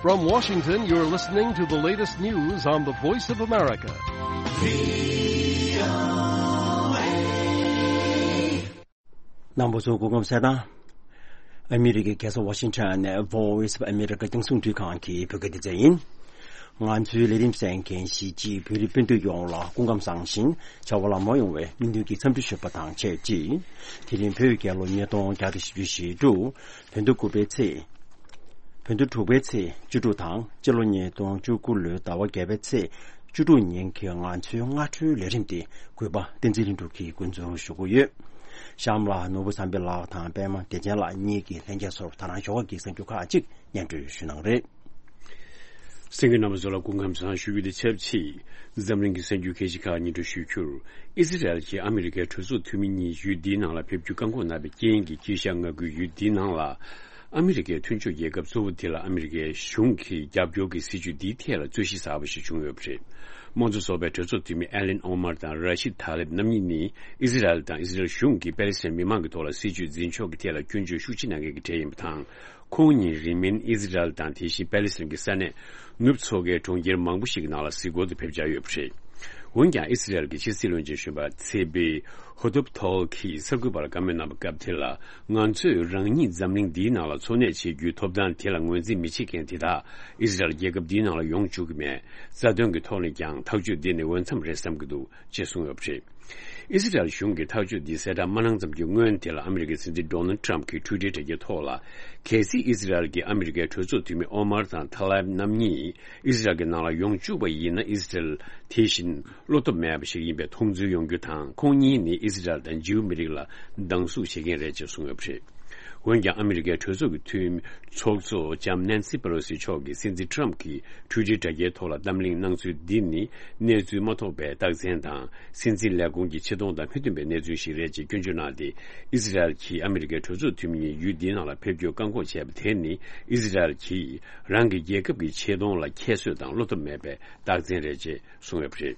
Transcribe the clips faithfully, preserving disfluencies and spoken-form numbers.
From Washington, you're listening to the latest news on the Voice of America. རྣམ་པ་ཚོ་སྐུ་ཁམས་བཟང་། ཨ་མི་རི་ཀའི་རྒྱལ་ས་ཝ་ཤིང་ཊོན་ནས་Voice of America རྒྱང་སྲིང་འཕྲིན་ཁང་གི་བོད་སྐད་སྡེ་ཚན་ཡིན། ང་ཚོའི་ལས་རིམ་གསན་མཁན་གཞིས་བྱེས་བོད་རིགས་སྤུན་ཟླ་ཡོངས་ལ་སྐུ་ཁམས་བཟང་ཞིང་བྱ་བ་ལམ་འགྲོ་ཡོང་བའི་སྨོན་འདུན་གྱི་འཚམས་འདྲི་ཞུ་བ་དང་ཆབས་ཅིག་དེ་རིང་བོད་རྒྱལ་ལོ་ཉིས་སྟོང་བརྒྱ་དང་བཞི་བཅུ་ཞེ་དྲུག་བོད་ཟླ་དགུ་པའི་ཚེས། བོད་ཟླ་དྲུག་པའི་ཚེས་བཅུ་དྲུག་དང་སྤྱི་ལོ་ཉིས་སྟོང་བཅུ་དགུ་ལོའི་ཟླ་བ་བརྒྱད་པའི་ཚེས་བཅུ་དྲུག་ཉིན་གྱི་ང་ཚོའི་སྔ་དྲོའི་ལས་རིམ་དེ་གུས་པ་བསྟན་འཛིན་ལྷུན་གྲུབ་ཀྱིས་འགོ་འཛུགས་ཞུ་གི་ཡོད། གཤམ་ལ་ནོར་བུ་བསམ་འཕེལ་ལགས་དང་པད་མ་བདེ་ཆེན་ལགས་གཉིས་ཀྱིས་ལྷན་རྒྱས་ཚོར་ད་རང་ཞོགས་ཀྱི་གསར་འགྱུར་ཁག་ཅིག་སྙན་སྒྲོན་ཞུ་གནང་རེད། གསན་མཁན་རྣམ་པ་ཚོ་ལ་སྐུ་ཁམས་བཟང་ཞུ་རྒྱུ་དང་ཆབས་ཅིག་འཛམ་གླིང་གི་གསར་འགྱུར་ཁག་ཅིག་ཁག་སྙན་སྒྲོན་ཞུས་རྒྱུར། ཨི་ཟི་རལ་གྱིས་ཨ་མི་རི་ཀའི་གྲོས་ཚོགས་འཐུས་མི་གཉིས་ཡུལ་འདིའི་ནང་ལ་ཕེབས་རྒྱུ་བཀག་འགོག་གནང་བའི་རྐྱེན་གྱིས་དཀྱིལ་ཤར་མངའ་ཁུལ་ཡུལ་འདིའི་ནང་ལ་ཨ་མི་རི་ཀའི་མཐུན་ཕྱོགས་རྒྱལ་ཁབ་གཙོ་བོ་དེ་ལ་ཨ་མི་རི་ཀའི་གཞུང་གིས་རྒྱབ་སྐྱོར་གྱི་སྲིད་ཇུས་འདིའི་ཐད་ལ་རྩོད་གཞི་གསར་པ་ཞིག་བྱུང་ཡོད་པ་རེད། དམངས་གཙོ་ཚོགས་པའི་གྲོས་ཚོགས་འཐུས་མི་ཨེ་ལན་ཨོ་མར་དང་ར་ཤིད་ཐ་ལིབ་རྣམ་གཉིས་ནི་ཨི་ཟི་རལ་དང་ཨི་ཟི་རལ་གཞུང་གིས་པེ་ལེ་སི་ཐན་མི་མང་གི་ཐོག་ལ་སྲིད་ཇུས་འཛིན་ཕྱོགས་ཀྱི་ཐད་ལ་སྐྱོན་བརྗོད་ཤུགས་ཆེ་གནང་མཁན་གྱི་གྲས་ཡིན་པ་དང་། ཁོང་ཉིད་རིང་མིན་ཨི་ཟི་རལ་དང་དེ་བཞིན་པེ་ལེ་སི་ཐན་གྱི་ས་གནས་ནུབ་མཚོ་ཁའི་གྲོང་ཁྱེར་མང་པོ་ཞིག་གི་ནང་ལ་གཟིགས་སྐོར་དུ་ཕེབས་འཆར་ཡོད་པ་རེད། འོན་ཀྱང་ཨི་ཟི་རལ་གྱི་ཕྱི་སྲིད་བློན་ཆེན་གཞོན་པ་ཚེ་པེ་ཧོ་ཐོབ་ཐོལ་གྱིས་གསར་འགོད་པར་བཀའ་མོལ་གནང་བའི་སྐབས་དེ་ལ། ང་ཚོས་རང་ཉིད་འཛམ་གླིང་འདིའི་ནང་ལ་འཚོ་གནས་བྱེད་རྒྱུའི་ཐོབ་ཐང་དེ་ལ་ངོས་འཛིན་མི་བྱེད་མཁན་དེ་དག་ཨི་ཟི་རལ་རྒྱལ་ཁབ་འདིའི་ནང་ལ་ཡོང་བཅུག་གི་མེད། རྩ་དོན་གྱི་ཐོག་ནས་ཀྱང་ཐག་གཅོད་འདི་ནི་འོས་འཚམ་རེད་བསམ་གྱི་འདུག་ཅེས་གསུངས་ཡོད་པ་རེད། ཨི་སི་རལ་གཞུང་གིས་ཐག་གཅོད་འདི་གསལ་བསྒྲགས་མ་གནང་ཙམ་གྱི་སྔོན་དེ་ལ་ཨ་མི་རི་ཀའི་སྲིད་འཛིན་ཌོ་ནལ་ཊམ་གྱིས་ཊུའི་ཊར་དྲ་རྒྱའི་ཐོག་ལ། གལ་སྲིད་ཨི་སི་རལ་གྱིས་ཨ་མི་རི་ཀའི་གྲོས་ཚོགས་འཐུས་མི་ཨོ་མར་དང་ཐ་ལའིབ་རྣམ་གཉིས་ཨི་སི་རལ་གྱི་ནང་ལ་ཡོང་བཅུག་པ་ཡིན་ན། ཨི་སི་རལ་དེ་བཞིན་བློ་སྟོབས་མེད་པ་ཞིག་ཡིན་པའི་མཐོང་ཚུལ་ཡོང་རྒྱུ་དང་། ཁོང་གཉིས་ནི་ཨི་སི་རལ་དང་ཇིའུ་མི་རིགས་ལ་སྡང་ཟུག་བྱེད་མཁན་རེད་ཅེས་གསུངས་ཡོད་པ་རེད། འོན་ཀྱང་ཨ་མི་རི་ཀའི་གྲོས་ཚོགས་ཀྱི་འཐུས་མི་ཚོགས་གཙོ་ལྕམ་ནན་སི་པེ་ལོ་སི་མཆོག་གིས་སྲིད་འཛིན་ཊམ་གྱིས་ཊུའི་ཊར་དྲ་རྒྱའི་ཐོག་ལ་གཏམ་གླེང་གནང་ཚུལ་འདི་ནི་གནས་ཚུལ་མ་རྟོགས་པའི་རྟགས་མཚན་དང་། སྲིད་འཛིན་ལས་ཁུངས་ཀྱི་ཆེ་མཐོང་དང་མི་མཐུན་པའི་གནས་ཚུལ་ཞིག་རེད་ཅེས་སྐྱོན་བརྗོད་གནང་སྟེ། ཨི་སི་རལ་གྱིས་ཨ་མི་རི་ཀའི་གྲོས་ཚོགས་འཐུས་མི་གཉིས་ཡུལ་འདིའི་ནང་ལ་ཕེབས་རྒྱུར་བཀག་འགོག་བྱས་པ་དེ་ནི། ཨི་སི་རལ་གྱིས་རང་གི་རྒྱལ་ཁབ་ཀྱི་ཆེ་མཐོང་ལ་ཁྱད་གསོད་དང་བློ་སྟོབས་མེད་པའི་རྟགས་མཚན་རེད་ཅེས་གསུངས་ཡོད་པ་རེད།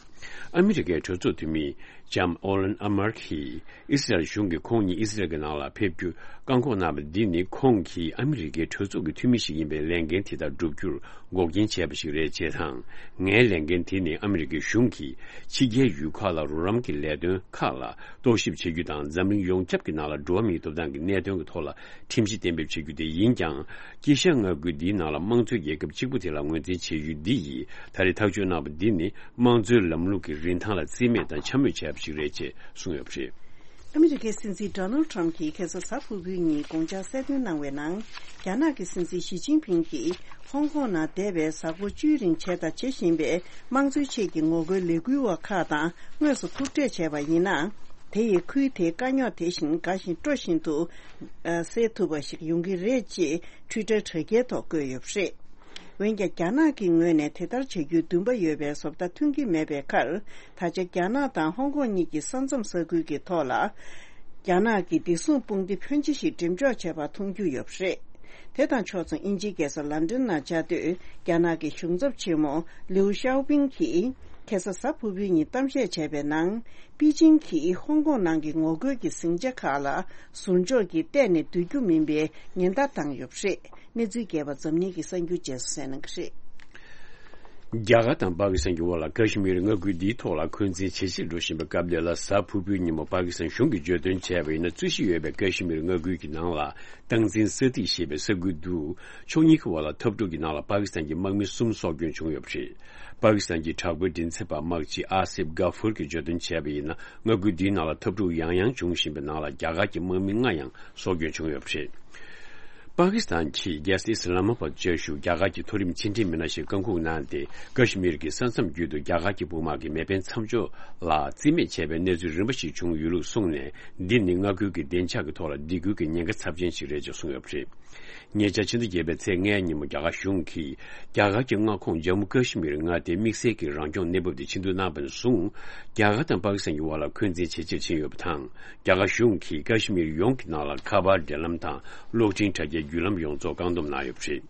ཨ་མི་རི་ཀའི་གྲོས་ཚོགས་འཐུས་མི་ལྕམ་ཨོ་ལན་ཨ་མར་གྱིས། ཨི་སི་རལ་གཞུང་གིས་ཁོང་ཉིད་ཨི་སི་རལ་གྱི་ནང་ལ་ཕེབས་རྒྱུ་བཀག་འགོག་གནང་བ་འདི་ནི། ཁོང་གིས་ཨ་མི་རི་ཀའི་གྲོས་ཚོགས་ཀྱི་འཐུས་མི་ཞིག་ཡིན་པའི་ལས་འགན་དེ་དག་བསྒྲུབ་རྒྱུར་འགོག་རྐྱེན་བྱས་པ་ཞིག་རེད་ཅེས་དང་། ངའི་ལས་འགན་དེ་ནི་ཨ་མི་རི་ཀའི་གཞུང་གིས་ཕྱི་རྒྱལ་ཡུལ་ཁག་ལ་རོགས་རམ་གྱི་ལས་དོན་ཁག་ལ་རྟོག་ཞིབ་བྱེད་རྒྱུ་དང་། འཛམ་གླིང་ཡོངས་ཁྱབ་ཀྱི་ནང་ལ་འགྲོ་བ་མིའི་ཐོབ་ཐང་གི་གནད་དོན་གྱི་ཐོག་ལ་ཁྲིམས་གཞི་གཏན་འབེབས་བྱེད་རྒྱུ་དེ་ཡིན་ཀྱང་། དཀྱིལ་ཤར་མངའ་ཁུལ་འདིའི་ནང་ལ་དམངས་གཙོའི་རྒྱལ་ཁབ་གཅིག་པུ་དེ་ལ་ངོས་འཛིན་བྱེད་ཡུལ་འདི་ཡིས། ད་རེས་ཐག་གཅོད་གནང་བ་འདི་ནི། དམངས་གཙོའི་ལམ་ལུགས་ཀྱི་རིན་ཐང་ལ་རྩིས་མེད་དང་འཕྱ་སྨོད་བྱས་པ་ཞིག་རེད་ཅེས་གསུངས་ཡོད་པ་རེད། ཨ་མི་རི་ཀའི་སྲིད་འཛིན་ཌོ་ནལ་ཊམ་གྱིས་ཁ་སང་གཟའ་ཕུར་བུའི་ཉིན་དགོངས་འཆར་གསལ་སྟོན་གནང་བའི་ནང་། རྒྱ་ནག་གི་སྲིད་འཛིན་ཞི་ཅིན་ཕིང་གིས་ཧོང་ཀོང་ནང་འདས་པའི་གཟའ་འཁོར་བཅུའི་རིང་བྱས་དང་བྱེད་བཞིན་པའི་དམངས་གཙོའི་ཆེད་ཀྱི་ངོ་རྒོལ་ལས་འགུལ་བ་ཁག་དང་དངོས་སུ་ཐུག་འཕྲད་བྱས་པ་ཡིན་ན། དེ་ཡིས་ཁུལ་དེའི་དཀའ་རྙོག་དེ་བཞིན་འགའ་ཞིག་སྤྲོ་བཞིན་དུ་སེལ་ཐུབ་པ་ཞིག་ཡོང་གི་རེད་ཅེས་ཊུའི་ཊར་དྲ་རྒྱའི་ཐོག་བཀོད་ཡོད་པ་རེད། འོན་ཀྱང་རྒྱ་ནག་གི་ངོས་ནས་དེ་ལྟར་བྱ་རྒྱུའི་འདུན་པ་ཡོད་པའི་བཟོ་ལྟ་ཐོན་གྱི་མེད་པའི་ཁར། ད་ཆ་རྒྱ་ནག་དང་ཧོང་ཀོང་གཉིས་ཀྱི་ས་མཚམས་ས་ཁུལ་གྱི་ཐོག་ལ། རྒྱ་ནག་གི་བདེ་སྲུང་དཔུང་སྡེ་ཕོན་ཆེ་ཞིག་འགྲེམས་འཇོག་བྱས་པ་མཐོང་རྒྱུ་ཡོད་པ་རེད། དེ་དང་ཕྱོགས་མཚུངས་དབྱིན་ཇིའི་རྒྱལ་ས་ལན་ཀྲན་ནང་བཅའ་སྡོད་རྒྱ་ནག་གི་གཞུང་ཚབ་ཆེན་མོ་ལིའུ་ཞའོ་པིང་གིས་ཁ་སང་གཟའ་ཕུར་བུའི་ཉིན་གཏམ་བཤད་བྱས་པའི་ནང་། པེ་ཅིང་གིས་ཧོང་ཀོང་ནང་གི་ངོ་རྒོལ་གྱི་ཟིང་ཆ་ཁག་ལ་ཟུར་འཇོག་གིས་གཏན་ནས་སྡོད་རྒྱུ་མིན་པའི་ཉེན་བརྡ་བཏང་ཡོད་པ་རེད། གནས་ཚུལ་རྒྱས་པ་འཛམ་གླིང་གི་གསར་འགྱུར་རྗེས་སུ་གསན་གནང་གི་རེད། རྒྱ་གར་དང་པ་ཀི་སི་ཐན་གྱི་དབར་ལ་ཀ་ཤི་མིར་མངའ་ཁུལ་འདིའི་ཐོག་ལ་འཁོན་འཛིན་ཇེ་ཆེར་འགྲོ་བཞིན་པའི་སྐབས་འདི་ལ། གཟའ་ཕུར་བུའི་ཉིན་མོ་པ་ཀི་སི་ཐན་གཞུང་གིས་བརྗོད་དོན་བྱས་པ་ཡིན་ན། རྩོད་གཞི་ཡོད་པའི་ཀ་ཤི་མིར་མངའ་ཁུལ་གྱི་ནང་ལ་སྟངས་འཛིན་ས་ཐིག་ཞེས་པའི་ས་ཁུལ་དུ། ཕྱོགས་གཉིས་ཀྱི་དབར་ལ་འཐབ་འཁྲུག་གི་ནང་ལ་པ་ཀི་སི་ཐན་གྱི་དམག་མི་གསུམ་སྲོག་སྐྱོན་བྱུང་ཡོད་པ་རེད། པ་ཀི་སི་ཐན་གྱི་དྲག་པོའི་མགྲིན་ཚབ་པ་དམག་སྤྱི་ཨ་སིབ་གྷ་ཧྥུར་གྱིས་བརྗོད་དོན་བྱས་པ་ཡིན་ན། མངའ་ཁུལ་འདིའི་ནང་ལ་འཐབ་འཁྲུག་ཡང་ཡང་འབྱུང་བཞིན་པའི་ནང་ལ་རྒྱ་གར་གྱི་དམག་མི་ལྔ་ཡང་སྲོག་སྐྱོན་བྱུང་ཡོད་པ་རེད། པ་ཀི་སི་ཐན་གྱི་རྒྱལ་ས་ཨི་སི་ལ་མ་པ་བཅའ་བཞུགས་རྒྱ་གར་གྱི་མཐོ་རིམ་ཕྱི་འབྲེལ་མི་སྣ་ཞིག་བཀའ་འགུག་གནང་སྟེ། ཀ་ཤི་མིར་གྱི་ས་མཚམས་བརྒྱུད་དུ་རྒྱ་གར་གྱི་དཔུང་དམག་གིས་མེ་འཕེན་མཚམས་འཇོག་ལ་རྩིས་མེད་བྱས་པའི་གནས་ཚུལ་རིམ་པ་ཞིག་བྱུང་ཡོད་ལུགས་གསུངས་ནས། འདི་ནི་མངའ་ཁུལ་གྱི་བདེ་འཇགས་ཀྱི་ཐོག་ལ་སྡིགས་སྐུལ་གྱི་ཉེན་ཁ་ཚབས་ཆེན་ཞིག་རེད་ཅེས་གསུངས་ཡོད་པ་རེད། ཉེ་ཆར་ཕྱི་ཟླ་བརྒྱད་པའི་ཚེས་ལྔའི་ཉིན་མོ་རྒྱ་གར་གཞུང་གིས་རྒྱ་གར་གྱི་མངའ་ཁོངས་ཇམ་མུ་ཀ་ཤི་མིར་མངའ་སྡེའི་དམིགས་བསལ་གྱི་རང་སྐྱོང་གནས་བབ་དེ་ཆེ་བསྡུ་གནང་བ་ནས་བཟུང་། རྒྱ་གར་དང་པ་ཀི་སི་ཐན་གྱི་དབར་ལ་འཁོན་འཛིན་ཇེ་ཆེར་ཕྱིན་ཡོད་པ་དང་། རྒྱ་གར་གཞུང་གིས་ཀ་ཤི་མིར་ཡོངས་ཀྱི་ནང་ལ་ཁ་པར་འབྲེལ་ལམ་དང་གློག་འཕྲིན་དྲ་རྒྱའི་བརྒྱུད་ལམ་ཡོངས་རྫོགས་བཀག་སྡོམ་གནང་ཡོད་པ་རེད།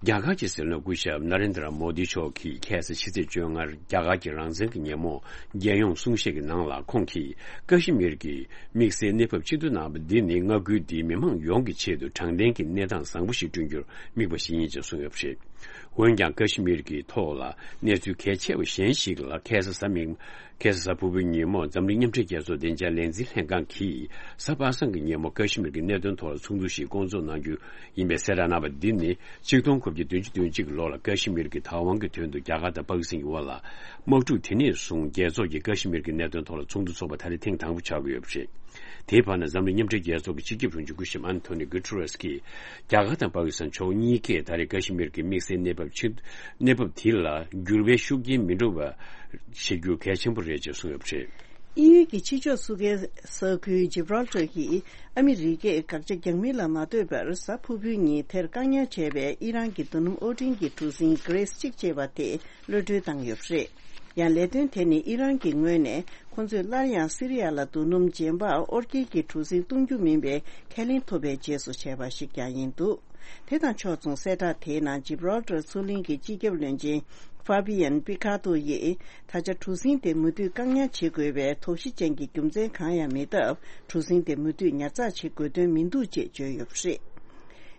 རྒྱ་གར་གྱི་སྲིད་བློན་སྐུ་ཞབས་ན་རེན་དྲ་མོ་དི་མཆོག་གིས་ཁ་སང་ཕྱི་ཚེས་བཅོ་ལྔར་རྒྱ་གར་གྱི་རང་བཙན་གྱི་ཉིན་མོ་རྒྱལ་ཡོངས་གསུང་བཤད་ཀྱི་ནང་ལ། ཁོང་གིས་ཀ་ཤི་མིར་གྱི་དམིགས་བསལ་གནས་བབ་ཆེ་བསྡུ་གནང་བ་འདི་ནི་མངའ་ཁུལ་འདིའི་མི་མང་ཡོངས་ཀྱི་ཆེད་དུ་དྲང་བདེན་གྱི་གནས་སྟངས་བཟང་པོ་ཞིག་བསྐྲུན་རྒྱུར་དམིགས་པ་ཞིག་ཡིན་ཅེས་གསུངས་ཡོད་པ་རེད། འོན་ཀྱང་ཀ་ཤི་མིར་གྱི་ཐོག་ལ་གནས་ཚུལ་གལ་ཆེ་བ་གཞན་ཞིག་ལ། ཁ་སང་གཟའ་མིག་ཁ་སང་གཟའ་ཕུར་བུའི་ཉིན་མོ་འཛམ་གླིང་མཉམ་འབྲེལ་རྒྱལ་ཚོགས་བདེ་འཇགས་ལས་འཛིན་ལྷན་ཁང་གིས་གཟའ་པ་སངས་ཀྱི་ཉིན་མོ་ཀ་ཤི་མིར་གྱི་གནད་དོན་ཐོག་ལ་ཚོགས་འདུ་ཞིག་བསྐོང་ཚོགས་གནང་རྒྱུ་ཡིན་པའི་གསལ་བསྒྲགས་གནང་བ་འདི་ནི་ཆིག་སྟོང་དགུ་བརྒྱ་བདུན་ཅུ་དོན་གཅིག་གི་ལོ་ལ་ཀ་ཤི་མིར་གྱི་བདག་དབང་གི་དོན་དུ་རྒྱ་གར་དང་པ་ཀི་སི་ཐན་གྱི་དབར་ལ་དམག་འཁྲུག་དེ་ནས་བཟུང་རྒྱལ་ཚོགས་ཀྱིས་ཀ་ཤི་མིར་གྱི་གནད་དོན་ཐོག་ལ་ཚོགས་འདུ་འཚོགས་པ་ད་རེས་ཐེངས་དང་པོ་ཆགས་ཀྱི་ཡོད་པ་རེད། དེའི་བར་ན་འཛམ་གླིང་མཉམ་འབྲེལ་རྒྱལ་ཚོགས་ཀྱི་སྤྱི་ཁྱབ་དྲུང་ཆེ་སྐུ་ཞབས་ཨན་ཐོ་ནི་གུ་ཏུ་རེས་ཀྱིས་རྒྱ་གར་དང་པ་ཀི་སི་ཐན་ཕྱོགས་གཉིས་ཀས་ད་རེས་ཀ་ཤི་མིར་གྱི་དམིགས་བསལ་གནས་བབ་ཆེ་གནས་བབ་དེ་ལ་འགྱུར་བའི་ཤུགས་རྐྱེན་མི་འགྲོ་བ་བྱེད་རྒྱུ་གལ་ཆེན་པོ་རེད་ཅེས་གསུངས་ཡོད་པ་རེད། དབྱིན་ཡུལ་གྱི་ཕྱི་ཕྱོགས་སུ་ཁའི་ས་ཁུལ་ཇི་བྷ་རལ་ཊར་གྱིས་ཨ་མི་རི་ཀས་དགག་བྱ་རྒྱག་མིན་ལ་མ་ལྟོས་པར་གཟའ་ཕུར་བུའི་ཉིན་དེར་བཀག་ཉར་བྱས་པའི་ཨི་རན་གྱི་རྡོ་སྣུམ་དབོར་འདྲེན་གྱི་གྲུ་གཟིངས་གྷི་རེས་གཅིག་ཅེས་པ་དེ་གློད་གྲོལ་བཏང་ཡོད་པ་རེད། ཡང་ལས་དོན་དེ་ནི་ཨི་རན་གྱི་ངོས་ནས་ཁོ་ཚོས་སླར་ཡང་སི་རི་ཡ་ལ་རྡོ་སྣུམ་རྗེན་པ་དབོར་སྐྱེལ་གྱི་གྲུ་གཟིངས་གཏོང་རྒྱུ་མིན་པའི་ཁས་ལེན་ཐོབ་པའི་རྗེས་སུ་བྱས་པ་ཞིག་ཀྱང་ཡིན་འདུག་དེ་དང་ཕྱོགས་མཚུངས་གསལ་བསྒྲགས་དེའི་ནང་ཇི་བྷ་རལ་ཊར་མཚོ་གླིང་གི་སྤྱི་ཁྱབ་བློན་ཆེན་ཧྥ་བྷི་ཡན་པི་ཁ་ཏོ་ཡིས་ད་ཆ་གྲུ་གཟིངས་དེ་མུ་མཐུད་བཀག་ཉར་བྱེད་དགོས་པའི་དོགས་གཞི་ཅན་གྱི་རྒྱུ་མཚན་གང་ཡང་མེད་སྟབས། གྲུ་གཟིངས་དེ་མུ་མཐུད་ཉར་ཚགས་བྱེད་དགོས་དོན་མི་འདུག་ཅེས་བརྗོད་ཡོད་པ་རེད།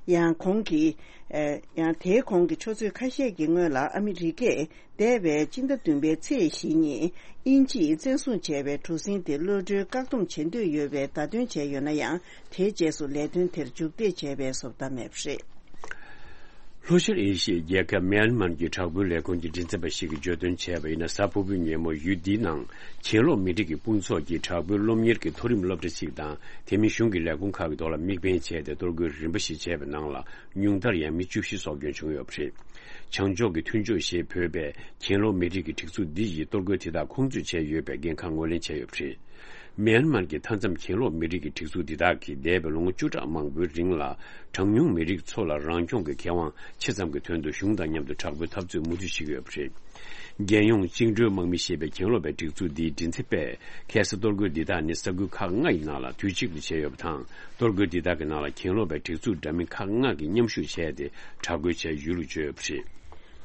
ཡང་གོང་གི་ཨ་ཡང་དེའི་གོང་གི་ཆུ་ཚོད་ཁ་ཤས་ཀྱི་སྔོན་ལ་ཨ་མི་རི་ཀས་འདས་པའི་སྤྱི་ཟླ་བདུན་པའི་ཚེས་བཞི་ཉིན་དབྱིན་ཇིས་བཙན་བཟུང་བྱས་པའི་གྲུ་གཟིངས་དེ་གློད་གྲོལ་བཀག་སྡོམ་བྱེད་འདོད་ཡོད་པའི་བརྡ་སྟོན་བྱས་ཡོད་ན་ཡང་། དེའི་རྗེས་སུ་ལས་དོན་དེར་མཇུག་འབྲས་བྱས་པའི་བཟོ་ལྟ་མེད་པ་རེད། ལྷོ་ཤར་ཨེ་ཤི་ཡའི་རྒྱལ་ཁབ་མེན་མར་གྱི་དྲག་པོའི་ལས་ཁུངས་ཀྱི་མགྲིན་ཚབ་པ་ཞིག་གིས་བརྗོད་དོན་བྱས་པ་ཡིན་ན། གཟའ་ཕུར་བུའི་ཉིན་མོ་ཡུལ་འདིའི་ནང་གྱེན་ལོག་མི་རིགས་ཀྱི་དཔུང་ཚོགས་ཀྱིས་དྲག་པོའི་སློབ་གཉེར་གྱི་མཐོ་རིམ་སློབ་གྲྭ་ཞིག་དང་། དེ་མིན་གཞུང་གི་ལས་ཁུངས་ཁག་གི་ཐོག་ལ་དམིགས་འབེན་བྱས་ཏེ་གཏོར་རྒོལ་རིམ་པ་ཞིག་བྱས་པའི་ནང་ལ། ཉུང་མཐར་ཡང་མི་བཅུ་བཞི་སྲོག་སྐྱོན་བྱུང་ཡོད་པ་རེད། བྱང་ཕྱོགས་ཀྱི་མཐུན་ཕྱོགས་ཞེས་འབོད་པའི་གྱེན་ལོག་མི་རིགས་ཀྱི་སྒྲིག་འཛུགས་འདི་ཡིས་གཏོར་རྒོལ་དེ་དག་ཁོང་ཚོས་བྱས་ཡོད་པའི་འགན་ཁག་ངོས་ལེན་བྱས་ཡོད་པ་རེད། མེན་མར་གྱི་མཐའ་མཚམས་གྱེན་ལོག་མི་རིགས་ཀྱི་སྒྲིག་འཛུགས་འདི་དག་གིས་འདས་པའི་ལོ་ངོ་བཅུ་ཕྲག་མང་པོའི་རིང་ལ། གྲངས་ཉུང་མི་རིགས་ཚོ་ལ་རང་སྐྱོང་གི་ཁེ་དབང་ཆེ་ཙམ་གྱི་དོན་དུ་གཞུང་དང་མཉམ་དུ་དྲག་པོའི་འཐབ་རྩོད་མུ་མཐུད་བྱེད་ཀྱི་ཡོད་པ་རེད། རྒྱལ་ཡོངས་བཅིངས་འགྲོལ་དམག་མི་ཞེས་པའི་གྱེན་ལོག་པའི་སྒྲིག་འཛུགས་འདིའི་མགྲིན་ཚབ་པས། ཁ་སང་གཏོར་རྒོལ་འདི་དག་ནི་ས་ཁུལ་ཁག་ལྔ་ཡི་ནང་ལ་དུས་གཅིག་ཏུ་བྱས་ཡོད་པ་དང་། གཏོར་རྒོལ་འདི་དག་གི་ནང་ལ་གྱེན་ལོག་པའི་སྒྲིག་འཛུགས་འདྲ་མིན་ཁག་ལྔ་གིས་མཉམ་ཞུགས་བྱས་ཏེ། དྲག་རྒོལ་བྱས་ཡོད་ལུགས་བརྗོད་ཡོད་པ་རེད།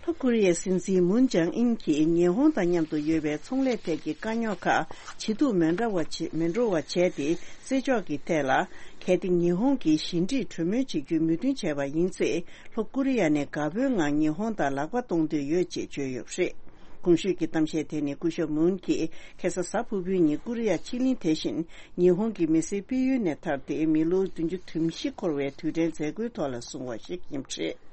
ལྷོ་ཀོ་རི་ཡའི་སྲིད་འཛིན་མུན་ཇང་ཨིན་གྱིས་ཉི་ཧོང་དང་མཉམ་དུ་ཡོད་པའི་ཚོང་ལས་ཐད་ཀྱི་དཀའ་རྙོག་ཁག་ཇེ་སྡུག་མི་འགྲོ་བ་བྱེད་མི་འགྲོ་བ་བྱས་ཏེ། སྲིད་ཕྱོགས་ཀྱི་ཐད་ལ། གལ་ཏེ་ཉི་ཧོང་གིས་ཞི་འགྲིག་གྲོས་མོལ་བྱེད་རྒྱུའི་མོས་མཐུན་བྱས་པ་ཡིན་ཚེ། ལྷོ་ཀོ་རི་ཡ་ནས་དགའ་པོའི་ངང་ཉི་ཧོང་དང་ལག་པ་གཏོང་འདོད་ཡོད་ཅེས་བརྗོད་ཡོད་པ་རེད། གོང་ཞུས་ཀྱི་གཏམ་བཤད་དེ་ནི་སྐུ་ཞབས་མུན་གྱིས་ཁ་སང་གཟའ་ཕུར་བུའི་ཉིན་ཀོ་རི་ཡ་ཕྱེད་གླིང་དེ་བཞིན་ཉི་ཧོང་གི་མི་སེར་སྤེལ་ཡུལ་ནས་ཐར་ཏེ་མི་ལོ་བདུན་ཅུ་དོན་བཞི་འཁོར་བའི་དུས་དྲན་མཛད་སྒོའི་ཐོག་ལ་གསུངས་པ་ཞིག་ཡིན་པ་རེད།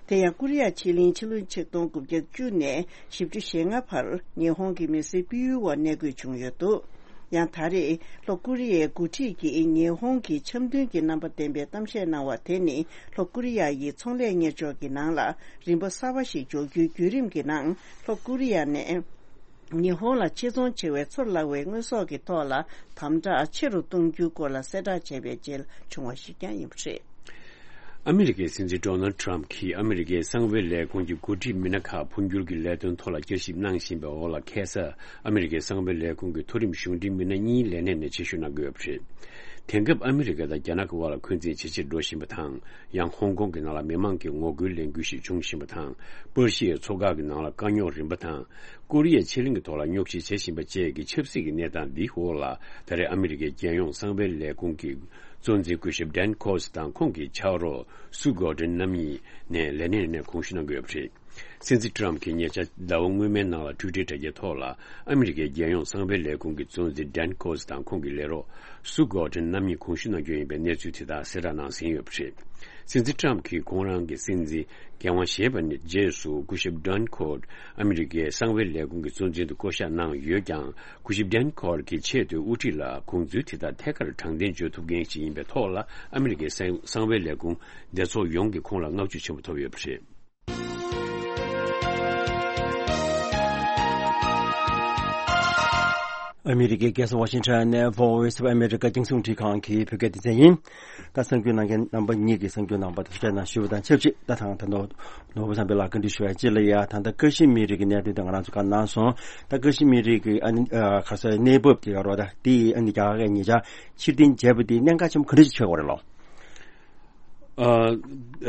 དེ་ཡང་ཀོ་རི་ཡ་ཕྱེད་གླིང་ཕྱི་ལོ་ཆིག་སྟོང་དགུ་བརྒྱ་བཅུ་ནས་བཞི་བཅུ་ཞེ་ལྔ་བར་ཉི་ཧོང་གི་མི་སེར་སྤེལ་ཡུལ་བ་གནས་དགོས་བྱུང་ཡོད་འདུག་ཡང་ད་རེས་ལྷོ་ཀོ་རི་ཡའི་འགོ་ཁྲིད་ཀྱིས་ཉི་ཧོང་གི་འཆམ་མཐུན་གྱི་རྣམ་པ་ལྡན་པའི་གཏམ་བཤད་གནང་བ་དེ་ནི། ལྷོ་ཀོ་རི་ཡ་ཡིས་ཚོང་ལས་གཉེར་ཕྱོགས་ཀྱི་ནང་ལ་རིམ་པ་གསར་པ་ཞིག་འཇོག་རྒྱུའི་བརྒྱུད་རིམ་གྱི་ནང་། ལྷོ་ཀོ་རི་ཡ་ནས་ཉི་ཧོང་ལ་ཕྱིར་ཚོང་བྱེད་པའི་ཚུར་བརླག་པའི་དངོས་ཟོག་གི་ཐོག་ལ་དམ་དྲག་ཆེ་རུ་གཏོང་རྒྱུའི་སྐོར་ལ་གསལ་བསྒྲགས་བྱས་པའི་རྗེས་བྱུང་བ་ཞིག་ཀྱང་ཡིན་པ་རེད། ཨ་མི་རི་ཀའི་སྲིད་འཛིན་ཌོ་ནལ་ཌི་ཊརམ་ཕི་གྱིས་ཨ་མི་རི་ཀའི་གསང་བའི་ལས་ཁུངས་ཀྱི་འགོ་ཁྲིད་མི་སྣ་ཁག་འཕོ་འགྱུར་གྱི་ལས་དོན་ཐོག་ལ་བསྐྱར་ཞིབ་གནང་བཞིན་པའི་འོག་ལ། ཁ་སང་ཨ་མི་རི་ཀའི་གསང་བའི་ལས་ཁུངས་ཀྱི་མཐོ་རིམ་གཞུང་འབྲེལ་མི་སྣ་གཉིས་ལས་གནས་ནས་ཕྱིར་བཤོལ་གནང་གི་ཡོད་པ་རེད། དེང་སྐབས་ཨ་མི་རི་ཀ་དང་རྒྱ་ནག་གི་དབར་ལ་འཁོན་འཛིན་ཇེ་ཆེར་འགྲོ་བཞིན་པ་དང་། ཡང་ཧོང་ཀོང་གི་ནང་ལ་མི་མང་གིས་ངོ་རྒོལ་ལས་འགུལ་ཞིག་བྱུང་བཞིན་པ་དང་། པར་ཤི་ཡའི་མཚོ་འགག་གི་ནང་ལ་དཀའ་རྙོག་རིམ་པ་དང་། ཀོ་རི་ཡའི་ཕྱེད་གླིང་གི་ཐོག་ལ་རྙོག་གཞི་བྱེད་བཞིན་པ་བཅས་ཀྱི་ཆབ་སྲིད་ཀྱི་གནས་སྟངས་འདིའི་འོག་ལ། ད་རེས་ཨ་མི་རི་ཀའི་རྒྱལ་ཡོངས་གསང་བའི་ལས་ཁུངས་ཀྱི་གཙོ་འཛིན་སྐུ་ཞབས་ཌན་ཁོ་སི་དང་ཁོང་གི་ཕྱག་རོགས་སུ་གོ་ཌེན་རྣམ་གཉིས་ནས་ལས་གནས་ནས་དགོངས་ཞུ་གནང་གི་ཡོད་པ་རེད། སྲིད་འཛིན་ཊརམ་གྱིས་ཉེ་ཆར་ཟླ་བ་སྔོན་མའི་ནང་ལ་ཊུའི་ཊར་དྲ་རྒྱའི་ཐོག་ལ། ཨ་མི་རི་ཀའི་རྒྱལ་ཡོངས་གསང་བའི་ལས་ཁུངས་ཀྱི་གཙོ་འཛིན་ཌན་ཁོ་སི་དང་ཁོང་གི་ལས་རོགས་སུ་གོ་ཌེན་རྣམ་གཉིས་དགོངས་ཞུ་གནང་རྒྱུ་ཡིན་པའི་གནས་ཚུལ་དེ་དག་གསལ་བསྒྲགས་གནང་ཟིན་ཡོད་པ་རེད། སྲིད་འཛིན་ཊརམ་གྱིས་ཁོང་རང་གི་སྲིད་འཛིན་འགན་དབང་བཞེས་པ་ནས་རྗེས་སུ། སྐུ་ཞབས་ཌན་ཁོ་སི་ཨ་མི་རི་ཀའི་གསང་བའི་ལས་ཁུངས་ཀྱི་གཙོ་འཛིན་དུ་བསྐོ་གཞག་གནང་ཡོད་ཀྱང་། སྐུ་ཞབས་ཌན་ཁོ་སི་གི་ཆེས་མཐོའི་དབུ་ཁྲིད་ལ་དགོངས་ཚུལ་དེ་དག་ཐད་ཀར་དྲང་བདེན་བརྗོད་ཐུབ་མཁན་ཞིག་ཡིན་པའི་ཐོག་ལ། ཨ་མི་རི་ཀའི་གསང་གསང་བའི་ལས་ཁུངས་སྡེ་ཚོགས་ཡོངས་ཀྱིས་ཁོང་ལ་བསྔགས་བརྗོད་ཆེན་པོ་ཐོབ་ཡོད་པ་རེད། ཨ་མི་རི་ཀའི་རྒྱལ་ས་ཝ་ཤིང་ཊོན་ནས་Voice of America་རྒྱང་སྲིང་རླུང་འཕྲིན་ཁང་གི་བོད་སྐད་སྡེ་ཚན་ཡིན། ད་གསར་འགྱུར་གནང་མཁན་རྣམ་པ་གཉིས་ཀྱིས་གསར་འགྱུར་གནང་པ་དང་ཐུགས་རྗེ་གནང་ཞུ་བ་དང་ཆབས་ཅིག་ད་ཐང་ད་ནོར་ནོར་བུ་བསམ་འཕེལ་ལགས་བཀའ་འདྲི་ཞུ་བ་ཅི་ལ་ཡ། ད་ལྟ་ཀ་ཤི་མིར་གྱི་གནད་དོན་དེ་ང་རང་ཚོ་ག་གནང་སོང་། ད་ཀ་ཤི་མིར་གྱི་ཨ་ནི་ཨ་ག་ས་གནས་བབ་དེ་ག་རོ། ད་དེ་ཨ་ནི་རྒྱ་གར་གྱི་ཉེ་ཆར་ཕྱིར་འཐེན་བྱས་པ་དེ་གནད་འགག་ཆེན་པོ་ག་འདྲ་ཞིག་ཆགས་ཡོད་རེད་ལོ། ཨ་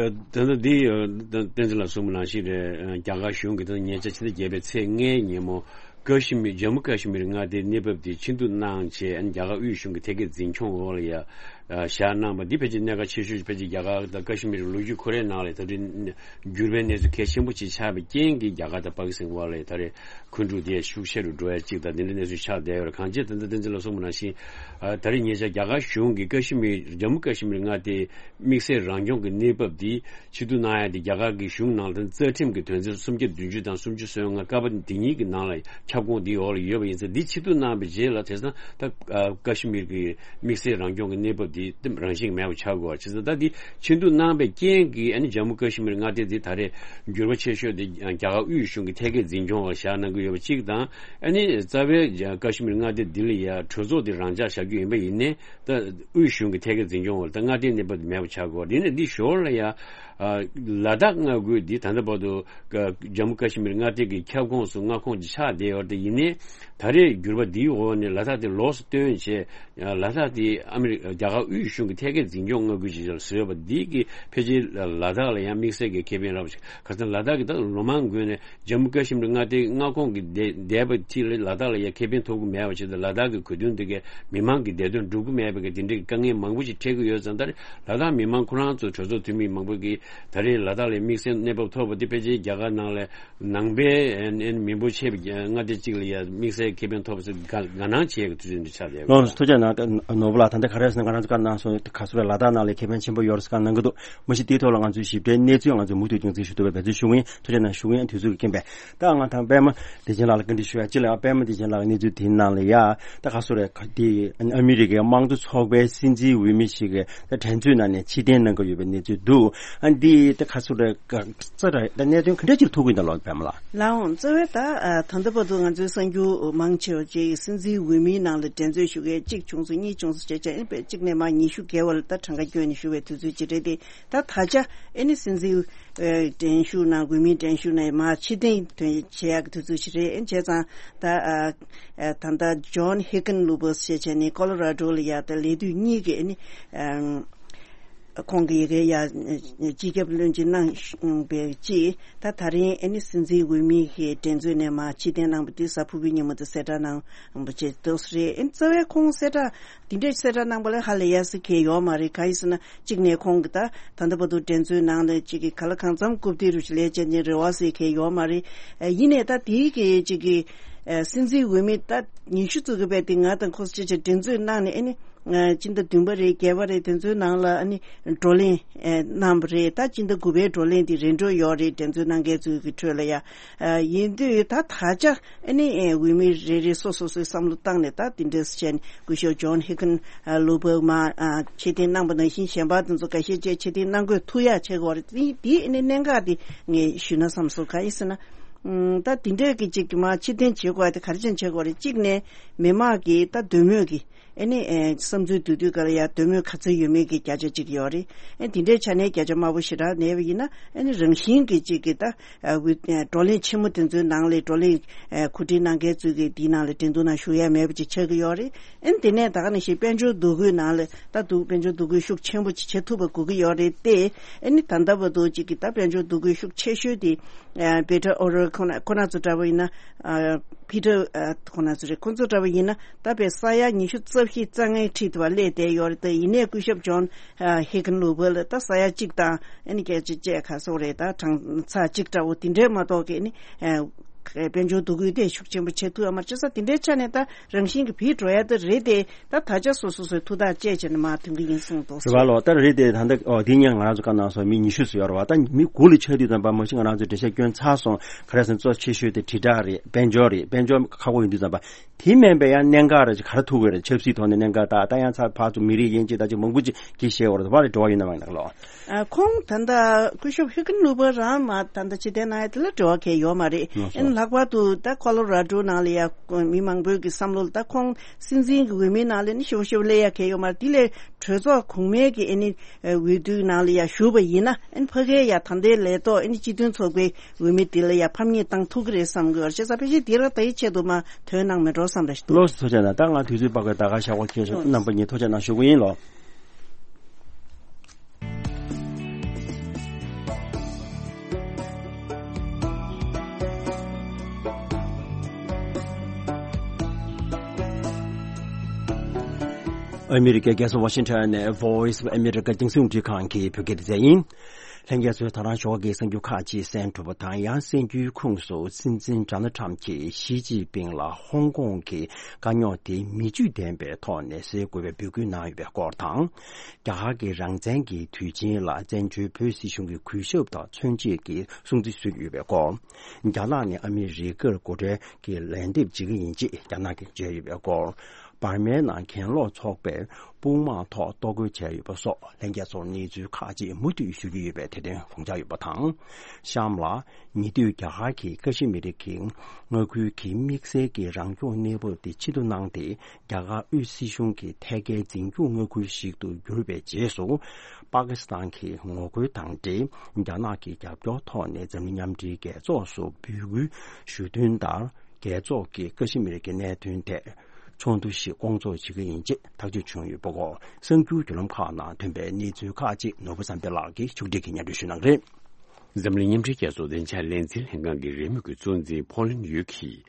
ཨ་ད་ལྟ་འདི་ཨ་བསྟན་འཛིན་ལགས་གསུངས་པ་ནང་བཞིན་རེད། ཨ་རྒྱ་གར་གཞུང་གིས་ད་ཉེ་ཆར་ཕྱི་ཟླ་བརྒྱད་པའི་ཚེས་ལྔའི་ཉིན་མོ་ཀ་ཤི་མིར་ཇམ་མུ་ཀ་ཤི་མིར་མངའ་སྡེའི་གནས་བབ་དེ་ཕྱིར་བསྡུ་གནང་བྱས། ཨ་ནི་རྒྱ་གར་དབུས་གཞུང་གི་ཐད་ཀའི་འཛིན་སྐྱོང་འོག་ལ་ཡ། བཞག་གནང་བ་འདི་ཕལ་ཆེར་གནད་འགག་ཆེ་ཤོས་ཕལ་ཆེར་རྒྱ་གར་དང་ཀ་ཤི་མིར་ལོ་རྒྱུས་ཁོ་རའི་ནང་ལ་ད་དུང་འགྱུར་བའི་གནས་ཚུལ་གལ་ཆེན་པོ་ཅིག་ཆགས་པའི་རྐྱེན་གྱིས་རྒྱ་གར་དང་པ་ཀི་སི་ཐན་དབར་ལ་ད་རེས་འཁོན་འཁྲུག་དེ་ཤུགས་ཆེ་རུ་འགྲོ་ཡ་གཅིག་དང་དེ་འདྲའི་གནས་ཚུལ་ཆགས་བསྡད་ཡོད་རེད། གང་ཅི་ད་ལྟ་བསྟན་འཛིན་ལགས་གསུངས་པ་ནང་བཞིན་ད་རེས་ཉེ་ཆར་རྒྱ་གར་གཞུང་གིས་ཀ་ཤི་མིར་ཇམ་མུ་ཀ་ཤི་མིར་མངའ་སྡེའི་དམིགས་བསལ་རང་སྐྱོང་གི་གནས་བབ་འདི་ཕྱིར་བསྡུ་གནང་ཡ་དེ་རྒྱ་གར་གྱི་གཞུང་ནང་ལ་རྩ་ཁྲིམས་ཀྱི་དོན་ཚན་སུམ་བརྒྱ་བདུན་ཅུ་དང་སུམ་ཅུ་སོ་ལྔ་ཀ་པ་དེ་གཉིས་ཀྱི་ནང་ལ་ཁྱབ་ཁོངས་འདིའི་འོག་ལ་ཡོད་པ་ཡིན་ཙང་འདི་ཕྱིར་བསྡུ་གནང་བའི་རྗེས་ལ་དེང་སང་ད་ཀ་ཤི་མིར་གྱི་དམིགས་བསལ་རང་སྐྱོང་གི་གནས་བབ་འདི་རང་བཞིན་མེད་པ་ཆགས་དགོས་པ་བྱས་ཙང་ད་འདི་ཕྱིར་བསྡུ་གནང་བའི་རྐྱེན་གྱིས་ཨ་ནི་ཇམ་མུ་ཀ་ཤི་མིར་མངའ་སྡེ་འདི་ད་རེས་འགྱུར་བ་ཆེ་ཤོས་དེ་རྒྱ་གར་དབུས་གཞུང་གི་ཐད་ཀའི་འཛིན་སྐྱོང་འོག་བཞག་གནང་གི་ཡོད་པ་གཅིག་དང་ཨ་ནི་རྩ་བའི་ཀ་ཤི་མིར་མངའ་སྡེ་འདི་ལ་ཡ་གྲོས་ཚོགས་དེ་རང་འཇགས་བཞག་རྒྱུ་ཡིན་པ་ཡིན་ནའི། ད་དབུས་གཞུང་གི་ཐད་ཀའི་འཛིན་སྐྱོང་འོག་ལ་ད་མངའ་སྡེའི་གནས་བབ་དེ་མེད་པ་ཆགས་དགོས་པ་རེད། ཡིན་ནའི་འདི་ཞོར་ལ་ཡ་ལ་དྭགས་མངའ་ཁུལ་འདི་ད་ལྟ་བར་དུ་ཇམ་མུ་ཀ་ཤི་མིར་མངའ་སྡེ་གི་ཁྱབ་ཁོངས་སུ་མངའ་ཁོངས་ཀྱི་ཆགས་བསྡད་ཡོད་རེད། ཡིན་ནའི་ད་རེས་འགྱུར་བ་འདིའི་འོག་ནས་ལ་དྭགས་དེ་ལོགས་སུ་བཏོན་བྱས་ལ་དྭགས་དེ་ཨ་མི་རི་རྒྱ་གར་དབུས་གཞུང་གི་ཐད་ཀའི་འཛིན་སྐྱོང་མངའ་ཁུལ་ཅིག་བཟོས་པ་འདི་གི་ཕལ་ཆེར་ལ་དྭགས་ལ་ཡང་དམིགས་བསལ་གྱི་ཁེ་ཕན་རག་པ་ཞིག་ག་ཚོད་ལ་དྭགས་ཀྱི་ད་ལོ་མང་སྔོན་ནས་ཇམ་མུ་ཀ་ཤི་མིར་མངའ་སྡེའི་མངའ་ཁོངས་ཀྱི་བསྡད་བསྡད་པ་དེ་ལ་ལ་དྭགས་ལ་ཡང་ཁེ་ཕན་ཐོབ་ཀྱི་མེད་པ་བྱས་ཏེ་ལ་དྭགས་ཀྱི་གོ་དོན་དེ་གའི་མི་མང་གི་བདེ་དོན་སྒྲུབ་ཀྱི་མེད་པའི་གི་དེ་འདྲའི་དཀའ་ངལ་མང་པོ་ཞིག་འཕྲད་ཀྱི་ཡོད་ཙང་ད་རེས་ལ་དྭགས་མི་མང་ཁོ་རང་ཚོ་གྲོས་ཚོགས་འཐུས་མི་མང་པོ་གིས་ད་རེས་ལ་དྭགས་ལ་དམིགས་བསལ་གནས་བབ་ཐོབ་པ་དེ་ཕལ་ཆེར་རྒྱ་གར་ནང་ལ་ནང་པའི་ཨེ་ཨེ་མི་འབོར་ཆེ་བའི་མངའ་སྡེ་གཅིག་ལ་ཡང་དམིགས་བསལ་ཁེ་ཕན་ཐོབ་པ་ཚོ་དགའ་དགའ་སྣང་བྱེད་ཀྱི་དུས་ཚོད་འདི་ཆགས་བསྡད་ཡོད། ལགས་སོ། ཐུགས་རྗེ་གནང་། ནོར་བུ་ལགས། ད་ལྟ་ག་རེ་ཟེར་ན་ང་རང་ཚོ་བཀའ་གནང་སོང་། ག་ཚོད་རེད་ལ་དྭགས་ནང་ལ་ཁེ་ཕན་ཆེན་པོ་ཡོད་རེད་ཟེར་བཀའ་གནང་གི་འདུག་མ་གཞི་དེའི་ཐོག་ལ་ང་ཚོའི་ཞིབ་ཕྲའི་གནས་ཚུལ་ང་ཚོས་མུ་མཐུད་རྒྱང་འཛིན་ཞུ་ཐུབ་པའི་འབད་བརྩོན་ཞུ་གི་ཡིན། ཐུགས་རྗེ་གནང་། ཞུ་གི་ཡིན། དུས་ཚོད་ཀྱི་རྐྱེན་པས། ད་ང་དང་པད་མ་བདེ་ཆེན་ལགས་ལ་བཀའ་འདྲི་ཞུ་ཡ། སྤྱི་ལ་པད་མ་བདེ་ཆེན་ལགས་ཀྱི་གནས་ཚུལ་དེའི་ནང་ལ་ཡ་ད་ག་ཚོད་རེད། ག་དེ་ཨ་མི་རི་ཀའི་དམངས་གཙོ་ཚོགས་པའི་སྲིད་འཛིན་འོས་མི་ཞིག་གིས་ད་འགྲན་རྩོད་ནང་ནས་ཕྱིར་འཐེན་གནང་གི་ཡོད་པའི་གནས་ཚུལ་འདུག་ཨ་འདི་ད་ག་ཚོད་རེད། ག་ཚོད་རེད། ད་གནད་དོན་ག་འདྲ་ཅིག་ཐུག་གི་འདུག་ལགས་པད་མ་ལགས། ལགས་འོང་། རྩ་བའི་ད་ཨ་ད་ལྟ་བར་དུ་ང་ཚོའི་གསར་འགྱུར་མང་ཆེ་བ་ཅིག་སྲིད་འཛིན་འོས་མིའི་ནང་ལ་འགྲན་རྩོད་ཞུ་མཁན་གཅིག་བྱུང་སོང་། གཉིས་བྱུང་སོང་བྱས་བྱས་ཨ་ནི་དཔེ་གཅིག་ནས་མར་ཉི་ཤུ་བརྒལ་བ་ལ་ད་གྲངས་ཀ་བསྐྱོན་ནས་ཞུ་བའི་དུས་ཚོད་ཅིག་རེད་དེ། ད་ད་ཆ་ཨ་ནི་སྲིད་འཛིན་ཨ་འགྲན་ཞུགས་གནང་། འོས་མིའི་འགྲན་ཞུགས་ནང་མར་ཕྱིར་འཐེན་དོན་བྱེད་ཡག་གི་དུས་ཚོད་ཅིག་རེད། ཨ་ནི་བྱས་ཙང་ད་ཨ་ཨ་ད་ལྟ་ཇོན་ཧེ་ཀན་ལུ་པོ་ཞེས་བྱས་ནས་ཀོ་ལོ་ར་ཌོ་ལ་ཡ་ད་ལས་དུས་གཉིས་ཀྱི་ཨ་ནི་ཨ་ཁོང་གི་ཡ་གི་ཡ་སྤྱི་ཁྱབ་བློན་ཆེན་གནང་བའི་རྗེས་ད་ད་རིང་ཨ་ནི་སྲིད་འཛིན་འོས་མི་གི་འགྲན་རྩོད་ནས་མར་ཕྱིར་འཐེན་གནང་བ་དེ་གཟའ་ཕུར་བུའི་ཉིན་མོ་དེ་གསལ་བསྒྲགས་གནང་བ་བྱས་འདུག་སེ་རེད། ཨ་ནི་རྩ་བའི་ཁོང་གསལ་བསྒྲགས་འདི་འདྲའི་གསལ་བསྒྲགས་གནང་པ་ལ་ཧ་ལས་ཡ་ཟེར་མཁན་ཡོད་མ་རེད། གང་ཡིན་ཟེར་ན་གཅིག་ནས་ཁོང་གི་ད་ད་ལྟ་བར་དུ་འགྲན་རྩོད་ནང་ལ་གཅིག་གི་ག་ལ་གང་འཚམ་རྐུབ་སྟེགས་རུ་ཞིག་ལས་བྱེད་མཁན་རེད་བ་ཟེར་མཁན་ཡོད་མ་རེད། ཨ་ཡིན་ནའི་ད་དེའི་གི་གཅིག་གི་ཨ་སྲིད་འཛིན་འོས་མི་ད་ཉི་ཤུ་ཙམ་གི་བས་དེ་ང་དང་ཁོ་ཅི་ཅི་འགྲན་རྩོད་གནང་ནས་ཨ་ནི་ཨ་སྤྱི་ཟླ་བདུན་པ་རེད། བརྒྱད་པ་རེད། དེ་ཚོའི་ནང་ལ་ཨ་ནི་བགྲོ་གླེང་ཨ་གནང་བ་རེད། ད་སྤྱི་ཟླ་དགུ་པའི་བགྲོ་གླེང་དེ་རན་འགྲོ་ཡོད་རེད། འགྲན་རྩོད་གནང་མཁན་ཚོའི་གི་ཁྲོད་ལ་ཡ། ཨ་ཡིན་དུས་ད་ད་ཆ་ཨ་ནི་ཨ་འོས་མི་རེ་རེ་སོ་སོ་སོའི་བསམ་བློ་བཏང་ནས་ད་དེ་འདྲས་བྱས་ནས་སྐུ་ཞབས་ཇོན་ཧེ་ཀན་ཨ་ལུ་པོ་མ་ཨ་ཕྱིར་འཐེན་གནང་པ་ནང་བཞིན་གཞན་པ་དེ་ཚོ་འགའ་ཤས་ཅིག་ཕྱིར་འཐེན་གནང་དགོས་ཐུག་ཡག་བྱེད་དགོས་རེད། དེ་དེ་ཨ་ནི་གནད་འགག་དེ་ངས་ཞུས་ན་བསམ་སོང་། གང་ཡིན་ཟེར་ན་ཨ་ད་དེ་འདྲས་ཀྱི་ཅིག་མ་ཕྱིར་འཐེན་བྱེད་དགོས་དེ་ག་རེ་བྱས་ནས་བྱེད་དགོས་རེད། གཅིག་ནས་མི་མང་གི་ད་འདོད་མོས་ཀྱི་ཨ་ནི་ཨེ་བསམ་ཚུལ་བསྡུ་དུས་ག་ལ་ཡ་འདོད་མོས་ག་ཚོད་ཡོད་མེད་ཀྱི་བརྒྱ་ཆ་གཅིག་ཡོད་རེད། ཨེ་དེ་འདྲའི་ཆ་ནས་བརྒྱ་ཆ་དམའ་པོ་ཞེ་དྲག་གནས་པ་ཡིན་ན་ཨ་ནི་རང་བཞིན་གྱི་གཅིག་གི་ད་ཨ་འོས་ཨེ་བགྲོ་གླེང་ཆེན་མོ་དེ་ཚོའི་ནང་ལ་བགྲོ་གླེང་ཨེ་གོ་སྒྲིག་གནང་མཁན་ཚོས་ཀྱི་འདིའི་ནང་ལ་འགྲན་བསྡུར་ནང་ཞུགས་ཡ་མེད་པ་ཅིག་ཆགས་ཀྱི་ཡོད་རེད། ཨེ་དེ་ནས་ད་ག་ནང་བཞིན་དཔལ་འབྱོར་འདུ་འགོད་ནང་ལ་ད་འདུག་དཔལ་འབྱོར་འདུ་འགོད་ཤུགས་ཆེན་པོ་ཅིག་བྱེད་ཐུབ་པ་དགོས་ཀྱི་ཡོད་རེད་དེ། ཨེ་ནི་ད་ལྟ་བར་དུ་གཅིག་གི་ད་དཔལ་འབྱོར་འདུ་འགོད་ཤུགས་ཆེ་ཤོས་དེ་ཨ་པེ་ཏྲ་ཨོ་རེལ་ཁོ་ན་ཁོ་ན་ཚོ་འདྲ་བོ་ཡིན་ན་ཨ་པི་ཏྲ་ཨ་ཁོ་ན་ཚོ་རེད། ཁོ་ཚོ་འདྲ་བོ་ཡིན་ན་ད་དཔེ་ས་ཡ་ཉི་ཤུ་རྩ་བཞི་རྩ་ལྔའི་འཁྲིས་དུ་བ་སླེབས་བསྡད་ཡོད་རེད། ད་ཡིན་ནའི་སྐུ་ཞབས་ཇོན་ཨ་ཧེ་ཀན་ལུ་པོ་ལ་ད་ས་ཡ་གཅིག་དང་ཨ་ནི་སྐད་ཆ་བཅས་ག་སོགས་རེད། ད་གྲངས་ཚད་གཅིག་འདྲ་བོ་དེ་འདྲས་མ་གཏོགས་ཀྱི་ཨ་ནི་ཨ་དཔལ་འབྱོར་འདུ་འགོད་དེ་ཤུགས་ཆེན་པོ་བྱེད་ཐུབ་ཡོད་མ་རེད། བྱས་ཙང་དེ་འདྲའི་ཆ་ནས་ད་རང་བཞིན་གྱི་བིད་འགྲོ་ཡ་ད་རེད་དེ། ད་ད་ཆ་སོ་སོ་སོའི་ཐུགས་ཐག་བཅད་བྱས་ནས་མར་ཐོན་གྱི་ཡིན་གསུངས་འདུག་རེད་པ་ལོ། ད་རེད་དེ་ད་ལྟ་ཨོ་དེ་ཉིན་ང་རང་ཚོ་བཀའ་གནང་སོང་། མི་ཉི་ཤུ་ཙམ་ཡོད་རེད་པ། ད་མི་དགུ་ལ་ཆགས་དུས་ཙམ་པ་མ་གཞི་ང་རང་ཚོས་འགྲེལ་བཤད་སྐྱོན་ཚར་སོང་། ག་རེ་ཟེར་ན་གཙོ་ཆེ་ཤོས་དེ་དྲིལ་བསྒྲགས་རེད། དཔལ་འབྱོར་རེད། དཔལ་འབྱོར་ཁག་པོ་ཡིན་དུས་ཙམ་པ་དེ་མིན་པའི་ཡང་གནད་འགག་རེ་ཅིག་ག་རེ་ཐུག་གི་རེད། ཆབ་སྲིད་ཐོག་ནས་གནད་འགག་ད་ད་ཡང་ཚར་ཕར་ཚུར་མི་རིགས་དབྱེ་འབྱེད་ད་ཅིག་མང་པོ་ཅིག་གིས་བཤད་ཡོད་རེད། དེ་བ་རེ་འགྲོ་བ་ཡོད་ན་མ་ཡིན་ན་ལོ། ཨ་ཁོང་ད་ལྟ་སྐུ་ཞབས་ཧེ་ཀན་ལུ་པོ་རང་མ་ད་ལྟ་ཕྱིར་འཐེན་གནང་ཡ་དེ་ལ་འབྲེལ་བ་གང་ཡང་ཡོད་མ་རེད། ལགས་སོ། ཨ་ནི་ལྷག་པར་དུ་ད་ཀོ་ལོ་ར་ཌོ་ནང་ལ་ཡ་མི་མང་པོའི་གི་བསམ་བློ་ལ་ད་ཁོང་སྲིད་འཛིན་གི་འོས་མིའི་ནང་ལ་ནི་ཞེ་པོ་ཞེ་པོ་སླེབས་ཡ་གང་ཡང་ཡོད་མ་རེད། དེ་ལས་གྲོས་ཚོགས་གོང་མའི་གི་ཨ་ནི་འོས་བསྡུའི་ནང་ལ་ཡ་ཞུགས་པ་ཡིན་ན་ཨ་ནི་ཕ་གིའི་ཡ་ད་ལྟའི་ལས་ཐོག་ཨ་ནི་སྤྱི་མཐུན་ཚོགས་པའི་འོས་མི་དེ་ལ་ཡ་ཕམ་ཉེས་བཏང་ཐུབ་ཀྱི་རེད་བསམ་གི་ཡོད་རེད། བྱས་ཙང་ཕལ་ཆེར་དེ་ར་ད་ཡི་ཆེད་དུ་མ་ཐོན་གནང་མེད་འགྲོ་བསམ་ར་ཞིག་འདུག་ལགས་སོ། ཐུགས་རྗེ་གནང་། ད་ང་དུས་ཚོད་དཔག་པའི་ད་ག་ཞག་པ་ཁྱེད་ཚོ་རྣམ་པ་གཉིས་ཐུགས་རྗེ་གནང་ཞུ་གི་ཡིན་ལོ། ཨ་མི་རི་ཀའི་རྒྱལ་ས་ཝ་ཤིང་ཊོན་ནས་Voice of America་རྒྱང་སྲིང་རླུང་འཕྲིན་ཁང་གི་བོད་སྐད་སྡེ་ཚན་ཡིན། ལྷན་རྒྱས་ཚོས་ད་རང་ཞོགས་ཀྱི་གསར་འགྱུར་ཁག་ཅིག་གསན་གྲུབ་པ་དང་། ཡང་གསར་འགྱུར་ཁུངས་སུ་སྲིད་འཛིན་ཌོ་ནལ་ཁྲམ་གྱིས་ཞི་ཅིན་ཕིང་ལ་ཧོང་ཀོང་གི་དཀའ་རྙོག་དེ་མི་བརྗོད་ལྡན་པའི་ཐོག་ནས་སེལ་དགོས་པའི་འབོད་སྐུལ་གནང་ཡོད་པའི་སྐོར་དང་། རྒྱ་གར་གྱི་རང་བཙན་གྱི་དུས་ཆེན་ལ་བཙན་བྱོལ་བོད་སྲིད་གཞུང་གི་གུས་ཞབས་དང་མཚོན་བྱེད་ཀྱི་སྲུང་བརྩི་ཞུས་ཡོད་པའི་སྐོར། རྒྱ་ནག་ནས་ཨ་མི་རི་ཀར་སྒོ་ཁྲལ་གྱི་ལན་འདེབས་བྱེད་ཀྱི་ཡིན་ཅེས་རྒྱ་ནག་གིས་བརྗོད་ཡོད་པའི་སྐོར། འབར་མའི་ནང་གྱེན་ལོག་ཚོགས་པས་དཔུང་དམག་ཐོག་གཏོར་རྒོལ་བྱས་ཡོད་པ་སོགས་ལྷན་རྒྱས་ཚོར་གནས་ཚུལ་ཁག་ཅིག་མུ་མཐུད་ཞུ་རྒྱུ་ཡོད་པའི་དེ་དོན་དགོངས་འཇགས་ཡོད་པ་དང་། གཤམ་ལ། ཉེ་དུས་རྒྱ་གར་གྱིས་ཀ་ཤི་མིར་གྱི་མངའ་ཁུལ་གྱི་དམིགས་བསལ་གྱི་རང་སྐྱོང་གནས་བབ་དེ་ཕྱིར་བསྡུ་གནང་སྟེ། རྒྱ་གར་དབུས་སྲིད་གཞུང་གི་ཐད་ཀའི་འཛིན་སྐྱོང་མངའ་ཁུལ་ཞིག་ཏུ་གྱུར་པའི་རྗེས་སུ། པ་ཀི་སི་ཐན་གྱི་ངོ་རྒོལ་དང་འབྲེལ། རྒྱ་ནག་གི་རྒྱབ་སྐྱོར་ཐོག་ནས་འཛམ་གླིང་མཉམ་འབྲེལ་རྒྱལ་ཚོགས་སུ་འབོད་སྐུལ་ཞུ་དོན་ལྟར། རྒྱལ་ཚོགས་ཀྱིས་ཀ་ཤི་མིར་གྱི་གནད་དོན་ཐད་ཚོགས་འདུ་ཞིག་སྐོང་ཚོགས་བྱེད་ཀྱི་ཡིན་ཅེས་ཐག་གཅོད་བྱུང་ཡོད་པ་སྐོར། གསར་འགྱུར་བརྒྱུད་ལམ་ཁག་ནང་ཐོན་པའི་གནས་ཚུལ་ཁག་ཅིག་ནོར་བུ་བསམ་འཕེལ་ལགས་ཀྱིས་ཕྱོགས་སྒྲིག་གིས་སྙན་སྒྲོན་ཞུ་གནང་གི་རེད། འཛམ་གླིང་མཉམ་འབྲེལ་རྒྱལ་ཚོགས་བདེ་འཇགས་ལས་འཛིན་ལྷན་ཁང་གི་རེས་མོས་ཀྱི་གཙོ་འཛིན་ཕོ་ལིན་ཡུས་ཀྱིས།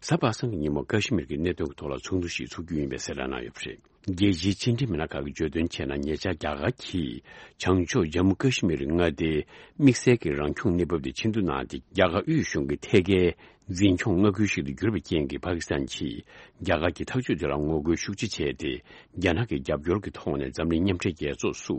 གཟའ་པ་སངས་ཀྱི་ཉིན་མོ་ཀ་ཤི་མིར་གྱི་གནད་དོན་གྱི་ཐོག་ལ་ཚོགས་འདུ་ཞིག་ཚོགས་རྒྱུ་ཡིན་པའི་གསལ་བསྒྲགས་གནང་ཡོད་པ་རེད། རྒྱལ་སྤྱིའི་ཕྱི་འབྲེལ་མི་སྣ་ཁག་གིས་བརྗོད་དོན་བྱས་ན། ཉེ་ཆར་རྒྱ་གར་གྱིས་བྱང་ཕྱོགས་ཇམ་མུ་ཀ་ཤི་མིར་མངའ་སྡེའི་དམིགས་བསལ་གྱི་རང་སྐྱོང་གནས་བབ་དེ་ཕྱིར་བསྡུ་གནང་སྟེ། རྒྱ་གར་དབུས་གཞུང་གི་ཐད་ཀའི་འཛིན་སྐྱོང་མངའ་ཁུལ་ཞིག་ཏུ་གྱུར་པའི་རྐྱེན་གྱིས། པ་ཀི་སི་ཐན་གྱིས་རྒྱ་གར་གྱི་ཐག་གཅོད་དེ་ལ་ངོ་རྒོལ་ཤུགས་ཆེ་བྱས་ཏེ། རྒྱ་ནག་གི་རྒྱབ་སྐྱོར་གྱི་ཐོག་ནས་འཛམ་གླིང་མཉམ་འབྲེལ་རྒྱལ་ཚོགས་སུ་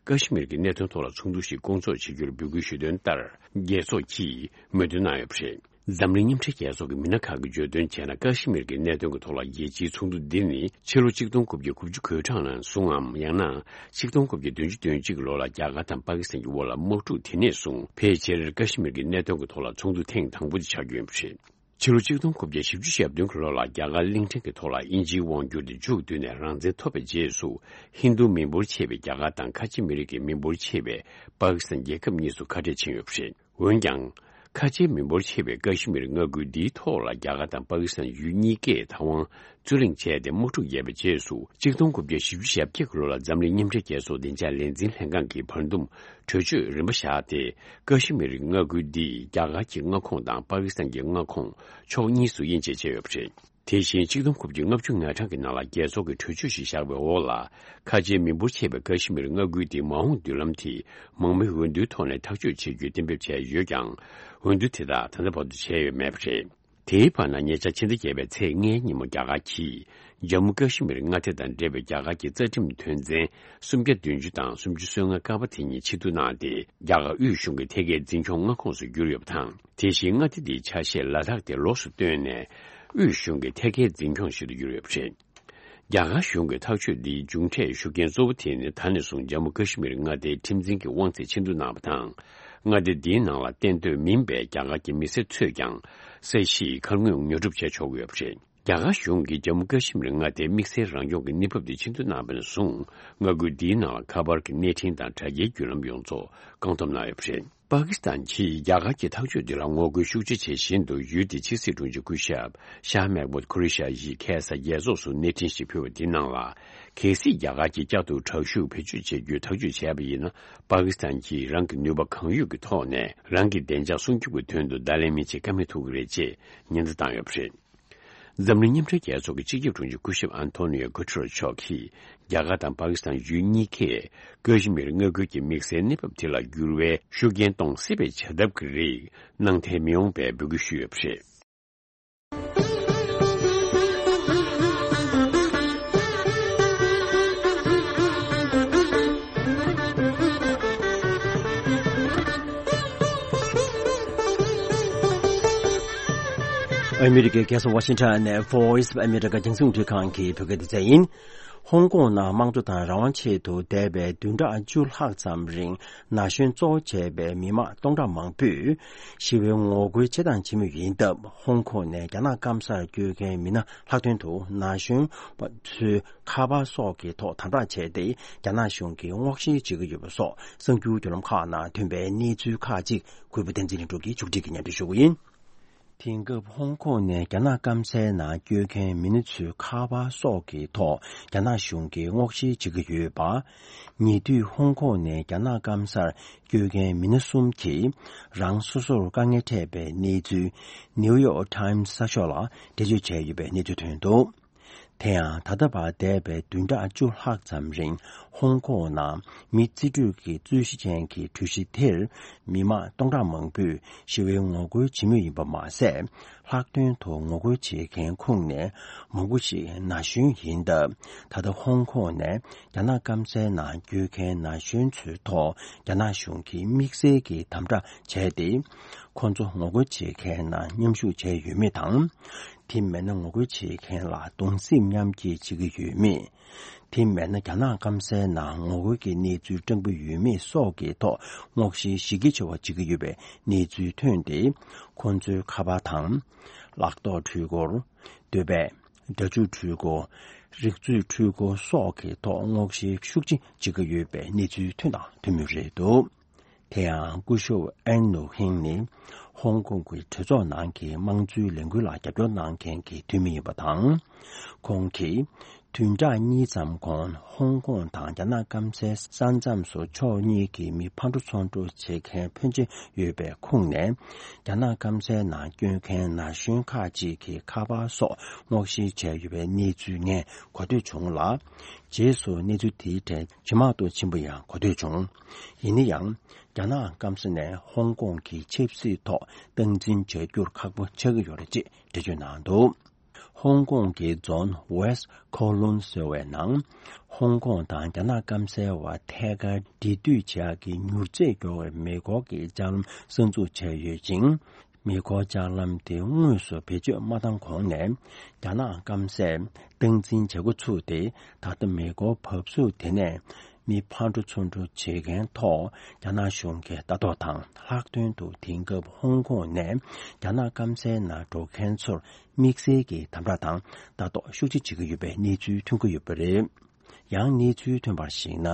ཀ་ཤི་མིར་གྱི་གནད་དོན་ཐོག་ལ་ཚོགས་འདུ་ཞིག་སྐོང་ཚོགས་བྱེད་རྒྱུར་འབོད་སྐུལ་ཞུ་དོན་ལྟར། རྒྱལ་ཚོགས་ཀྱིས་མོས་མཐུན་གནང་ཡོད་པ་རེད། འཛམ་གླིང་མཉམ་འབྲེལ་རྒྱལ་ཚོགས་ཀྱི་མི་སྣ་ཁག་གིས་བརྗོད་དོན་བྱས་ན། ཀ་ཤི་མིར་གྱི་གནད་དོན་གྱི་ཐོག་ལ་རྒྱལ་སྤྱིའི་ཚོགས་འདུ་འདི་ནི་ཕྱི་ལོ་ཆིག་སྟོང་དགུ་བརྒྱ་དགུ་བཅུ་གོ་གྲངས་ནས་བཟུང་ངམ། ཡང་ན་ཆིག་སྟོང་དགུ་བརྒྱ་བདུན་ཅུ་དོན་གཅིག་ལོ་ལ་རྒྱ་གར་དང་པ་ཀི་སི་ཐན་གྱི་དབར་ལ་དམག་འཁྲུག་དེ་ནས་བཟུང་ཕལ་ཆེར་ཀ་ཤི་མིར་གྱི་གནད་དོན་གྱི་ཐོག་ལ་ཚོགས་འདུ་ཐེངས་དང་པོ་དེ་ཆགས་རྒྱུ་ཡིན་པ་རེད། ཕྱི་ལོ་ཆིག་སྟོང་དགུ་བརྒྱ་བཞི་བཅུ་ཞེ་བདུན་གྱི་ལོ་ལ་རྒྱ་གར་གླིང་ཕྲན་གྱི་ཐོག་ལ་དབྱིན་ཇིའི་དབང་བསྒྱུར་དེ་མཇུག་བསྡུས་ནས། རང་བཙན་ཐོབ་པའི་རྗེས་སུ། ཧིན་རྡུ་མི་འབོར་ཆེ་བའི་རྒྱ་གར་དང་། ཁ་ཆེ་མི་རིགས་ཀྱི་མི་འབོར་ཆེ་བའི་པ་ཀི་སི་ཐན་རྒྱལ་ཁབ་གཉིས་སུ་ཁ་བྲལ་ཕྱིན་ཡོད་པ་རེད། འོན་ཀྱང་། ཁ་ཆེའི་མི་འབོར་ཆེ་བའི་ཀ་ཤི་མིར་མངའ་ཁུལ་འདིའི་ཐོག་ལ་རྒྱ་གར་དང་པ་ཀི་སི་ཐན་ཡུལ་གཉིས་ཀས་ད་དབང་རྩོད་གླེང་བྱས་ཏེ། དམག་འཁྲུག་བརྒྱབ་པའི་རྗེས་སུ། ཆིག་སྟོང་དགུ་བརྒྱ་བཞི་བཅུ་ཞེ་བརྒྱད་ཀྱི་ལོ་ལ་འཛམ་གླིང་མཉམ་འབྲེལ་རྒྱལ་ཚོགས་བདེ་འཇགས་ལས་འཛིན་ལྷན་ཁང་གིས་བར་འདུམ་གྲོས་ཆོད་རིམ་པ་བཞག་སྟེ། ཀ་ཤི་མིར་མངའ་ཁུལ་འདི་རྒྱ་གར་གྱི་མངའ་ཁོངས་དང་པ་ཀི་སི་ཐན་གྱི་མངའ་ཁོངས་ཕྱོགས་གཉིས་སུ་དབྱེ་འབྱེད་བྱས་ཡོད་པ་རེད། དེ་བཞིན་ཆིག་སྟོང་དགུ་བརྒྱ་ལྔ་བཅུ་ང་གྲངས་ཀྱི་ནང་ལ་རྒྱལ་ཚོགས་ཀྱིས་གྲོས་ཆོད་ཞིག་བཞག་པའི་འོག་ལ། ཁ་ཆེའི་མི་འབོར་ཆེ་བའི་ཀ་ཤི་མིར་མངའ་ཁུལ་དེའི་མ་འོངས་མདུན་ལམ་དེ་མང་མོས་འོས་བསྡུའི་ཐོག་ནས་ཐག་གཅོད་བྱེད་རྒྱུའི་གཏན་འབེབས་བྱས་ཡོད་ཀྱང་། འོས་བསྡུ་དེ་དག་ད་ལྟ་བར་དུ་བྱས་ཡོད་མེད་པ་རེད། དེའི་བར་ན། ཉེ་ཆར་ཕྱི་ཟླ་བརྒྱད་པའི་ཚེས་ལྔའི་ཉིན་མོ་རྒྱ་གར་གྱིས་ཇམ་མུ་ཀ་ཤི་མིར་མངའ་སྡེ་དང་འབྲེལ་བའི་རྒྱ་གར་གྱི་རྩ་ཁྲིམས་དོན་ཚན་སུམ་བརྒྱ་བདུན་ཅུ་དང་སུམ་ཅུ་སོ་ལྔ་ཀ་པ་དེ་གཉིས་ཕྱིར་བསྡུ་གནང་སྟེ། རྒྱ་གར་དབུས་གཞུང་གི་ཐད་ཀའི་འཛིན་སྐྱོང་མངའ་ཁོངས་སུ་གྱུར་ཡོད་པ་དང་། དེ་བཞིན་མངའ་སྡེ་འདིའི་ཆ་ཤས་ལ་དྭགས་དེ་ལོགས་སུ་བཏོན་ནས། དབུས་གཞུང་གི་ཐད་ཀའི་འཛིན་སྐྱོང་ཞིག་ཏུ་གྱུར་ཡོད་པ་རེད། རྒྱ་གར་གཞུང་གིས་ཐག་གཅོད་འདིའི་མཇུག་འབྲས་ཤུགས་རྐྱེན་གཙོ་བོ་དེ་ནི། ད་ནས་བཟུང་ཇམ་མུ་ཀ་ཤི་མིར་མངའ་སྡེའི་ཁྲིམས་འཛིན་གྱི་དབང་ཚད་ཕྱིར་བསྡུ་གནང་བ་དང་། མངའ་སྡེ་འདིའི་ནང་ལ་གཏན་སྡོད་མིན་པའི་རྒྱ་གར་གྱི་མི་སེར་ཚོས་ཀྱང་ས་གཞིའི་ཁ་དངོས་ཉོ་སྒྲུབ་བྱས་ཆོག་གི་ཡོད་པ་རེད། རྒྱ་གར་གཞུང་གིས་ཇམ་མུ་ཀ་ཤི་མིར་མངའ་སྡེའི་དམིགས་བསལ་རང་སྐྱོང་གི་གནས་བབ་དེ་ཕྱིར་བསྡུ་གནང་བ་ནས་བཟུང་། མངའ་ཁུལ་འདིའི་ནང་ལ་ཁ་པར་གྱི་གནས་འཕྲིན་དང་དྲ་རྒྱའི་བརྒྱུད་ལམ་ཡོངས་རྫོགས་བཀག་སྡོམ་གནང་ཡོད་པ་རེད། པ་ཀི་སི་ཐན་གྱིས་རྒྱ་གར་གྱི་ཐག་གཅོད་འདི་ལ་ངོ་རྒོལ་ཤུགས་ཆེ་བྱེད་བཞིན་དུ། ཡུལ་དེའི་ཕྱི་སྲིད་དྲུང་ཆེ་སྐུ་ཞབས་ཤཱ་མེག་མུད་ཁུ་རི་ཤཱ་ཡིས་ཁ་སང་རྒྱལ་ཚོགས་སུ་གནས་འཕྲིན་ཞིག་ཕུལ་བ་དེའི་ནང་ལ། གལ་སྲིད་རྒྱ་གར་གྱིས་བསྐྱར་དུ་དྲག་ཤུགས་བེད་སྤྱོད་བྱེད་རྒྱུའི་ཐག་གཅོད་བྱས་པ་ཡིན་ན། པ་ཀི་སི་ཐན་གྱིས་རང་གི་ནུས་པ་གང་ཡོད་ཀྱི་ཐོག་ནས་རང་གི་བདེ་འཇགས་སྲུང་སྐྱོབ་ཀྱི་དོན་དུ་བརྡ་ལན་མི་བྱེད་ཀ་མེད་ཐུག་གི་རེད་ཅེས་ཉེན་བརྡ་བཏང་ཡོད་པ་རེད། འཛམ་གླིང་མཉམ་འབྲེལ་རྒྱལ་ཚོགས་ཀྱི་སྤྱི་ཁྱབ་དྲུང་ཆེ་སྐུ་ཞབས་ཨན་ཐོ་ནི་ཡོ་གུ་ཏེ་རེ་མཆོག་གིས། རྒྱ་གར་དང་པ་ཀི་སི་ཐན་ཡུལ་གཉིས་ཀས་ཀ་ཤི་མིར་མངའ་ཁུལ་གྱི་དམིགས་བསལ་གནས་བབ་དེ་ལ་འགྱུར་བའི་ཤུགས་རྐྱེན་གཏོང་སྲིད་པའི་བྱ་ཐབས་ཀྱི་རིགས་གནང་འཐེན་མི་ཡོང་བའི་འབོད་སྐུལ་ཞུས་ཡོད་པ་རེད། ཨ་མི་རི་ཀའི་རྒྱལ་ས་ཝ་ཤིང་ཊོན་ནས་Voice of America་རྒྱང་སྲིང་རླུང་འཕྲིན་ཁང་གི་བོད་སྐད་སྡེ་ཚན་ཡིན། ཧོང་ཀོང་ནང་དམངས་གཙོ་དང་རང་དབང་ཆེད་དུ་འདས་པའི་བདུན་ཕྲག་བཅུ་ལྷག་ཙམ་རིང་ན་གཞོན་གཙོ་བོ་བྱས་པའི་མི་མང་སྟོང་ཕྲག་མང་པོས་ཞི་བའི་ངོ་རྒོལ་བྱེད་སྟངས་བྱེད་མུས་ཡིན་སྟབས། ཧོང་ཀོང་ནས་རྒྱ་ནག་སྐམ་སར་སྐྱོད་མཁན་མི་སྣ་ལྷག་དོན་དུ་ན་གཞོན་པ་ཚོའི་ཁ་པར་སོགས་ཀྱི་ཐོག་དམ་དྲག་བྱས་ཏེ། རྒྱ་ནག་གཞུང་གིས་དབང་ཤེད་བྱེད་ཀྱི་ཡོད་པ་སོགས་གསར་འགྱུར་བརྒྱུད་ལམ་ཁག་ནང་ཐོན་པའི་གནས་ཚུལ་ཁག་ཅིག་གུས་པ་བསྟན་འཛིན་ལྷུན་གྲུབ་ཀྱིས་ཕྱོགས་སྒྲིག་གིས་སྙན་སྒྲོན་ཞུ་གི་ཡིན། དེང་སྐབས་ཧོང་ཀོང་ནས་རྒྱ་ནག་སྐམ་སའི་ནང་སྐྱོད་མཁན་མི་སྣ་ཚོའི་ཁ་པར་སོགས་ཀྱི་ཐོག་རྒྱ་ནག་གཞུང་གིས་དབང་ཤེད་བྱེད་ཀྱི་ཡོད་པ། ཉེ་དུས་ཧོང་ཀོང་ནས་རྒྱ་ནག་སྐམ་སར་སྐྱོད་མཁན་མི་སྣ་གསུམ་གྱིས་རང་སོ་སོར་དཀའ་ངལ་འཕྲད་པའི་གནས་ཚུལ་ནིའུ་ཡོག་ཊའིམ་གསར་ཤོག་ལ་འགྲེལ་བརྗོད་བྱས་ཡོད་པའི་གནས་ཚུལ་ཐོན་འདུག། དེ་ཡང་ད་ལྟ་བར་འདས་པའི་བདུན་ཕྲག་བཅུ་ལྷག་ཙམ་རིང་ཧོང་ཀོང་ནང་མི་རྩིས་སྤྲོད་ཀྱི་རྩོད་གཞི་ཅན་གྱི་གྲོས་གཞི་དེར་མི་མང་སྟོང་ཕྲག་མང་པོས་ཞི་བའི་ངོ་རྒོལ་བྱེད་མུས་ཡིན་པ་མ་ཟད། ལྷག་དོན་དུ་ངོ་རྒོལ་བྱེད་མཁན་ཁོངས་ནས་མང་པོ་ཞིག་ན་གཞོན་ཡིན་སྟབས། ད་ལྟ་ཧོང་ཀོང་ནས་རྒྱ་ནག་སྐམ་སའི་ནང་བསྐྱོད་མཁན་ན་གཞོན་ཚོའི་ཐོག་རྒྱ་ནག་གཞུང་གིས་དམིགས་བསལ་གྱི་དམ་དྲག་བྱས་ཏེ། ཁོང་ཚོ་ངོ་རྒོལ་བྱེད་མཁན་ནང་མཉམ་ཞུགས་བྱས་ཡོད་མེད་དང་། དེ་མིན་ན་ངོ་རྒོལ་བྱེད་མཁན་ལ་གདུང་སེམས་མཉམ་སྐྱེད་བྱེད་ཀྱི་ཡོད་མེད། དེ་མིན་ན་རྒྱ་ནག་སྐམ་སའི་ནང་ངོ་རྒོལ་གྱི་གནས་ཚུལ་སྤྲང་པོ་ཡོད་མེད་སོགས་ཀྱི་ཐོག་སྔོག་བཤེར་གཞི་རྒྱ་ཆེ་བ་བྱེད་ཀྱི་ཡོད་པའི་གནས་ཚུལ་ཐོན་ཏེ། ཁོང་ཚོའི་ཁ་པར་དང་། ལག་ཐོགས་འཕྲུལ་འཁོར། འདོད་པས། སྒྲ་འཇུག་འཕྲུལ་འཁོར། རིག་མཛོད་འཕྲུལ་འཁོར་སོགས་ཀྱི་ཐོག་སྔོག་བཤེར་ཤུགས་ཆེ་བྱེད་ཀྱི་ཡོད་པའི་གནས་ཚུལ་ཐོན་དང་ཐོན་མུས་རེད་འདུག་དེ་ཡང་སྐུ་ཞབས་ཨན་ནུ་ཧིང་ནི་ཧོང་ཀོང་གི་གྲོས་ཚོགས་ནང་གི་དམངས་གཙོའི་ལས་འགུལ་ལ་རྒྱབ་སྐྱོར་གནང་མཁན་གྱི་འཐུས་མི་ཡིན་པ་དང་། ཁོང་གིས་བདུན་ཕྲག་གཉིས་ཙམ་གོང་ཧོང་ཀོང་དང་རྒྱ་ནག་སྐམ་སའི་ས་མཚམས་སུ་ཕྱོགས་གཉིས་ཀྱི་མི་ཕར་འགྲོ་ཚུར་འགྲོ་བྱེད་མཁན་ཕོན་ཆེ་ཡོད་པའི་ཁོངས་ནས། རྒྱ་ནག་སྐམ་སའི་ནང་བསྐྱོད་མཁན་ན་གཞོན་ཁག་ཅིག་གི་ཁ་པར་སོགས་སྔོག་བཤེར་བྱས་ཡོད་པའི་གནས་ཚུལ་ངས་གོ་ཐོས་བྱུང་ལ། རྗེས་སུ་གནས་ཚུལ་དེའི་གྲས་ཇེ་མང་དུ་ཕྱིན་པ་ཡང་གོ་ཐོས་བྱུང་། ཡིན་ན་ཡང་། རྒྱ་ནག་སྐམ་ས་ནས་ཧོང་ཀོང་གི་ཆབ་སྲིད་ཐོག་སྟངས་འཛིན་བྱ་རྒྱུར་ཁག་པོ་ཆགས་ཀྱི་ཡོད་རེད་ཅེས་འགྲེལ་བརྗོད་གནང་འདུག་ཧོང་ཀོང་གི་རྫོང་West Kowloon ཟེར་བའི་ནང་། ཧོང་ཀོང་དང་རྒྱ་ནག་སྐམ་སའི་བར་ཐད་ཀར་འབྲེལ་མཐུད་བྱ་གི་མྱུར་ཚད་མགྱོགས་པའི་མེ་འཁོར་གྱི་ལྕགས་ལམ་གསར་འཛུགས་བྱས་ཡོད་ཅིང་། མེ་འཁོར་ལྕགས་ལམ་དེ་དངོས་སུ་བེད་སྤྱོད་མ་བཏང་གོང་ནས། རྒྱ་ནག་སྐམ་སས་སྟངས་འཛིན་བྱེད་འགོ་ཚུགས་ཏེ། ད་ལྟ་མེ་འཁོར་བབས་ཚུགས་དེ་ནས་མི་ཕར་འགྲོ་ཚུར་འགྲོ་བྱེད་མཁན་ཐོག་རྒྱ་ནག་གཞུང་གིས་ལྟ་རྟོག་དང་། ལྷག་དོན་དུ་དེང་སྐབས་ཧོང་ཀོང་ནས་རྒྱ་ནག་སྐམ་སའི་ནང་འགྲོ་མཁན་ཚོར་དམིགས་བསལ་གྱི་དམ་དྲག་དང་ལྟ་རྟོག་ཤུགས་ཆེ་བྱེད་ཀྱི་ཡོད་པའི་གནས་ཚུལ་ཐོན་གྱི་ཡོད་པ་རེད། ཡང་གནས་ཚུལ་ཐོན་པར་གཞིགས་ན།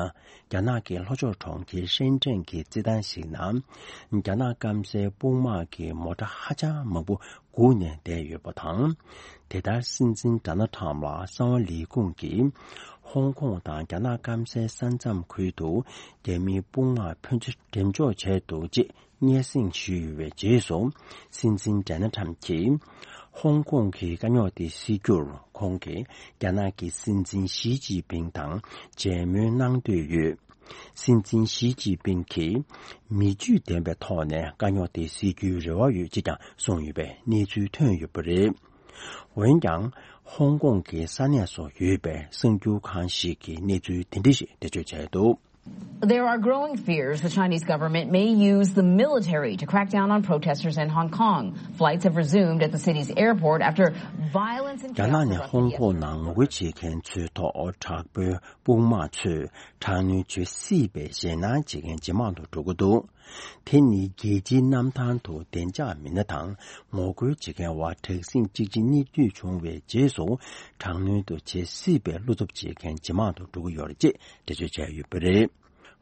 རྒྱ་ནག་གི་ལྷོ་ཕྱོགས་གྲོང་ཁྱེར་ཧྲེན་ཀྲེན་གྱི་རྩེད་ཐང་ཞིག་ནང་། རྒྱ་ནག་སྐམ་སའི་དཔུང་དམག་གི་མོ་ཊ་ཧ་ཅང་མང་པོ་སྒུག་ནས་བསྡད་ཡོད་པ་དང་། དེ་ལྟར་སྲིད་འཛིན་ཌོ་ནལ་ཁྲམ་ལ་གསང་བ་ལས་ཁུངས་ཀྱིས། ཧོང་ཀོང་དང་རྒྱ་ནག་སྐམ་སའི་ས་མཚམས་ཁུལ་དུ་རྒྱ་མིའི་དཔུང་དམག་ཕོན་ཆེ་འགྲེམས་འཇོག་བྱས་འདུག་ཅེས། སྙན་སེང་ཞུས་ཡོད་པའི་རྗེས་སུ། སྲིད་འཛིན་ཌོ་ནལ་ཁྲམ་གྱིས་ཧོང་ཀོང་གི་དཀའ་རྙོག་དེ་སེལ་རྒྱུར་ཁོང་གིས་རྒྱ་ནག་གི་སྲིད་འཛིན་ཞི་ཅིན་ཕིང་དང་མཇལ་མོལ་གནང་འདོད་ཡོད། སྲིད་འཛིན་ཞི་ཅིན་ཕིང་གིས་མི་ཇུས་ལྡན་པའི་ཐོག་ནས་དཀའ་རྙོག་དེ་སེལ་རྒྱུའི་རེ་བ་ཡོད་ཅེས་ཀྱང་གསུངས་ཡོད་པའི་གནས་ཚུལ་ཐོན་ཡོད་པ་རེད། འོན་ཀྱང་། ཧོང་ཀོང་གི་ས་གནས་སུ་ཡོད་པའི་གསར་འགྱུར་ཁང་ཞིག་གིས་གནས་ཚུལ་དེ་འདྲ་ཞིག་འགྲེལ་བརྗོད་བྱས་འདུག There are growing fears the Chinese government may use the military to crack down on protesters in Hong Kong. Flights have resumed at the city's airport after violence and རྒྱ་ནག་chaos ནས་ཧོང་erupted ཀོང་ནང་ངོ་རྒོལ་བྱེད་མཁན་ཚོའི་ཐོག་དྲག་པོའི་དཔུང་དམག་ཚོས་དྲག་གནོན་བྱེད་སྲིད་པའི་ཞེད་སྣང་བྱེད་མཁན་ཇེ་མང་དུ་འགྲོ་གི་འདུག་དེ་ནི་རྒྱལ་སྤྱིའི་གནམ་ཐང་དུ་བདེ་འཇགས་མི་སྣ་དང་ངོ་རྒོལ་བྱེད་མཁན་བར་དྲག་ཟིང་གཅིག་སྒྲིལ་གཉིས་མཐུད་བྱུང་བའི་རྗེས་སུ། དྲག་གནོན་དུ་བྱེད་སྲིད་པའི་བློ་འཚབ་བྱེད་མཁན་ཇེ་མང་དུ་འགྲོ་གི་ཡོད་རེད་ཅེས་འགྲེལ་བརྗོད་བྱས་ཡོད་པ་རེད།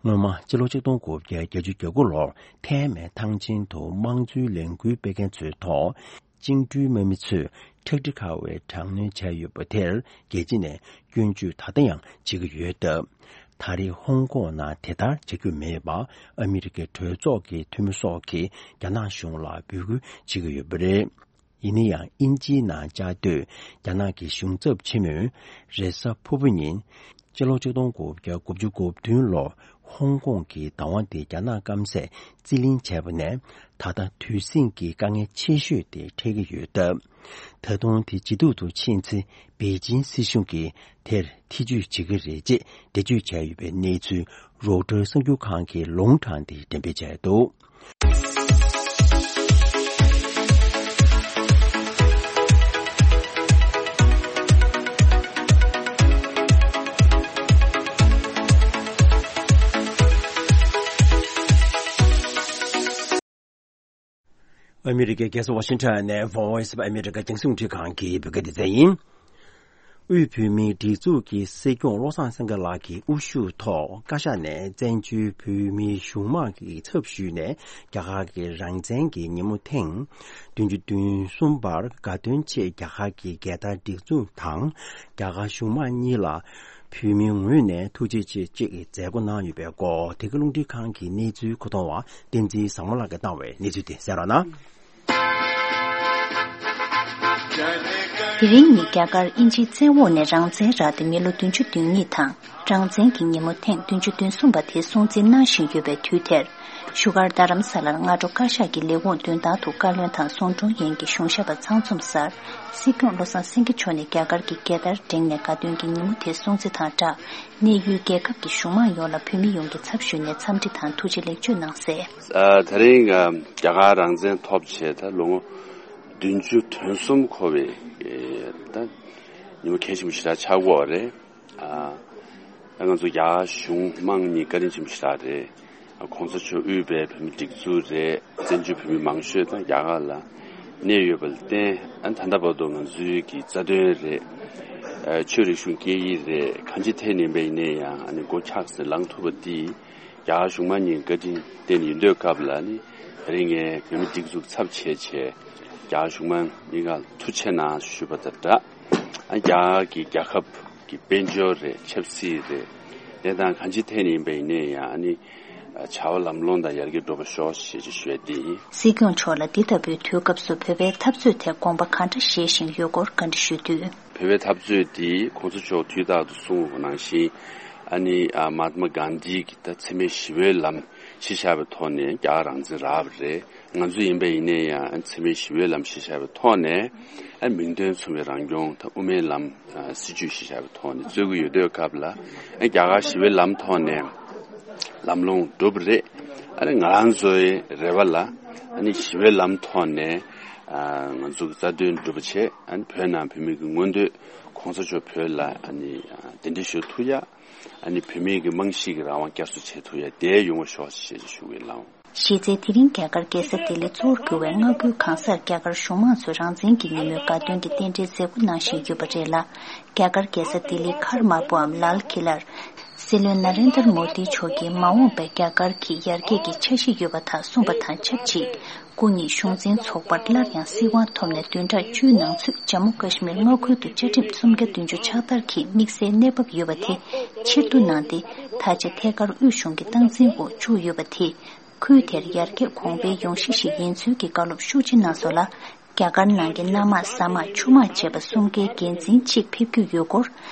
སྔོན་མ་ཕྱི་ལོ་ཆིག་སྟོང་དགུ་བརྒྱ་བརྒྱད་ཅུ་གྱ་དགུ་ལོར་ཐའེ་མེན་ཐང་ཆེན་དུ་དམངས་གཙོའི་ལས་འགུལ་སྤེལ་མཁན་ཚོའི་ཐོག་བཅིངས་འགྲོལ་དམག་མི་ཚོས་ཁྲག་དྲི་ཁ་བའི་དྲག་གནོན་བྱས་ཡོད་པ་དེར་རྒྱལ་སྤྱི་ནས་སྐྱོན་བརྗོད་ད་ལྟ་ཡང་བྱེད་ཀྱི་ཡོད་སྟབས། ད་རེས་ཧོང་ཀོང་ནང་དེ་ལྟར་བྱ་རྒྱུ་མེད་པར་ཨ་མི་རི་ཀའི་གྲོས་ཚོགས་ཀྱི་འཐུས་མི་སོགས་ཀྱིས་རྒྱ་ནག་གཞུང་ལ་འབོད་སྐུལ་བྱེད་ཀྱི་ཡོད་པ་རེད། ཡིན་ན་ཡང་དབྱིན་ཇིའི་ནང་བཅའ་སྡོད་རྒྱ་ནག་གི་གཞུང་ཚབ་ཆེན་མོས་རེས་གཟའ་ཕུར་བུ་ཉིན། ཕྱི་ལོ་ཆིག་སྟོང་དགུ་བརྒྱ་དགུ་བཅུ་གོ་བདུན་ལོར་ཧོང་ཀོང་གི་བདག་དབང་དེ་རྒྱ་ནག་སྐམ་སས་རྩིས་ལེན་བྱས་པ་ནས་ད་ལྟ་དུས་ཟིང་གི་དཀའ་ངལ་ཆེ་ཤོས་དེ་འཕྲད་ཀྱི་ཡོད་སྟབས། ད་དུང་དེ་ཇེ་སྡུག་ཏུ་ཕྱིན་ཚེ་པེ་ཅིན་སྲིད་གཞུང་གིས་དེར་ཐེ་ཇུས་བྱེད་ཀྱི་རེད་ཅེས་འགྲེལ་བརྗོད་བྱས་ཡོད་པའི་གནས་ཚུལ་རོའུ་ཊར་གསར་འགྱུར་ཁང་གིས་ལུང་དྲངས་ཏེ་འགྲེམས་སྤེལ་བྱས་འདུག་ཨ་མི་རི་ཀའི་རྒྱལ་ས་ཝ་ཤིང་ཊོན་ནས་Voice of America རྒྱང་སྲིང་རླུང་འཕྲིན་ཁང་གི་བོད་སྐད་སྡེ་ཚན་ཡིན། དབུས་བོད་མིའི་སྒྲིག་འཛུགས་ཀྱི་སྲིད་སྐྱོང་བློ་བཟང་སེང་གེ་ལགས་ཀྱི་དབུ་བཞུགས་ཐོག་བཀའ་ཤག་ནས་བཙན་བྱོལ་བོད་མིའི་གཞུང་མང་གི་ཚབ་ཞུས་ནས་རྒྱ་གར་གྱི་རང་བཙན་གྱི་ཉིན་མོ་ཐེངས་བདུན་ཅུ་དོན་གསུམ་པར་དགའ་སྟོན་ཆེད་རྒྱ་གར་གྱི་རྒྱལ་དར་སྒྲེང་འཛུགས་དང་རྒྱ་གར་གཞུང་མང་གཉིས་ལ་བོད་མིའི་ངོས་ནས་ཐུགས་རྗེ་ཆེ་ཅེས་མཛད་སྒོ་གནང་ཡོད་པའི་སྐོར་དེ་གའི་རླུང་འཕྲིན་ཁང་གི་གནས་ཚུལ་མཁོ་གཏོང་བ་བསྟན་འཛིན་བཟང་མོ་ལགས་ཀྱིས་བཏང་བའི་གནས་ཚུལ་དེ་གསན་རོགས་གནང་། དེ་རིང་ཉིན་རྒྱ་གར་དབྱིན་ཇིའི་བཙན་འོག་ནས་རང་བཙན་རག་སྟེ་མི་ལོ་བདུན་ཅུ་དོན་གཉིས་དང་། རང་བཙན་གྱི་ཉིན་མོ་ཐེངས་བདུན་ཅུ་དོན་གསུམ་པ་དེ་སྲུང་བརྩི་གནང་བཞིན་ཡོད་པའི་དུས་དེར། བཞུགས་སྒར་རྡ་རམ་ས་ལར་སྔ་དྲོ་བཀའ་ཤག་གི་ལས་ཁུངས་མདུན་ཐང་དུ་བཀའ་བློན་དང་ཟུང་དྲུང་ཡན་གྱི་གཞུང་ཞབས་པ་ཚང་འཛོམས་སར། སྲིད་སྐྱོང་བློ་བཟང་སེང་གེ་མཆོག་ནས་རྒྱ་གར་གྱི་རྒྱལ་དར་བསྒྲེངས་ནས་དགའ་སྟོན་གྱི་ཉིན་མོ་དེ་སྲུང་བརྩི་དང་སྦྲགས། གནས་ཡུལ་རྒྱལ་ཁབ་ཀྱི་གཞུང་མང་ཡོངས་ལ་བོད་མི་ཡོངས་ཀྱི་ཚབ་ཞུས་ནས་འཚམས་འདྲི་དང་ཐུགས་རྗེ་ལེགས་བརྗོད་གནང་གསལ། ཨ། དེ་རིང་ཨ་རྒྱ་གར་རང་བཙན་ཐོབ་བྱས་ད་ལོ་ངོ་བདུན་ཅུ་དོན་གསུམ་འཁོར་བའི་ཨེ་ད་ཉིན་མོ་གལ་ཆེན་པོ་ཞེ་དྲག་ཆགས་ཀྱི་ཡོད་རེད། ཨ། ད་ང་ཚོ་རྒྱ་གར་གཞུང་མང་གཉིས་བཀའ་དྲིན་ཆེན་པོ་ཞེ་དྲག་རེད། ཨ། གོང་ས་མཆོག་དབུས་པའི་བོད་མི་སྒྲིག་འཛུགས་རེད། བཙན་བྱོལ་བོད་མི་མང་ཤོས་ད་རྒྱ་གར་ལ་གནས་ཡོད་པ་ལ་བརྟེན། ཨ། ད་ལྟ་བར་དུ་ང་ཚོའི་གི་རྩ་དོན་རེད། ཨ། ཆོས་རིག་གཞུང་སྐད་ཡིག་རེད། གང་ཅི་ཐད་ནས་ཡིན་པ་ཡིན་ནའི་ཡང་ཨ་ནི་མགོ་འཁྱགས་སེ་ལངས་ཐུབ་པ་འདི་རྒྱ་གར་གཞུང་མང་གཉིས་བཀའ་དྲིན་བསྟན་ཡིན། དུས་སྐབས་ལ་ནི་དེ་རིང་ངས་བོད་མི་སྒྲིག་འཛུགས་ཚབ་བྱས་བྱས་རྒྱ་གར་གཞུང་མང་གཉིས་ཀར་ཐུགས་རྗེ་གནང་ཞུ་བ་དང་སྦྲགས། ཨ། རྒྱ་གར་གྱི་རྒྱལ་ཁབ་ཀྱི་དཔལ་འབྱོར་རེད། ཆབ་སྲིད་རེད། གནས་སྟངས་གང་ཅི་ཐད་ནས་ཡིན་པ་ཡིན་ནའི་ཡང་ཨ་ནི་བྱ་བ་ལམ་ལྷོང་དང་ཡར་རྒྱས་འགྲོ་བ་ཤོག་ཞེས་ཅིག་ཞུ་ཡས་འདི་ཡིན། སྲིད་སྐྱོང་མཆོག་ལ་འདི་ལྟ་བུའི་དུས་སྐབས་སུ་བོད་པའི་འཐབ་རྩོད་ཐད་དགོངས་པ་ག་འདྲ་བཞེས་བཞིན་ཡོད་སྐོར་བཀའ་འདྲི་ཞུས་དུས། བོད་པའི་འཐབ་རྩོད་འདི་གོང་ས་མཆོག་དུས་རྟག་ཏུ་གསུངས་པ་ནང་བཞིན་ཨ་ནི་ཨ་མ་ཧཱ་ཏ་མ་གྷན་དྷི་གིས་ད་འཚེ་མེད་ཞི་བའི་ལམ་གཞི་བཞག་པའི་ཐོག་ནས་རྒྱ་གར་རང་བཙན་རག་པ་རེད། ང་ཚོ་ཡིན་པ་ཡིན་ནའི་ཡང་འཚེ་མེད་ཞི་བའི་ལམ་གཞི་བཞག་པའི་ཐོག་ནས་ཨ་མིང་དོན་མཚུངས་པའི་རང་སྐྱོང་དང་དབུ་མའི་ལམ་ཨ་སྲིད་བྱུས་གཞི་བཞག་པའི་ཐོག་ནས་རྩོད་ཀྱི་ཡོད་དུས་སྐབས་ལ། ཨ་རྒྱ་གར་ཞི་བའི་ལམ་ཐོག་ནས་ལམ་ལྷོང་འགྲུབ་པ་རེད། ཨ་ནི་ང་རང་ཚོའི་རེ་བ་ལ་ཨ་ནི་ཞི་བའི་ལམ་ཐོག་ནས་ཨ་ང་ཚོ་གི་རྩ་དོན་འགྲུབ་པ་བྱས། ཨ་ནི་བོད་ནང་བོད་མི་གི་མངོན་འདོད་གོང་ས་མཆོག་བོད་ལ་ཨ་ནི་ཨ་གདན་འདྲེན་ཞུ་ཐུབ་ཡ། ཨ་ནི་བོད་མིའི་གི་རྨང་གཞི་གི་རང་དབང་བསྐྱར་གསོ་བྱེད་ཐུབ་ཡ་དེ་ཡོང་བ་ཤོག་ཅེས་ཞུ་གི་ལགས། གཞི་རྩའི་དེ་རིང་རྒྱ་གར་རྒྱལ་ས་ལྡི་ལི་གཙོ་བོར་གྱུར་བའི་མངའ་ཁུལ་གང་སར་རྒྱ་གར་གཞུང་མང་ཚོས་རང་བཙན་གྱི་ཉིན་མོའི་དགའ་སྟོན་གྱི་རྟེན་འབྲེལ་མཛད་སྒོ་གནང་བཞིན་ཡོད་པ་རེད་ལ། རྒྱ་གར་རྒྱལ་ས་ལྡི་ལིའི་མཁར་དམར་པོའམ་ལཱལ་ཀི་ལར། སྲིད་བློན་ན་རེན་དར་མོ་དི་མཆོག་གིས་མ་འོངས་པའི་རྒྱ་གར་གྱི་ཡར་རྒྱས་ཀྱི་འཆར་གཞི་ཡོད་པ་དག་གསུངས་པ་དང་ཆབས་ཅིག་སྐུ་ཉིད་གཞུང་འཛིན་ཚོགས་པར་སླར་ཡང་སྲིད་དབང་ཐོབ་ནས་བདུན་ཕྲག་བཅུའི་ནང་ཚུད་ཇམ་མུ་ཀ་ཤི་མིར་མངའ་ཁུལ་དུ་བཅའ་ཁྲིམས་སུམ་བརྒྱ་བདུན་ཅུ་ཕྱག་བསྟར་གྱི་དམིགས་བསལ་གནས་བབ་ཡོད་པ་དེ་ཕྱིར་བསྡུ་གནང་སྟེ། ད་ཆ་ཐད་ཀར་དབུས་གཞུང་གི་སྟངས་འཛིན་འོག་བཅུག་ཡོད་པ་དེས། ཁུལ་དེར་ཡར་རྒྱས་གོང་འཕེལ་ཡོང་གཞི་ཞིག་ཡིན་ཚུལ་གྱི་བཀའ་སློབ་ཤུགས་ཆེ་གནང་སོང་ལ། རྒྱ་གར་ནང་གི་གནམ་དམག་ས་དམག་ཆུ་དམག་བཅས་པ་གསུམ་ཀའི་འགན་འཛིན་གཅིག་ཕེབས་རྒྱུ་ཡོད་སྐོར་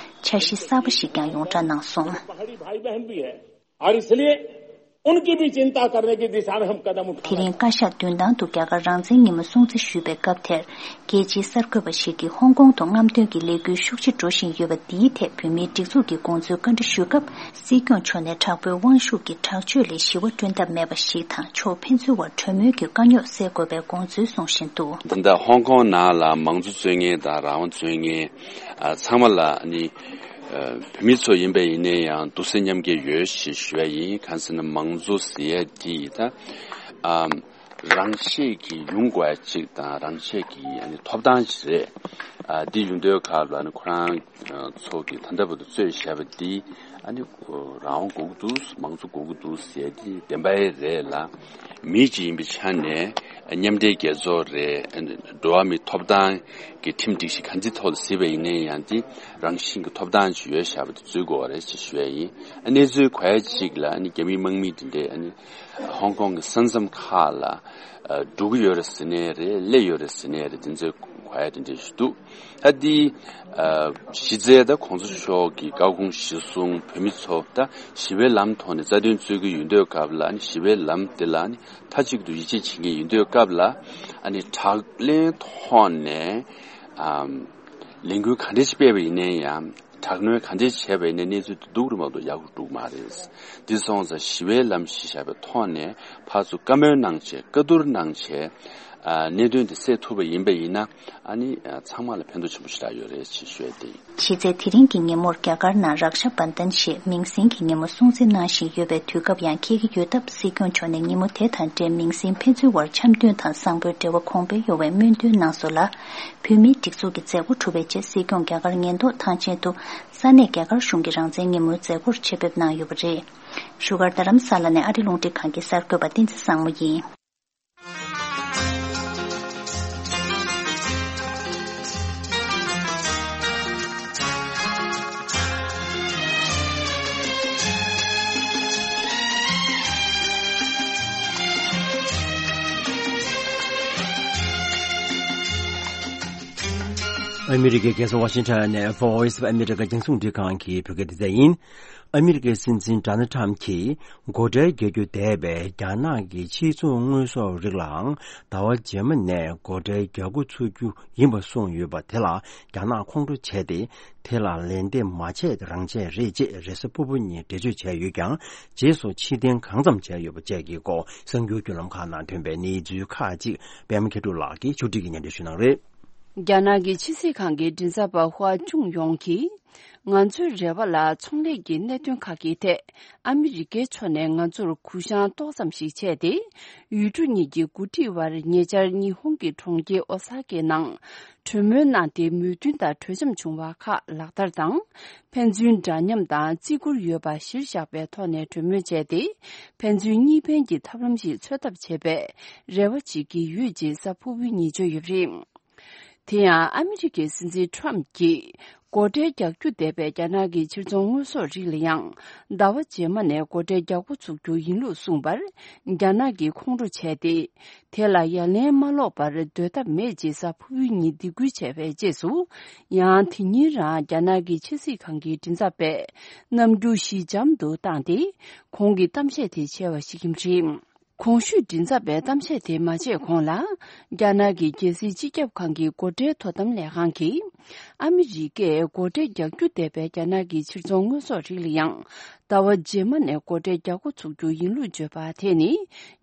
འཆར་གཞི་གསར་པ་ཞིག་ཀྱང་ཡོངས་བསྒྲགས་གནང་སོང་། और इसलिए उनकी भी चिंता करने की दिशा में हम कदम उठा रहे हैं। དེ་རིང་བཀའ་ཤག་མདུན་ཐང་དུ་རྒྱ་གར་རང་བཙན་ཉིན་མོ་སྲུང་བརྩི་ཞུས་པའི་སྐབས་དེར། རྒྱལ་སྤྱིའི་གསར་འགོད་པ་ཞིག་གིས་ཧོང་ཀོང་དུ་རྔམ་སྟོན་གྱི་ལས་འགུལ་ཤུགས་ཆེ་འགྲོ་བཞིན་ཡོད་པ་འདིའི་ཐད་བོད་མིའི་སྒྲིག་འཛུགས་ཀྱི་དགོངས་ཚུལ་བཀའ་འདྲི་ཞུས་སྐབས། སྲིད་སྐྱོང་མཆོག་ནས་དྲག་པོའི་དབང་ཤུགས་ཀྱིས་དྲག་སྤྱོད་ལས་ཞི་བ་བསྐྲུན་ཐབས་མེད་པ་ཞིག་དང་། ཕྱོགས་ཕན་ཚུན་བར་གྲོས་མོལ་གྱིས་དཀའ་རྙོག་སེལ་དགོས་པའི་དགོངས་ཚུལ་གསུངས་བཞིན་འདུག། ད་ལྟ་ཧོང་ཀོང་ནང་ལ་མང་གཙོ་རྩོད་མཁན་དང་རང་དབང་རྩོད་མཁན་ཨ་ཚང་མ་ལ་ནི་ཨ་བོད་མི་ཚོ་ཡིན་པ་ཡིན་ནའི་ཡང་སྡུག་སེམས་མཉམ་སྐྱེད་ཡོད་ཞེས་ཞུ་ཡ་ཡིན། གང་ཟེར་ན་མང་གཙོ་ཟེར་ཡ་དེ་ད་ཨ་རང་ཆས་ཀྱི་ཡོང་དགོས་ཡ་གཅིག་དང་། རང་ཆས་ཀྱི་ཨ་ནི་ཐོབ་ཐང་ཞིག་རེད། ཨ་འདི་ཡོང་དུས་སྐབས་ལ་ནི་ཁོ་རང་ཚོ་གི་ད་ལྟ་བར་དུ་རྩོད་བཞག་པ་འདི་ཨ་ནི་རང་དབང་དགོས་ཀྱི་འདུག། མང་གཙོ་དགོས་ཀྱི་འདུག་ཟེར་འདི་བདེན་པ་རེད་ལ། མི་གཅིག་ཡིན་པའི་ཆ་ནས་མཉམ་འབྲེལ་རྒྱལ་ཚོགས་རེད། འགྲོ་བ་མིའི་ཐོབ་ཐང་གི་ཁྲིམས་སྒྲིག་གཞི་ག་འདི་ཐོག་ཏུ་གཟིགས་པ་ཡིན་ན་ཡང་འདི་རང་བཞིན་གྱི་ཐོབ་ཐང་ཅིག་ཡོད་བཞག་པ་དེ་འཛུལ་དགོས་པ་རེད་ཅེས་ཞུ་ཡ་ཡིན། གནས་ཚུལ་གོ་ཡ་གཅིག་ལ་ཨ་ནི་རྒྱ་མི་དམག་མི་འདི་འདྲས་ཨ་ནི་ཧོང་ཀོང་གི་ས་མཚམས་ཁག་ལ་འགྲོ་གི་ཡོད་རེད་ཟེར་ནའི་རེད། སླེབས་ཡོད་རེད་ཟེར་ནའི་རེད། འདི་ཚོའི་གོ་ཡ་དེ་འདྲས་ཞིག་འདུག། ད་འདི་ཨ་གཞི་རྩའི་ད་གོང་ས་མཆོག་གི་བཀའ་དགོངས་གཞིར་བཟུང་བོད་མི་ཚོ་ད་ཞི་བའི་ལམ་ཐོག་ནས་རྩ་དོན་རྩོད་ཀྱི་ཡོད་དུས་སྐབས་ལ། ཨ་ནི་ཞི་བའི་ལམ་དེ་ལ་ཨ་ནི་མཐའ་གཅིག་ཏུ་ཡིད་ཆེས་བྱེད་མཁན་ཡིན་དུས་སྐབས་ལ། ཨ་ནི་དྲག་གནོན་ཐོག་ནས་ཨམ་ལས་འགུལ་ག་འདྲ་ཞིག་སྤེལ་བ་ཡིན་ན་ཡང་། དྲག་གནོན་ག་འདྲ་བྱས་པ་ཡིན་ན་གནས་ཚུལ་དེ་སྡུག་རུ་མ་གཏོགས་ཡག་རུ་འགྲོ་གི་མ་རེད། འདི་སོང་ཙང་ཞི་བའི་ལམ་གཞི་བཞག་པའི་ཐོག་ནས་ཕར་ཚུར་བཀའ་མོལ་གནང་བྱས། བཀའ་བསྡུར་གནང་བྱས། ཨ་གནད་དོན་དེ་སེལ་ཐུབ་པ་ཡིན་པ་ཡིན་ན། ཨ་ནི་ཨ་ཚང་མ་ལ་ཕན་ཐོགས་ཆེན་པོ་ཞེ་དྲག་ཡོད་རེད་ཅེས་ཞུ་ཡ་དེ་ཡིན། གཞི་རྩའི་དེ་རིང་གི་ཉིན་མོར་རྒྱ་གར་ནང་རཀ་ཤ་བན་དན་ཞེས་མིང་སྲིང་གི་ཉིན་མོ་སྲུང་བརྩི་གནང་བཞིན་ཡོད་པའི་དུས་སྐབས་ཡང་འཁེལ་གྱི་ཡོད་སྟབས། སྲིད་སྐྱོང་མཆོག་ནས་ཉིན་མོ་དེ་དང་འབྲེལ་མིང་སྲིང་ཕན་ཚུན་བར་འཆམ་མཐུན་དང་བཟང་པོའི་འབྲེལ་བ་གོང་འཕེལ་ཡོང་བའི་སྨོན་འདུན་གནང་སོང་ལ། བོད་མིའི་སྒྲིག་འཛུགས་ཀྱི་མཛད་སྒོ་གྲུབ་པའི་རྗེས། སྲིད་སྐྱོང་རྒྱ་གར་ཉེན་རྟོག་ཐང་ཆེན་དུ་ས་གནས་རྒྱ་གར་གཞུང་གི་རང་བཙན་ཉིན་མོའི་མཛད་སྒོར་ཆེད་ཕེབས་གནང་ཡོད་པ་རེད། བཞུགས་སྒར་རྡ་རམ་ས་ལ་ནས་ཨ་རི་རླུང་འཕྲིན་ཁང་གི་གསར་འགོད་པ་བསྟན་འཛིན་བཟང་མོ་ཡིན། ཨ་མི་རི་ཀའི་རྒྱལ་ས་ཝ་ཤིང་ཊོན་ནས་Voice of America་རྒྱང་སྲིང་རླུང་འཕྲིན་ཁང་གི་བོད་སྐད་སྡེ་ཚན་ཡིན། ཨ་མི་རི་ཀའི་སྲིད་འཛིན་ཌོ་ནལ་ཊམ་གྱིས་སྒོ་ཁྲལ་རྒྱག་རྒྱུ་འདས་པའི་རྒྱ་ནག་གི་ཕྱིར་ཚོང་དངོས་ཟོག་རིགས་ལའང་ཟླ་བ་རྗེས་མ་ནས་སྒོ་ཁྲལ་རྒྱག་འགོ་ཚུགས་རྒྱུ་ཡིན་པ་གསུངས་ཡོད་པ་དེ་ལ་རྒྱ་ནག་ཁོང་ཁྲོ་བྱས་ཏེ། དེ་ལ་ལན་འདེབས་མ་བྱས་རང་བྱས་རེད་ཅེས་རེས་གཟའ་ཕུར་བུ་ཉིན་འགྲེལ་བརྗོད་བྱས་ཡོད་ཀྱང་། རྗེས་སུ་ཕྱིར་འཐེན་གང་འཚམ་བྱས་ཡོད་པ་བཅས་ཀྱི་སྐོར་གསར་འགྱུར་བརྒྱུད་ལམ་ཁག་ནང་ཐོན་པའི་གནས་ཚུལ་ཁག་ཅིག་པད་མ་མཁས་གྲུབ་ལགས་ཀྱིས་ཕྱོགས་སྒྲིག་གིས་སྙན་སྒྲོན་ཞུ་གནང་རེད། རྒྱ་ནག་གི་ཕྱི་སྲིད་ཁང་གི་མགྲིན་ཚབ་པ་ཧུའ་ཅུང་ཡོང་གིས། ང་ཚོའི་རེ་བ་ལ་ཚོང་ལས་ཀྱི་གནད་དོན་ཁག་གི་ཐད་ཨ་མི་རི་ཀའི་ཕྱོགས་ནས་ང་ཚོར་གུ་བཤངས་ཏོག་ཙམ་ཞིག་བྱས་ཏེ། ཡུལ་གྲུ་གཉིས་ཀྱི་འགོ་ཁྲིད་དབར་ཉེ་ཆར་ཉི་ཧོང་གི་གྲོང་ཁྱེར་ཨོ་ས་ཀའི་ནང་གྲོས་མོལ་གནང་སྟེ་མོས་མཐུན་དང་གྲོས་འཆམ་བྱུང་བ་ཁག་ལག་བསྟར་དང་། ཕན་ཚུན་འདྲ་མཉམ་དང་བརྩི་བཀུར་ཡོད་པ་གཞིར་བཞག་པའི་ཐོག་ནས་གྲོས་མོལ་བྱས་ཏེ། ཕན་ཚུན་གཉིས་ཕན་གྱི་ཐབས་ལམ་ཞིག་འཚོལ་ཐབས་བྱེད་པའི་རེ་བ་བྱེད་ཀྱི་ཡོད་ཅེས་གཟའ་ཕུར་བུའི་ཉིན་བརྗོད་ཡོད་པ་རེད། དེ་ཡང་ཨ་མི་རི་ཀའི་སྲིད་འཛིན་ཊམ་གྱིས་སྒོ་ཁྲལ་རྒྱག་རྒྱུ་འདས་པའི་རྒྱ་ནག་གི་ཕྱིར་ཚོང་དངོས་ཟོག་རིགས་ལ་ཡང་ཟླ་བ་རྗེས་མ་ནས་སྒོ་ཁྲལ་རྒྱག་འགོ་ཚུགས་རྒྱུ་ཡིན་ལུགས་གསུངས་པར། རྒྱ་ནག་གིས་ཁོང་ཁྲོ་བྱས་ཏེ། དེ་ལ་ཡ་ལན་མ་སློག་པར་སྡོད་ཐབས་མེད་ཅེས་གཟའ་ཕུར་བུའི་ཉིན་སྡིགས་སྐུལ་བྱས་པའི་རྗེས་སུ། ཡང་དེ་ཉིན་རང་རྒྱ་ནག་གི་ཕྱི་སྲིད་ཁང་གི་མགྲིན་ཚབ་པས་རྣམ་འགྱུར་ཞི་འཇམ་དུ་བཏང་སྟེ། ཁོང་གི་གཏམ་བཤད་དེ་བྱས་པ་ཞིག་ཡིན་པ་རེད། གོང་ཞུས་མགྲིན་ཚབ་པའི་གཏམ་བཤད་དེ་མ་བྱས་གོང་ལ། རྒྱ་ནག་གི་རྒྱལ་སྲིད་སྤྱི་ཁྱབ་ཁང་གི་སྒོ་ཁྲལ་དོ་དམ་ལས་ཁང་གིས། ཨ་མི་རི་ཀས་སྒོ་ཁྲལ་རྒྱག་རྒྱུ་འདས་པའི་རྒྱ་ནག་གི་ཕྱིར་ཚོང་དངོས་ཟོག་རིགས་ལ་ཡང་ཟླ་བ་རྗེས་མ་ནས་སྒོ་ཁྲལ་རྒྱག་འགོ་ཚུགས་རྒྱུ་ཡིན་ལུགས་བརྗོད་པ་དེ་ནི།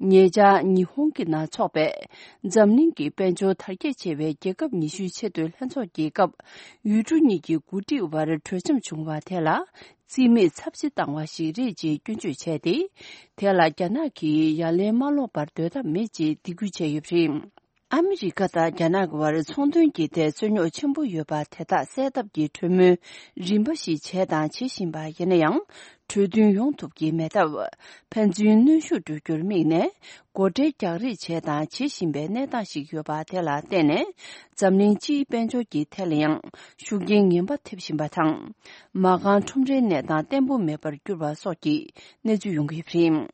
ཉེ་ཆར་ཉི་ཧོང་གི་ནང་འཚོགས་པའི་འཛམ་གླིང་གི་དཔལ་འབྱོར་དར་རྒྱས་ཆེ་བའི་རྒྱལ་ཁབ་ཉི་ཤུའི་ཆེས་མཐོའི་ལྷན་ཚོགས་ཀྱི་སྐབས། ཡུལ་གྲུ་གཉིས་ཀྱི་འགོ་ཁྲིད་དབར་གྲོས་འཆམ་བྱུང་བ་དེ་ལ། རྩིས་མེད་ཚབས་ཆེ་བཏང་བ་ཞིག་རེད་ཅེས་སྐྱོན་བརྗོད་བྱས་ཏེ། དེ་ལ་རྒྱ་ནག་གིས་ཡ་ལན་མ་སློག་པར་སྡོད་ཐབས་མེད་ཅེས་སྡིགས་སྐུལ་བྱས་ཡོད་པ་རེད། ཨ་མི་རི་ཀ་དང་རྒྱ་ནག་གི་བར་ཚོང་དོན་གྱི་ཐད་རྩོད་རྙོག་ཆེན་པོ་ཡོད་པ་དེ་དག་སེལ་ཐབས་ཀྱི་གྲོས་མོལ་རིམ་པ་ཞིག་བྱས་དང་བྱེད་བཞིན་པ་ཡིན་ན་ཡང་། གྲོས་མཐུན་ཡོང་ཐུབ་ཀྱི་མེད་སྟབས། ཕན་ཚུན་གནོན་ཤུགས་སྤྲོད་རྒྱུར་དམིགས་ནས། སྒོ་ཁྲལ་རྒྱག་རེས་བྱས་དང་བྱེད་བཞིན་པའི་གནས་སྟངས་ཤིག་ཡོད་པ་དེ་ལ་བརྟེན་ནས། འཛམ་གླིང་སྤྱིའི་དཔལ་འབྱོར་གྱི་ཐད་ལ་ཡང་ཤུགས་རྐྱེན་ངན་པ་ཐེབས་བཞིན་པ་དང་། མ་རྐང་ཁྲོམ་རའི་གནས་སྟངས་བརྟན་པོ་མེད་པར་གྱུར་བ་སོགས་ཀྱི་གནས་ཚུལ་ཡོང་གི་ཡོད་པ་རེད།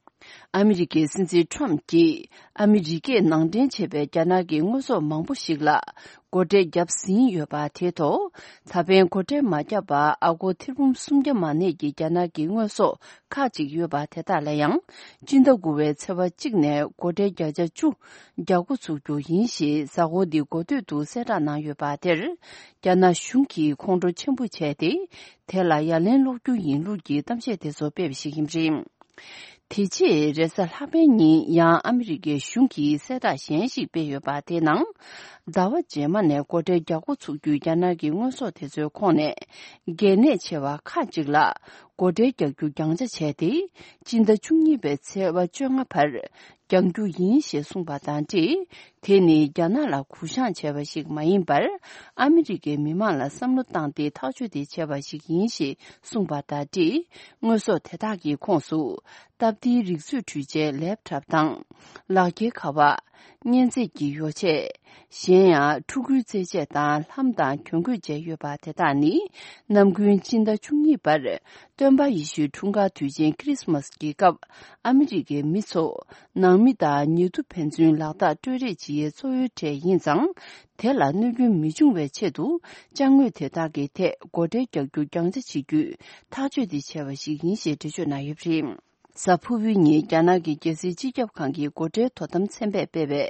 ཨ་མི་རི་ཀའི་སྲིད་འཛིན་ཊམ་གྱིས་ཨ་མི་རི་ཀས་ནང་འདྲེན་བྱས་པའི་རྒྱ་ནག་གི་དངོས་ཟོག་མང་པོ་ཞིག་ལ། སྒོ་ཁྲལ་བརྒྱབ་ཟིན་ཡོད་པ་དེའི་ཐོག་ད་ཕན་སྒོ་ཁྲལ་མ་བརྒྱབ་པར་ཨ་སྒོར་ཐེར་འབུམ་སུམ་བརྒྱ་མ་གནས་ཀྱི་རྒྱ་ནག་གི་དངོས་ཟོག་ཁག་ཅིག་ཡོད་པ་དེ་དག་ལ་ཡང་། སྤྱི་ཟླ་དགུ་པའི་ཚེས་པ་གཅིག་ནས་སྒོ་ཁྲལ་བརྒྱ་ཆ་བཅུ་རྒྱག་འགོ་ཚུགས་རྒྱུ་ཡིན་ཞེས་གཟའ་འཁོར་འདིའི་འགོ་སྟོད་དུ་གསལ་བསྒྲགས་གནང་ཡོད་པ་དེར། རྒྱ་ནག་གཞུང་གིས་ཁོང་ཁྲོ་ཆེན་པོ་བྱས་ཏེ། དེ་ལ་ཡ་ལན་སློག་རྒྱུ་ཡིན་ལུགས་ཀྱི་གཏམ་བཤད་དེ་ཚོ་སྤེལ་བ་ཞིག་ཡིན་པ་རེད། དེ་རྗེས་རེས་གཟའ་ལྷག་པའི་ཉིན་ཡང་ཨ་མི་རི་ཀའི་གཞུང་གིས་གསལ་བསྒྲགས་གཞན་ཞིག་སྤེལ་ཡོད་པ་དེའི་ནང་། ཟླ་བ་རྗེས་མ་ནས་སྒོ་ཁྲལ་རྒྱག་འགོ་ཚུགས་རྒྱུའི་རྒྱ་ནག་གི་དངོས་ཟོག་དེ་ཚོའི་ཁོངས་ནས། གལ་གནད་ཆེ་བ་ཁག་ཅིག་ལ་སྒོ་ཁྲལ་རྒྱག་རྒྱུ་རྒྱང་ཆ་བྱས་ཏེ། སྤྱི་ཟླ་བཅུ་གཉིས་པའི་ཚེས་པ་བཅོ་ལྔ་བར། རྒྱག་རྒྱུ་ཡིན་ཞེས་གསུངས་པ་དང་འབྲེལ། དེ་ནི་རྒྱ་ནག་ལ་གུ་བཤངས་བྱས་པ་ཞིག་མ་ཡིན་པར། ཨ་མི་རི་ཀའི་མི་མང་ལ་བསམ་བློ་བཏང་སྟེ་ཐག་གཅོད་དེ་བྱས་པ་ཞིག་ཡིན་ཞེས་གསུངས་པ་དང་འབྲེལ། དངོས་ཟོག་དེ་དག་གི་ཁོངས་སུ། སྟབས་བདེའི་རིག་མཛོད་འཕྲུལ་ཆས་ལེབ་ཊོབ་དང་། ལག་འཁྱེར་ཁ་པར། མཉེན་ཚད་ཀྱི་ཡོ་བྱད། གཞན་ཡང་ཕྲུ་གུའི་རྩེད་ཆས་དང་ལྷམ་དང་གྱོན་གོས་བཅས་ཡོད་པ་དེ་དག་ནི། ནམ་རྒྱུན་སྤྱི་ཟླ་བཅུ་གཉིས་པར། སྟོན་པ་ཡེ་ཤུའི་འཁྲུངས་སྐར་དུས་ཆེན་ཁྲི་སི་མཱས་ཀྱི་སྐབས། ཨ་མི་རི་ཀའི་མི་ཚོ། ནང་མི་དང་ཉེ་དུ་ཕན་ཚུན་ལག་རྟགས་སྤྲོད་རེས་བྱེད་ཡའི་གཙོ་བོའི་གྲས་ཡིན་ཙང་། དེ་ལ་གནོད་སྐྱོན་མི་འབྱུང་བའི་ཆེད་དུ། ཅ་དངོས་དེ་དག་གི་ཐད་སྒོ་ཁྲལ་རྒྱག་རྒྱུ་རྒྱང་ཆ་བྱེད་རྒྱུའི་ཐག་གཅོད་དེ་བྱས་པ་ཞིག་ཡིན་ཞེས་འགྲེལ་བརྗོད་གནང་ཡོད་པ་རེད། གཟའ་ཕུར་བུའི་ཉིན་རྒྱ་ནག་གི་རྒྱལ་སྲིད་སྤྱི་ཁྱབ་ཁང་གི་སྒོ་ཁྲལ་དོ་དམ་ཚན་པས་སྤེལ་བའི་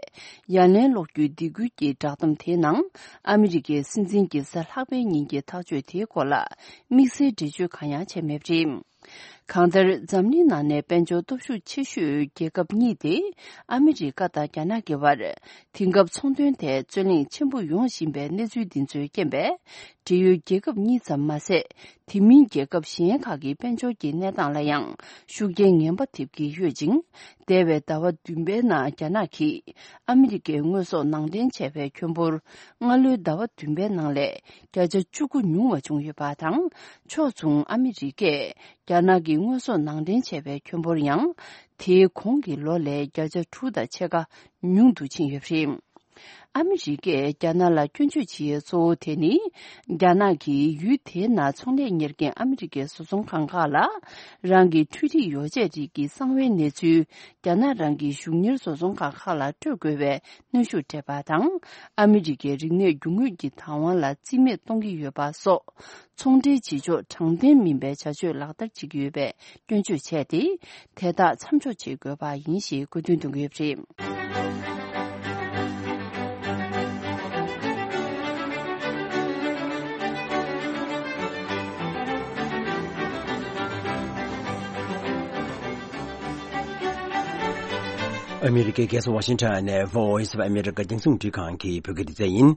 ཡ་ལན་སློག་རྒྱུའི་སྡིགས་སྐུལ་གྱི་བསྒྲགས་གཏམ་དེའི་ནང་། ཨ་མི་རི་ཀའི་སྲིད་འཛིན་གྱིས་གཟའ་ལྷག་པའི་ཉིན་གྱི་ཐག་གཅོད་དེའི་སྐོར་ལ་དམིགས་བསལ་འགྲེལ་བརྗོད་གང་ཡང་བྱས་མེད་པ་རེད། གང་ལྟར་འཛམ་གླིང་ནང་ནས་དཔལ་འབྱོར་སྟོབས་ཤུགས་ཆེ་ཤོས་རྒྱལ་ཁབ་གཉིས་ཏེ། ཨ་མི་རི་ཀ་དང་རྒྱ་ནག་གི་བར། དེང་སྐབས་ཚོང་དོན་ཐད་རྩོད་གླེང་ཆེན་པོ་ཡོང་བཞིན་པའི་གནས་ཚུལ་འདི་ཚོའི་རྐྱེན་པས། འབྲེལ་ཡོད་རྒྱལ་ཁབ་གཉིས་ཙམ་མ་ཟད། དེ་མིན་རྒྱལ་ཁབ་གཞན་ཁག་གི་དཔལ་འབྱོར་གྱི་གནས་སྟངས་ལ་ཡང་ཤུགས་རྐྱེན་ངན་པ་ཐེབས་ཀྱི་ཡོད་ཅིང་། འདས་པའི་ཟླ་བ་བདུན་པའི་ནང་རྒྱ་ནག་གིས་ཨ་མི་རི་ཀའི་དངོས་ཟོག་ནང་འདྲེན་བྱས་པའི་ཁྱོན་འབོར། སྔ་ལོའི་ཟླ་བ་བདུན་པའི་ནང་ལས་བརྒྱ་ཆ་བཅུ་དགུ་ཉུང་བ་བྱུང་ཡོད་པ་དང་། ཕྱོགས་མཚུངས་ཨ་མི་རི་ཀས་རྒྱ་ནག་གི་དངོས་ཟོག་ནང་འདྲེན་བྱས་པའི་ཁྱོན་འབོར་ཡང་། དེའི་གོང་གི་ལོ་ལས་བརྒྱ་ཆ་དྲུག་དང་ཕྱེད་ཀ་ཉུང་དུ་ཕྱིན་ཡོད་པ་རེད། ཨ་མི་རི་ཀས་རྒྱ་ནག་ལ་སྐྱོན་བརྗོད་བྱེད་ཡས་གཙོ་བོ་དེ་ནི། རྒྱ་ནག་གིས་ཡུལ་དེའི་ནང་ཚོང་ལས་གཉེར་མཁན་ཨ་མི་རི་ཀའི་བཟོ་ཚོང་ཁང་ཁག་ལ། རང་གི་འཕྲུལ་རིག་ཡོ་བྱད་རིགས་ཀྱི་གསང་བའི་གནས་ཚུལ། རྒྱ་ནག་རང་གི་གཞུང་གཉེར་བཟོ་ཚོང་ཁང་ཁག་ལ་སྤྲོད་དགོས་པའི་གནོན་ཤུགས་སྤྲད་པ་དང་། ཨ་མི་རི་ཀའི་རིག་གནས་རྒྱུ་དངོས་ཀྱི་བདག་དབང་ལ་རྩིས་མེད་གཏོང་གི་ཡོད་པ་སོགས། ཚོང་འབྲེལ་བྱེད་ཕྱོགས་དྲང་བདེན་མིན་པའི་བྱ་སྤྱོད་ལག་བསྟར་བྱེད་ཀྱི་ཡོད་པའི་སྐྱོན་བརྗོད་བྱས་ཏེ། དེ་དག་མཚམས་འཇོག་བྱེད་དགོས་པ་ཡིན་ཞེས་དགོས་འདུན་འདོན་གྱི་ཡོད་པ་རེད། ཨ་མི་རི་ཀའི་རྒྱལ་ས་ཝ་ཤིང་ཊོན་ནས་Voice of America་རྒྱང་སྲིང་འཕྲིན་ཁང་གི་བོད་སྐད་སྡེ་ཚན་ཡིན།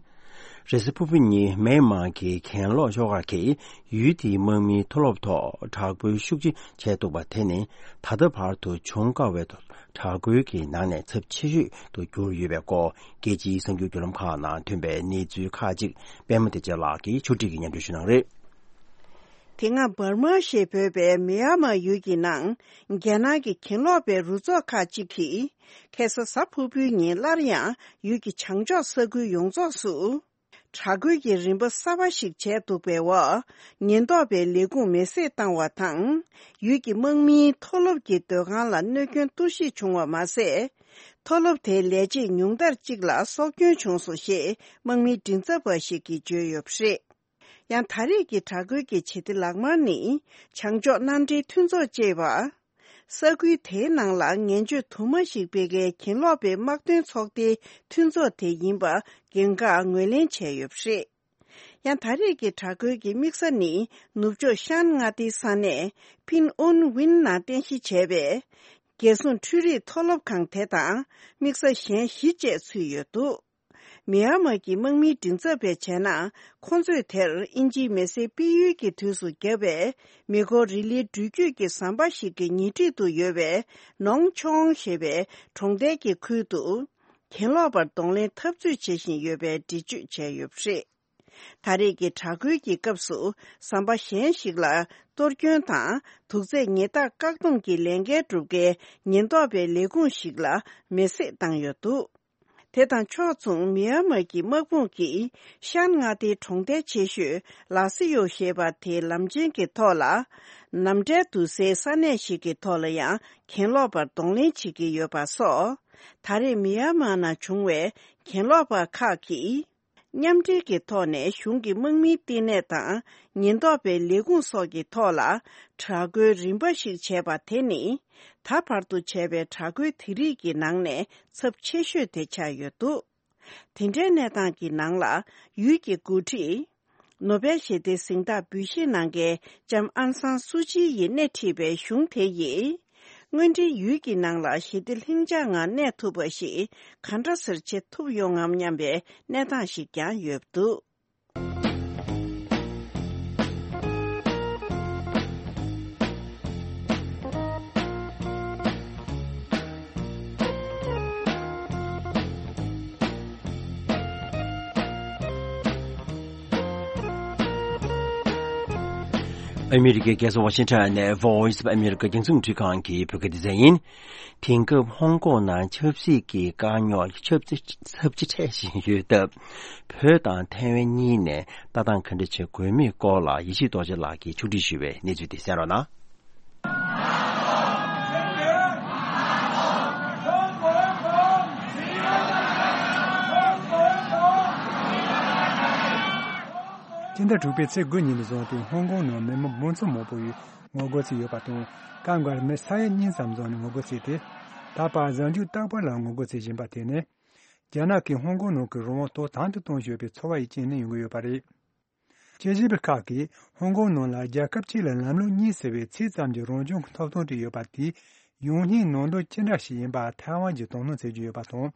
རེས་གཟའ་ཕུར་བུ་ཉིན་མེན་མར་གྱི་གྱེན་ལོག་ཤོག་ཁག་གིས་ཡུལ་དེའི་དམག་མིའི་མཐོ་སློབ་ཐོག་དྲག་རྒོལ་ཤུགས་ཆེ་བྱས་འདུག་པ་དེ་ནི་ད་ལྟ་བར་དུ་བྱུང་དཀའ་བའི་དྲག་རྒོལ་གྱི་ནང་ནས་ཚབས་ཆེ་ཤོས་དུ་གྱུར་ཡོད་པའི་སྐོར་རྒྱལ་སྤྱིའི་གསར་འགྱུར་བརྒྱུད་ལམ་ཁག་ནང་ཐོན་པའི་གནས་ཚུལ་ཁག་ཅིག་པད་མ་བདེ་ཆེན་ལགས་ཀྱིས་ཕྱོགས་སྒྲིག་གིས་སྙན་སྒྲོན་ཞུ་གནང་རེད། དེ་སྔ་འབར་མ་ཞེས་འབོད་པའི་མི་ཡ་མ་ཡུལ་གྱི་ནང་རྒྱ་ནག་གི་གྱེན་ལོག་པའི་རུ་ཚོགས་ཁག་ཅིག་གིས་ཁ་སང་གཟའ་ཕུར་བུའི་ཉིན་སླར་ཡང་ཡུལ་གྱི་བྱང་ཕྱོགས་ས་ཁུལ་ཡོངས་རྫོགས་སུ། དྲག་རྒོལ་གྱི་རིམ་པ་གསར་པ་ཞིག་བྱས་འདུག་པའི་འོག་ཉེན་རྟོག་པའི་ལས་ཁུངས་མེ་བསྲེགས་བཏང་བ་དང་། ཡུལ་གྱི་དམག་མིའི་མཐོ་སློབ་ཀྱི་སྡོད་ཁང་ལ་གནོད་སྐྱོན་གཏོར་བཤིག་བྱུང་བ་མ་ཟད། མཐོ་སློབ་དེའི་ལས་བྱེད་ཉུང་མཐར་གཅིག་ལ་སྲོག་སྐྱོན་བྱུང་སོང་ཞེས་དམག་མིའི་མགྲིན་ཚབ་པ་ཞིག་གིས་བརྗོད་ཡོད་པ་རེད། ཡང་ད་རེས་ཀྱི་དྲག་རྒོལ་གྱི་བྱེད་གཏེ་ལག་དམར་ནི་བྱང་ཕྱོགས་མནའ་འབྲེལ་མཐུན་ཚོགས་ཅེས་པ། ས་ཁུལ་དེའི་ནང་ལ་ངན་སྤྱོད་དུ་མ་ཞིག་སྤེལ་མཁན་གྱེན་ལོག་པའི་དམག་དོན་ཚོགས་སྡེའི་མཐུན་ཚོགས་དེ་ཡིན་པ་འགན་ཁག་ངོས་ལེན་བྱས་ཡོད་པ་རེད། ཡང་ད་རེས་ཀྱི་དྲག་རྒོལ་གྱི་དམིགས་ས་ནི་ནུབ་ཕྱོགས་ཤན་མངའ་སྡེའི་ས་གནས་ཕིན་ཨུན་ཝིན་ནང་རྟེན་གཞི་བྱས་པའི་རྒྱལ་སྲུང་འཕྲུལ་རིག་མཐོ་སློབ་ཁང་དེ་དང་དམིགས་ས་གཞན་བཞི་བཅས་ཚུད་ཡོད་འདུག་མི་ཡ་མ་གི་དམག་མིའི་མགྲིན་ཚབ་པས་བྱས་ན། ཁོང་ཚོས་དེར་དབྱིན་ཇིའི་མེ་བསྲེགས་སྤེལ་ཡུལ་གྱི་དུས་སུ་བརྒྱབ་པའི་མེ་འཁོར་རི་ལིའི་འགྲུལ་སྐྱོད་ཀྱི་ཟམ་པ་ཞིག་གི་ཉེ་འཁྲིས་དུ་ཡོད་པའི་ནོང་ཆོང་ཞེས་པའི་གྲོང་རྡལ་གྱི་ཁུལ་དུ། གྱེན་ལོག་པར་གདོང་ལེན་འཐབ་རྩོད་བྱེད་བཞིན་ཡོད་པའི་འགྲེལ་བརྗོད་བྱས་ཡོད་པ་རེད། ད་རེས་ཀྱི་དྲག་རྒོལ་གྱི་སྐབས་སུ་ཟམ་པ་གཞན་ཞིག་ལ་གཏོར་སྐྱོན་དང་དུག་རྫས་ཉེས་རྡུང་བཀག་སྡོམ་གྱི་ལས་འགན་སྒྲུབ་མཁན་ཉེན་རྟོག་པའི་ལས་ཁུངས་ཤིག་ལ་མེ་བསྲེགས་བཏང་ཡོད་འདུག་དེ་དང་ཕྱོགས་མཚུངས་མི་ཡ་མ་གི་དམག་དཔུང་གིས་ཤན་མངའ་སྡེའི་གྲོང་རྡལ་ཆེ་ཤོས་ལ་སི་ཡོ་ཞེས་པ་དེའི་ལམ་ཆེན་གྱི་ཐོག་ལ། ནམ་བྲལ་དུ་སའི་ས་གནས་ཤིག་གི་ཐོག་ལ་ཡང་གྱེན་ལོག་པར་གདོང་ལེན་བྱེད་ཀྱི་ཡོད་པ་སོགས། ད་རེས་མི་ཡ་མ་ནང་བྱུང་བའི་གྱེན་ལོག་པ་ཁག་གིས། མཉམ་འབྲེལ་གྱི་ཐོག་ནས་གཞུང་གི་དམག་མིའི་བསྟི་གནས་དང་ཉེན་རྟོག་པའི་ལས་ཁུངས་སོགས་ཀྱི་ཐོག་ལ་དྲག་རྒོལ་རིམ་པ་ཞིག་བྱས་པ་དེ་ནི་ད་བར་དུ་བྱས་པའི་དྲག་རྒོལ་དེ་རིགས་ཀྱི་ནང་ནས་ཚབས་ཆེ་ཤོས་དེ་ཆགས་ཡོད་འདུག་དེ་འདྲའི་གནས་སྟངས་ཀྱི་ནང་ལ་ཡུལ་གྱི་འགོ་ཁྲིད། ནོ་བེལ་ཞི་བདེའི་གཟེངས་རྟགས་འབུལ་བཞེས་གནང་མཁན་ལྕམ་ཨན་སང་སུ་ཅི་ཡིས་སྣེ་ཁྲིད་པའི་གཞུང་དེ་ཡིས། དངོས་འབྲེལ་ཡུལ་གྱི་ནང་ལ་ཞི་བདེ་ལྷིང་འཇགས་ངང་གནས་ཐུབ་པ་ཞིག་ག་འདྲ་སེ་བྱེད་ཐུབ་ཡོང་ངམ་སྙམ་པའི་གནས་སྟངས་ཤིག་ཀྱང་ཡོད་འདུག་ཨ་མི་རི་ཀའི་རྒྱལ་ས་ཝ་ཤིང་ཊོན་ནས་Voice of America་རྒྱང་སྲིང་འཕྲིན་ཁང་གི་བོད་སྐད་སྡེ་ཚན་ཡིན། དེང་སྐབས་ཧོང་ཀོང་ནང་ཆབ་སྲིད་ཀྱི་དཀའ་རྙོག་ཚབས་ཆེ་ཚབས་ཆེ་འཕྲད་བཞིན་ཡོད་སྟབས། བོད་དང་ཐའེ་ཝན་གཉིས་ནས་ལྟ་སྟངས་ག་འདྲ་བྱེད་དགོས་མིན་སྐོར་ལ་ཡེ་ཤེས་རྡོ་རྗེ་ལགས་ཀྱིས་ཕྱོགས་སྒྲིག་ཞུས་པའི་གནས་ཚུལ་དེ་གསན་རོགས་གནང་། སྤྱི་ཟླ་དྲུག་པའི་ཚེས་དགུ་ཉིན་ནས་བཟུང་སྟེ་ཧོང་ཀོང་ནང་མི་མང་མང་ཚོགས་མང་པོ་ཡིས་ངོ་རྒོལ་བྱས་ཡོད་པ་དང་། སྐབས་འགར་མི་ས་ཡ་གཉིས་ཙམ་འཛོམས་ནས་ངོ་རྒོལ་བྱས་ཏེ། ད་བར་གཟའ་མཇུག་རྟག་པར་ལ་ངོ་རྒོལ་བྱེད་བཞིན་པ་དེ་ནི། རྒྱ་ནག་གིས་ཧོང་ཀོང་ནང་གི་རང་དབང་ཏོག་དམ་དུ་གཏོང་བཞིན་ཡོད་པའི་ཚོར་བ་ཡི་རྐྱེན་ནས་ཡོང་གི་ཡོད་པ་རེད། དཔྱད་ཞིབ་པ་ཁག་གིས་ཧོང་ཀོང་ནང་ལ་རྒྱལ་ཁབ་གཅིག་ལ་ལམ་ལུགས་གཉིས་ཟེར་བའི་ཚིག་ཙམ་གྱི་རང་སྐྱོང་གི་ཐོབ་ཐང་བྲིས་ཡོད་པ་དེས་ཡོང་སྙིང་ནང་དོན་ཅི་འདྲ་ཞིག་ཡིན་པ་ཐའེ་ཝན་གྱིས་དོ་སྣང་བྱེད་ཀྱི་ཡོད་པ་དང་།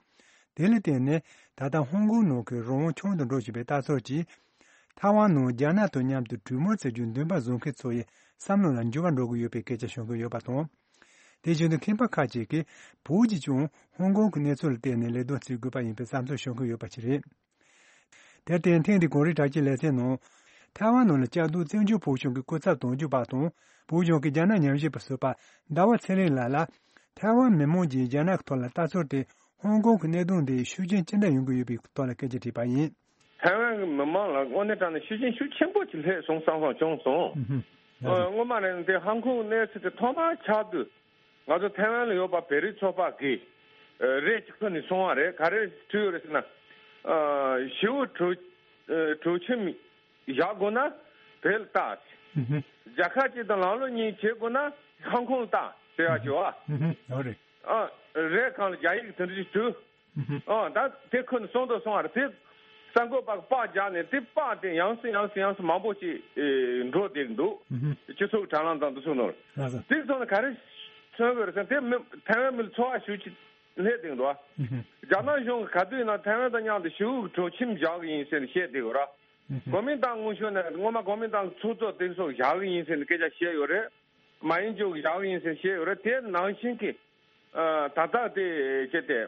དེ་ལ་བརྟེན་ནས་ད་ལྟ་ཧོང་ཀོང་ནང་གི་རང་དབང་ཆུང་དུ་འགྲོ་བཞིན་པའི་ལྟ་ཚུལ་གྱིས། ཐའེ་ཝན་ནང་རྒྱ་ནག་དང་མཉམ་དུ་གྲོས་མོལ་བྱེད་རྒྱུའི་འདུན་པ་བཟུང་མཁན་ཚོ་ཡི་བསམ་བློ་ལ་འགྱུར་བ་འགྲོ་གི་ཡོད་པའི་སྐད་ཆ་བཤད་ཀྱི་ཡོད་པ་དང་། དེ་བཞིན་དུ་མཁས་པ་ཁག་ཅིག་གིས་བོད་ཀྱིས་ཀྱང་ཧོང་ཀོང་གི་གནས་ཚུལ་ལ་བལྟས་ནས་ལས་དོན་བྱེད་དགོས་པ་ཡིན་པའི་བསམ་ཚུལ་བཤད་ཀྱི་ཡོད་པ་ཞིག་རེད། དེར་བརྟེན་ཐེངས་འདིའི་གངས་རི་བྲག་སྐྱིད་ལེ་ཚན་ནང་། ཐའེ་ཝན་ནང་ལ་བཅའ་སྡོད་བཙན་བྱོལ་བོད་གཞུང་གི་སྐུ་ཚབ་དོན་གཅོད་པ་དང་། བོད་གཞུང་གི་རྒྱ་ནག་ཉམས་ཞིབ་པ་ཟུར་པ་ཟླ་བ་ཚེ་རིང་ལགས་ལ། ཐའེ་ཝན་མི་མང་གིས་རྒྱ་ནག་གི་ཐོག་ལ་ལྟ་ཚུལ་དེ་ ཧོང་ཀོང་གི་གནད་དོན་དེ་ཤུགས་རྐྱེན་ཅི་འདྲ་ཡོང་གི་ཡོད་པའི་ཐོག་ལ་སྐད་ཆ་དྲིས་པ་ཡིན། ཐའེ་ཝན་གྱི་མི་མང་ལ་དངོས་གནས་དྲང་གནས་ཤུགས་རྐྱེན་ཤུགས་ཆེན་པོ་ཅིག་སླེབས་སོང་བསམ་བསམ་བྱུང་སོང་། ཨུ་ཧུམ། ཨ་ནི་སྔོན་མ་ནས་དེ་ཧོང་ཀོང་གནས་ཚུལ་དེ་ཐོག་མར་ཆགས་དུས། ང་ཚོ་ཐའེ་ཝན་ལ་ཡོད་པ་བོད་རིགས་ཚོགས་པ་གིས་ཨ་རེ་ཅིག་ཁུར་ནས་སོང་བ་རེད། ག་རེ་བྲིས་ཡོད་རེད་ཟེར་ན། ཨ་ཞི་བའི་གྲོས་ཨ་གྲོས་ཆོད་བཞག་དགོས་ན་བོད་ལ་ལྟ། ཨུ་ཧུམ། རྒྱལ་ཁབ་གཅིག་དང་ལམ་ལུགས་གཉིས་བྱེད་དགོས་ན་ཧོང་ཀོང་ལ་ལྟ་ཟེར་ཡག་ཅིག་ཡོད་ཨ། ཨུ་ཧུམ། ཨོ་རེད། ཨ་རེད། གང་ལ་རྒྱ་ཡིག་དེ་འདྲ་ཞིག་བྲིས། ཨ་ད་དེ་ཁོ་ནས་སོང་དང་སོང་བར་དེ་གསར་འགོད་པ་གིས་པར་བརྒྱབ་ནས་དེ་པར་དེ་ཡང་སེ་ཡང་སེ་ཡང་སེ་མང་པོ་ཅིག་ཨེ་འགྲོ་བསྡད་འདུག། སྤྱི་ཚོགས་དྲ་ལམ་དང་དེ་ཚོ་ནང་ལ། ལགས་སོ། དེ་ཚོ་ནས་ག་རེ་མཚོན་དགོས་རེད་ཟེར་ན་དེ་མི་ཐའེ་ཝན་མི་ལ་ཚོར་བ་ཞེ་པོ་ཅིག་སླེབས་བསྡད་འདུག་ཨ། རྒྱ་ནག་གཞུང་གིས་ག་དུས་ཡིན་ན་ཐའེ་ཝན་དང་མཉམ་དུ་ཞི་བའི་གྲོས་ཆོད་བཞག་གི་ཡིན་ཟེར་ནས་བཤད་བསྡད་ཡོད་ར། གོ་མིན་ཏང་སྔོན་ཤོས་ནས་སྔོན་མ་གོ་མིན་ཏང་ཚོགས་གཙོ་དེ་ཚོ་བཞག་གི་ཡིན་ཟེར་ནས་སྐད་ཆ་བཤད་ཡོད་རེད། མ་ཡིན་རྒྱུ་བཞག་ཡིན་ཟེར་བཤད་ཡོད་རེད། དེ་ནང་བཞིན་གྱི་ཨ་ད་ལྟ་དེ་བྱས་ཏེ་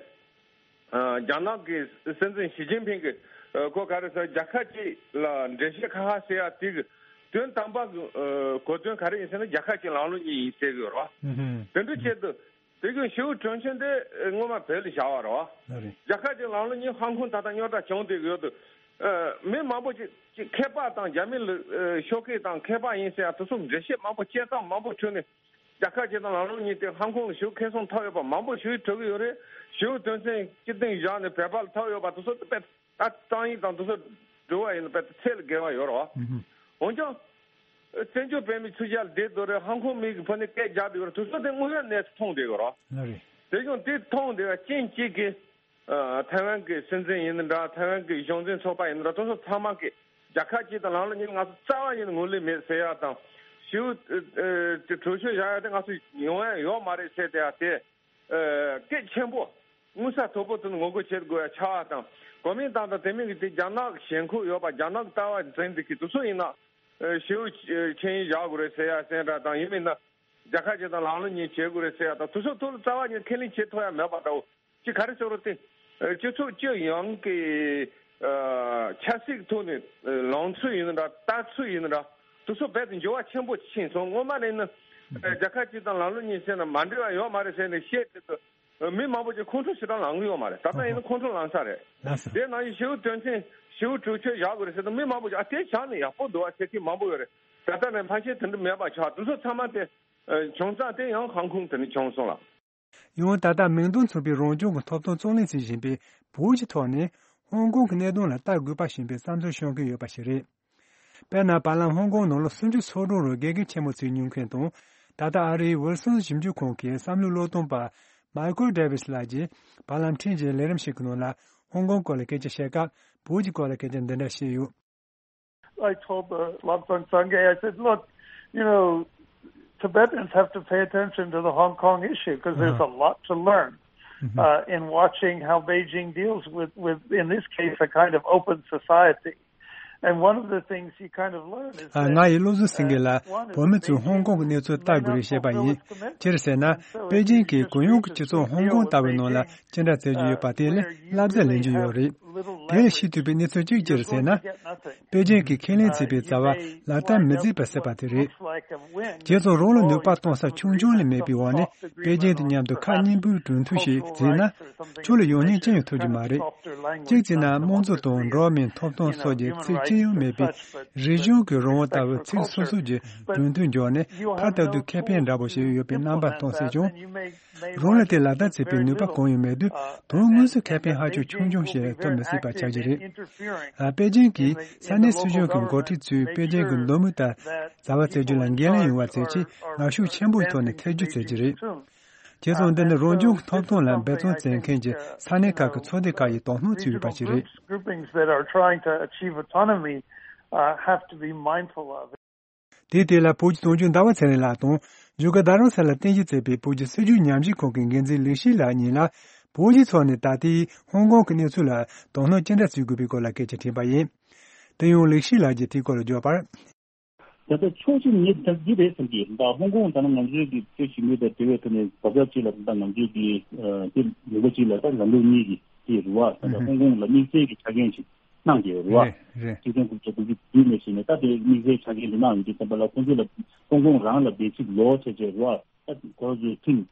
ཨ་རྒྱ་ནག་གི་སྲིད་འཛིན་ཞི་ཅིན་ཕིང་གིས་ཨ་ཁོ་ག་རེ་ཟེར། རྒྱལ་ཁབ་གཅིག་ལ་འགྲེལ་བཤད་ཁ་ཁ་ཟེར་ཡ་དེ་གི་དོན་དམ་པ་གི་ཨ་གོ་དོན་ག་རེ་ཡིན་ཟེར་ན་རྒྱལ་ཁབ་གཅིག་ལམ་ལུགས་གཉིས་ཡིན་ཟེར་གི་ཡོད་རེད་བ། དེ་འདྲ་བྱས་དུས་དེ་གི་ཞི་བའི་གྲོས་ཆོད་དེ་སྔོན་མ་བོད་ལ་བཞག་པ་རེད་བ། རེད། རྒྱལ་ཁབ་གཅིག་ལམ་ལུགས་གཉིས་ཧོང་ཀོང་ད་ལྟ་རྙོག་དྲ་བྱུང་བསྡད་གི་ཡོད་དུས་ཨ་མི་མང་པོ་ཅིག་ཅིག་མཁས་པ་དང་རྒྱ་མི་ལ་ཨ་ཤོག་ཁག་དང་མཁས་པ་ཡིན་ཟེར་ཡ་དེ་ཚོ་འགྲེལ་བཤད་མང་པོ་དཔྱད་གཏམ་མང་པོ་བྱུང་ནས། རྒྱལ་ཁབ་གཅིག་དང་ལམ་ལུགས་གཉིས་དེ་ཧོང་ཀོང་ལ་ཞེ་པོ་ཁེ་བཟང་ཐོབ་ཡོད་པ་མང་པོ་ཞིག་གྲུབ་ཀྱི་ཡོད་རེད། ཞེ་པོ་དོན་ཚན་སྤྱི་སྟེང་བཞག་ནས་བོད་པ་ལ་ཐོབ་ཡོད་པ་དེ་ཚོ་དཔེ་ད་རྩོམ་ཡིག་དང་དེ་ཚོ་འབྲི་བ་ཡིན་ན་དཔེ་ཚད་ལས་བརྒལ་བ་ཡོད་རེད་བ། ཨུ་ཧུམ། འོན་ཀྱང་བཙན་བྱོལ་བོད་མི་ཚོ་རྒྱ་ལ་བསྡད་འདུག་རེད། ཧོང་ཀོང་མི་གི་ཕོ་ནས་སྐད་རྒྱག་འདུག་རེད། དེ་ཚོ་དེ་དངོས་ཡོད་གནས་ཚུལ་མཐོང་བསྡད་ཡོད་རེད་བ། ལགས་རེད། དེ་ཀྱང་དེ་མཐོང་བསྡད་པ་རྐྱེན་གཅིག་གིས། ཨ་ཐའེ་ཝན་གྱི་སྲིད་འཛིན་ཡིན་ན་འདྲ། ཐའེ་ཝན་གྱི་གཞུང་འཛིན་ཚོགས་པ་ཡིན་ན་འདྲ། དེ་ཚོ་ཚང་མ་གིས་རྒྱལ་ཁབ་གཅིག་དང་ལམ་ལུགས་གཉིས་ང་ཚོ་རྩ་བ་ཉིད་ནས་ངོས་ལེན་མེད་ཟེར་ཡ་དང་། ཞེ་པོ་ཨ་དེ་གྲོས་ཆོད་བཞག་ཡ་དེ་ང་ཚོ་ཡོང་ཡ་ཡོད་མ་རེད་ཟེར་བསྡད་ཡ་དེ་ཨ་སྐད་ཆེན་པོ་མངོན་གསལ་དོད་པོ་དེ་ནས་ངོ་རྒོལ་བྱེད་དགོས་ཡ་ཆགས་པ་དང་། གོ་མིན་ཏང་དང་དེ་མིན་གྱི་དེ་རྒྱ་ནག་གི་ཞེན་ཁོག་ཡོད་པ། རྒྱ་ནག་གི་ལྟ་བ་འཛིན་བསྡད་མཁན་དེ་ཚོ་ཡིན་ན་ཨ་ཞེ་པོ་ཨ་ཆིངས་ཡིག་བཞག་དགོས་རེད་ཟེར་ཡ་ཟེར་འདྲ་དང་། ཡིན་མིན་ན་རྒྱལ་ཁབ་གཅིག་དང་ལམ་ལུགས་གཉིས་བྱེད་དགོས་རེད་ཟེར་ཡ་དང་། དེ་ཚོ་ཐོག་ལ་རྩ་བ་ཉིད་ཁས་ལེན་བྱེད་ཐུབ་ཡ་མེད་པ་འདྲ་བོ། ཅིག་ག་རེ་ཟེར་རོ་དེ། ཨ་སྤྱི་ཚོགས་སྤྱི་ཡོངས་ཀྱི་ཨ་ཆབ་སྲིད་ཐོག་ནས་ཨ་ལངས་ཚུལ་ཡིན་ན་འདྲ། ལྟ་ཚུལ་ཡིན་ན་འདྲ། དེ་ཚོ་རྦད་དེ་འགྱུར་བ་ཆེན་པོ་ཕྱིན་སོང་། སྔོན་མ་ནས་ནི་ཨ་རྒྱལ་ཁབ་གཅིག་དང་ལམ་ལུགས་གཉིས་ཟེར་ན་མ་འགྲིག་པ་ཡོད་མ་རེད་ཟེར་ནས་བཤད་དེ་དུས་མི་མང་པོ་ཅིག་ཁོང་ཁྲོ་ཞེ་དྲག་ལངས་གི་ཡོད་མ་རེད། ད་ལྟ་ཡིན་ན་ཁོང་ཁྲོ་ལངས་ས་རེད། ལགས་སོ། དེ་ནང་བཞིན་ཞེ་པོ་དོན་ཚན་ཞེ་པོ་གྲོས་ཆོད་བཞག་དགོས་རེད་ཟེར་དུས་མི་མང་པོ་ཅིག་ཨ་དེ་བཞག་ན་ཡག་པོ་འདུག་ཨ་ཟེར་མཁན་མང་པོ་ཡོད་རེད། ད་ལྟ་ནས་ཕལ་ཆེར་དེ་འདྲ་མེད་པ་ཆགས། དེ་ཚོ་ཚང་མ་དེ་ཨ་བྱུང་ས་དེ་ཡང་ཧོང་ཀོང་དེ་ནས་བྱུང་སོང་ལ། ཡང་ད་ལྟ་མིང་དོན་མཚུངས་པའི་རང་སྐྱོང་གི་ཐོབ་ཐང་རྩོད་ལེན་བྱེད་བཞིན་པའི་བོད་ཀྱི་ཐོག་ནས་ཧོང་ཀོང་གི་གནད་དོན་ལ་ལྟ་དགོས་པ་བཞིན་པའི་བསམ་ཚུལ་བཤད་མཁན་ཡོད་པ་ཞིག་རེད། དཔེར་ན་བར་ལམ་ཧོང་ཀོང་ནང་ལོ་སུམ་ཅུ་སོ་དྲུག་རིང་དགེ་རྒན་ཆེན་མོ་བྱས་མྱོང་མཁན་དང་། ད་ལྟ་ཨ་རིའི་ཝིལ་སོན་ཞིབ་འཇུག་ཁང་གི་བསམ་བློའི་བློས་གཏོང་པ་མའི་ཁལ་ཌེ་ཝིས་ལགས་ཀྱིས་བར་ལམ་ཕྲན་གྱི་ལས་རིམ་ཞིག་གི་ནང་ལ་ཧོང་ཀོང་སྐོར་ལ་སྐད་ཆ་བཤད་སྐབས། བོད་ཀྱི་སྐོར་ལ་སྐད་ཆ་འདི་འདྲ་བཤད་ཡོད། I told the Lobsang Sangay, I said, look, you know, Tibetans have to pay attention to the Hong Kong issue because there's a lot to learn uh, in watching how Beijing deals with, with, in this case, a kind of open society. And one of the things you kind of learn is ཨ། ང་ཡིས་བློ་བཟང་སེང་གེ་ལ་བོད་མི་ཚོས་ཧོང་ཀོང་གི་གནས་ཚུལ་ལྟ་དགོས་རེད་བཤད་པ་ཡིན། ཅི་རེད་ཟེར་ན། པེ་ཅིང་གིས་གུ་ཡངས་ཀྱི་སྤྱི་ཚོགས་ཧོང་ཀོང་ལྟ་བུའི་ནང་ལ་ཅི་འདྲ་བྱེད་ཀྱི་ཡོད་པ་དེ་ལས་བསླབ་བྱ་ལེན་རྒྱུ་ཡོད་རེད། དེ་ལས་ཤེས་ཐུབ་པའི་གནས་ཚུལ་གཅིག་ཅི་རེད་ཟེར་ན། པེ་ཅིང་གིས་ཁས་ལེན་བྱས་པའི་བྱ་བ་ལག་བསྟར་མི་མཛད་པ་ཟེར་བ་དེ་རེད། རྗེས་སུ་རང་ལ་ནུས་པ་གཏོང་ས་ཆུང་ཆུང་ལས་མེད་པའི་འོག་ནས་པེ་ཅིང་དང་མཉམ་དུ་ཁ་གཉིས་པོའི་གྲོས་མཐུན་ཞིག་བྱས་ན། ཁྱོད་ལ་ཡོང་སྙིང་ཅི་ཡང་ཐོབ་རྒྱུ་མ་རེད། གཅིག་བྱས་ན་དམངས་གཙོ་དང་འགྲོ་བ་མིའི་ཐོབ་ཐང་སོགས་ཀྱི་ཚིག་ཅི་ཡང་མེད་པའི་རིག་གཞུང་གི་རང་དབང་ལྟ་བུའི་ཚིག་སོ་སོ་གྱི་གྲོས་མཐུན་འཇོག་ནས་ཕར་ལྟ་དུས་ཁེ་ཕན་འདྲ་པོ་ཞིག་ཡོད་པའི་རྣམ་པ་མཐོང་སྲིད་ཀྱང་། རང་ལ་དེ་ལག་བསྟར་བྱེད་པའི་ནུས་པ་གང་ཡང་མེད་དུས་དོན་དངོས་སུ་ཁེ་ཕན་ཧ་ཅང་ཆུང་ཆུང་ཞིག་ཐོབ་མི་སྲིད་པ་ཆགས་ཀྱི་རེད། ཨ། པེ་ཅིང་གིས་ས་གནས་སྲིད་གཞུང་གི་འགོ་ཁྲིད་ཚོས་པེ་ཅིང་གི་འདོད་མོས་ལྟར་བྱ་བ་བྱེད་རྒྱུ་ལ་འགན་ལེན་ཡོང་བ་བྱེད་ཆེད་ངར་ཤུགས་ཆེན་པོའི་ཐོག་ནས་ཐེ་བྱུས་བྱེད་ཀྱི་རེད། བྱས་ཙང་འདི་ནི་རང་སྐྱོང་གི་ཐོབ་ཐང་ལ་འབད་བརྩོན་བྱེད་མཁན་གྱི་ས་གནས་ཁག་གི་ཚོགས་སྡེ་ཁག་ཡིས་དོ་སྣང་བྱས་ཡོད་པ་ཞིག་རེད། Groups, groups that are trying to achieve autonomy uh, have to be mindful of. དེའི་སྟེང་ལ་བོད་ཀྱི་དོན་གཅོད་ཟླ་བ་ཚེ་རིང་ལགས་དང་བཞུགས་སྒར་རྡ་རམ་ས་ལར་རྟེན་གཞི་བྱས་པའི་བོད་ཀྱི་སྲིད་བྱུས་ཉམས་ཞིབ་ཁང་གི་འགན་འཛིན་ལིག་ཤི་ལགས་གཉིས་ལ་བོད་ཀྱི་ཕྱོགས་ནས་ད་ལྟའི་ཧོང་ཀོང་གི་གནས་ཚུལ་ལ་དོ་སྣང་ཅི་འདྲ་བྱེད་དགོས་པའི་སྐོར་ལ་སྐད་ཆ་དྲིས་པ་ཡིན། དེ་ཡང་ལིག་ཤི་ལགས་ཀྱིས་དེའི་སྐོར་ལ་བརྗོད་པར། ད་ལྟ་ཕྱོགས་གཅིག་ནས་ད་འདི་རེད་བསམ་གྱི་ད་ཧོང་ཀོང་ད་ནང་ང་ཚོའི་གི་ཚོས་ཞིབ་འཇུག་དང་འབྲེལ་བའི་ཐོག་ནས་བབ་ཆགས་གཅིག་ལ་ད་ང་ཚོའི་གི་དེ་ལུང་པ་གཅིག་ལ་ད་ལམ་ལུགས་གཉིས་ཀྱི་དེ་རེད་བ། ད་ལྟ་ཧོང་ཀོང་ལ་དམིགས་བསལ་གྱི་ཆ་རྐྱེན་ཞིག་གནང་གི་རེད་བ། རེད་རེད། སྤྱི་མཐུན་ཁོངས་གཏོགས་དུས་ནས་བྱས་ནས་ད་དེ་དམིགས་བསལ་ཆ་རྐྱེན་དེ་གནང་ཡོད་དུས་ཙམ་པ་ལ་ཁོང་ཚོ་ལ་ཧོང་ཀོང་རང་ལ་བདེ་སྐྱིད་ལོག་བྱས་བྱས་རེད་བ། ད་ཁོ་རང་ཚོའི་ཁྲིམས།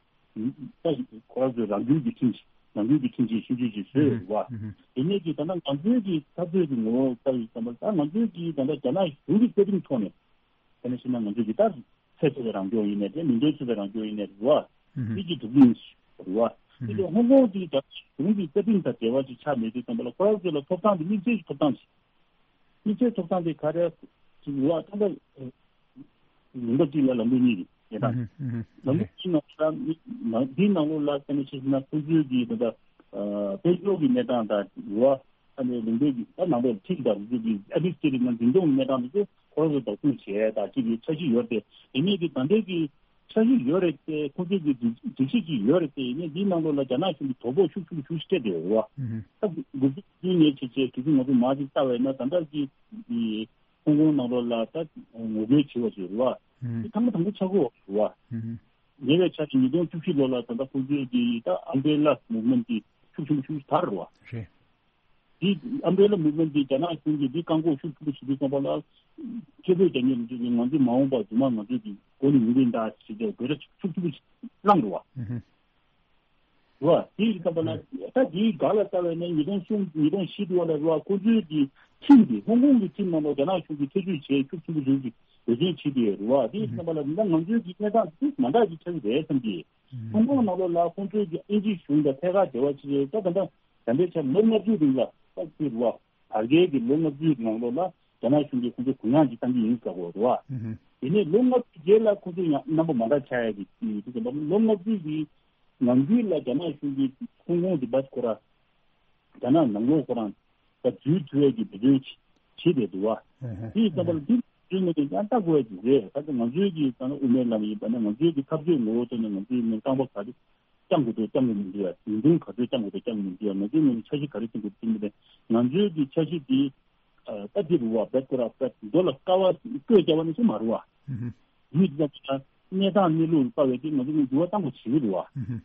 ད་ཁོ་རང་ཚོའི་རང་འགུལ་གྱི་ཁྲིམས་ཤིག་ ནང་ཁུལ་གྱི་ཁྲིམས་ཆད་ཆུང་ཆུང་ཞིག་བཟོས་ཡོད་རེད་བ། དེ་ནས་ཀྱི་ད་ལྟ་ང་ཚོའི་གི་འཐབ་རྩོད་ཀྱི་ངོ་བོ་ལྟ་བུའི་ཙམ་པ་ད་ང་ཚོའི་གི་ད་ལྟ་རྒྱ་ནག་གཞུང་གི་བཀའ་དྲིན་ཐོག་ནས་དེ་ནས་ཕྱིན་ན་ང་ཚོའི་གི་ད་ཚད་མཐོ་བའི་རང་སྐྱོང་ཡིན་ནའི་རེད། མིང་དོན་མཚུངས་པའི་རང་སྐྱོང་ཡིན་ནའི་རེད་བ། དེ་གི་གྲུབ་འབྲས་ཞིག་རེད་བ། དེ་ལས་ཧོང་ཀོང་གི་རྒྱ་གཞུང་གི་བཀའ་དྲིན་དང་འབྲེལ་བ་ཅིག་ཆགས་མེད་དུས་ཙམ་པ་ལ་ཁོ་རང་ཚོ་ལ་ཐོབ་ཐང་དེ་དམིགས་བསལ་གྱི་ཐོབ་ཐང་ཞིག་དམིགས་བསལ་ཐོབ་ཐང་དེ་ག་རེ་ཞིག་ཡོད་ད་ལྟ་ལུང་པ་གཅིག་ལ་ལམ་ལུགས་གཉིས་རེད་ད། ལམ་ལུགས་གཅིག་ནང་ལ་འདིའི་ནང་ལོགས་ལ་བལྟས་ནས་བཤད་ན་ཁོང་ཚོའི་གི་ད་ལྟ་དཔལ་འབྱོར་གྱི་གནས་སྟངས་དང་ཡོད་ད་ནས་ལུང་པའི་གི་ད་ནང་ལོགས་ཁྲིམས་དང་རུལ་སུངས་ཀྱི་ཨ་ཏིས་ཀྱི་རིགས་ནང་འཛིན་སྐྱོང་གི་གནས་སྟངས་དེ་ཚོ་ཁོ་རང་ཚོ་བདག་སྐྱོང་བྱས་ད་ཅིག་གི་འཆར་གཞི་ཡོད་དེ་དེ་ནས་གི་ད་ལྟའི་གི་འཆར་གཞི་ཡོད་རེད་དེ། ཁོང་ཚོའི་གི་སྒྲིག་སྒྲིག་གཞི་ཅིག་ཡོད་རེད་དེ། ཡིན་ནའི་འདིའི་ནང་ལོགས་ལ་རྒྱ་ནག་གཞུང་གི་དོ་ཕོག་ཤུགས་ཆེན་པོ་ཞེ་པོ་ཅིག་སྤྲད་བསྡད་ཡོད་རེད་བ། ད་འགོ་འཛུགས་བསྐྲུན་ནས་བྱས་བྱས་དུས་ཚོད་ང་ཚོ་མར་ཅིག་ལྟ་བས་ན་ད་ལྟ་གི་ཧོང་ཀོང་ནང་ལོགས་ལ་ད་ངོ་རྒོལ་བྱེད་པ་ཞིག་རེད་བ། དེ་ཐེངས་མ་དང་པོ་ཆགས་ཀྱི་ཡོད་རེད་བ། ཉེ་བའི་ཆར་གྱི་ཉིས་སྟོང་བཅུ་བཞི་ལོ་ལ་ད་ལྟ་ཁོང་ཚོའི་གི་ད་ཨམ་བྷེ་ལ་མུབ་མེན་ཊི་ཤུགས་ཆེན་པོ་ཤུགས་ཆེན་པོ་དར་རེད་བ། རེད། འདི་ཨམ་བྷེ་ལ་མུབ་མེན་ཊི་འདི་རྒྱ་ནག་གཞུང་གིས་འདི་བཀག་འགོག་ཤུགས་ཆེན་པོ་བྱེད་དུས་ཙམ་པ་ལ། སྐད་འབོད་རྒྱག་མཁན་ལ་ང་ཚོས་མ་འོངས་པར་རྫུན་མ་ང་ཚོས་ཀྱི་མགོ་ནས་ཡོང་གི་ཡིན་ད་ཞེས་བྱས་འབོད་སྒྲ་ཤུགས་ཆེན་པོ་བླངས་འདུག་བ། རེད་བ། དེ་ཡིན་ཙམ་པ་ལ་ད་འདིའི་སྒང་ལ་ལྟ་བས་ན་ཉིས་སྟོང་གསུམ་ཉིས་སྟོང་བཞི་དུ་བ་ལ་རེད་བ། ཁོ་ཚོའི་གི་ཁྲིམས་དེ་ཧོང་ཀོང་གི་ཁྲིམས་ནང་ལ་རྒྱ་ནག་གཞུང་གིས་ཐེ་བྱུས་བྱས་ཤུགས་ཆེན་པོ་བྱུང་གི་འབད་བརྩོན་བྱེད་དེ་རེད་བ། དེ་ཡིན་ཙམ་པ་ལ་ད་ང་ཚོའི་གི་གནས་སྟངས་དེ་མ་འདྲ་ཞིག་ཆགས་ཀྱི་རེད་བསམ་གི། ཧོང་ཀོང་ནང་ལོགས་ལ་ཁོང་ཚོའི་གི་དབྱིན་ཇི་གཞུང་དང་ཐད་ཀར་འབྲེལ་བ་བྱེད་ཀྱི་ཡོད་ད། ད་ལྟ་ད་ལྟའི་ཆར་ལོ་ལྔ་བཅུའི་རིང་ལ་ད་ཅིག་རེད་བ། བར་བརྒལ་གྱི་ལོ་ལྔ་བཅུའི་ནང་ལོགས་ལ་རྒྱ་ནག་གཞུང་གིས་ཁོང་ཚོ་གུ་ཡངས་ཀྱིས་བཏང་གི་ཡིན་ཟེར་གོ་རེད་བ། དེ་ནས་ལོ་ལྔ་བཅུ་རྗེས་ལ་ཁོང་ཚོ་ཡང་རྣམ་པ་མ་འདྲ་ཆགས་ཡ་གི་དུས་ཙམ་པ་ལོ་ལྔ་བཅུ་གི་ནང་ཁུལ་ལ་རྒྱ་ནག་གཞུང་གིས་ཧོང་ཀོང་དེ་བ་ཁོ་རང་རྒྱ་ནག་ནང་ལོགས་ཁོ་རང་ད་འཛུལ་ཐུབ་ཡ་གི་འབད་བརྩོན་བྱེད་བསྡད་འདུག་བ། དེ་ཙམ་པ་ལ་དེ་བརྩོན་ནས་ཀྱང་ལྟ་དགོས་ཡ་གི་རེད། ད་ལྟ་ང་ཚོའི་གི་ད་ལྟ་དབུ་མའི་ལམ་ཡིན་པ་ན་ང་ཚོའི་གི་འཐབ་རྩོད་ངོ་བོ་ཐོག་ནས་ང་ཚོའི་ནས་རྐང་པ་ག་རེ་བརྐྱང་དགོས་འདུག་བརྐྱང་དགོས་མི་འདུག་ཡ། ཉིན་དུང་ག་ཚོད་བརྐྱང་དགོས་འདུག་བརྐྱང་དགོས་མི་འདུག་ཡ། ང་ཚོའི་ངོས་ནས་འཆར་གཞི་ག་རེ་བརྩི་དགོས་འདུག་བརྩི་མི་འདུག་ང་ཚོའི་གི་འཆར་གཞི་འདི་ད་འདི་རུ་བ་བེད་ཁོ་ར་བེད་མདོ་ལ་ཀ་བ་བཀོད་རྒྱག་པ་ནི་ཚོ་མ་རུ་བ། ཡིད་ཙམ་ལ་གནས་སྟངས་གནས་ལུགས་ལྟ་བའི་གི་ང་ཚོ་ནི་འགྱུར་བ་གཏང་དགོས་བྱེད་ཀྱི་རུ་བ།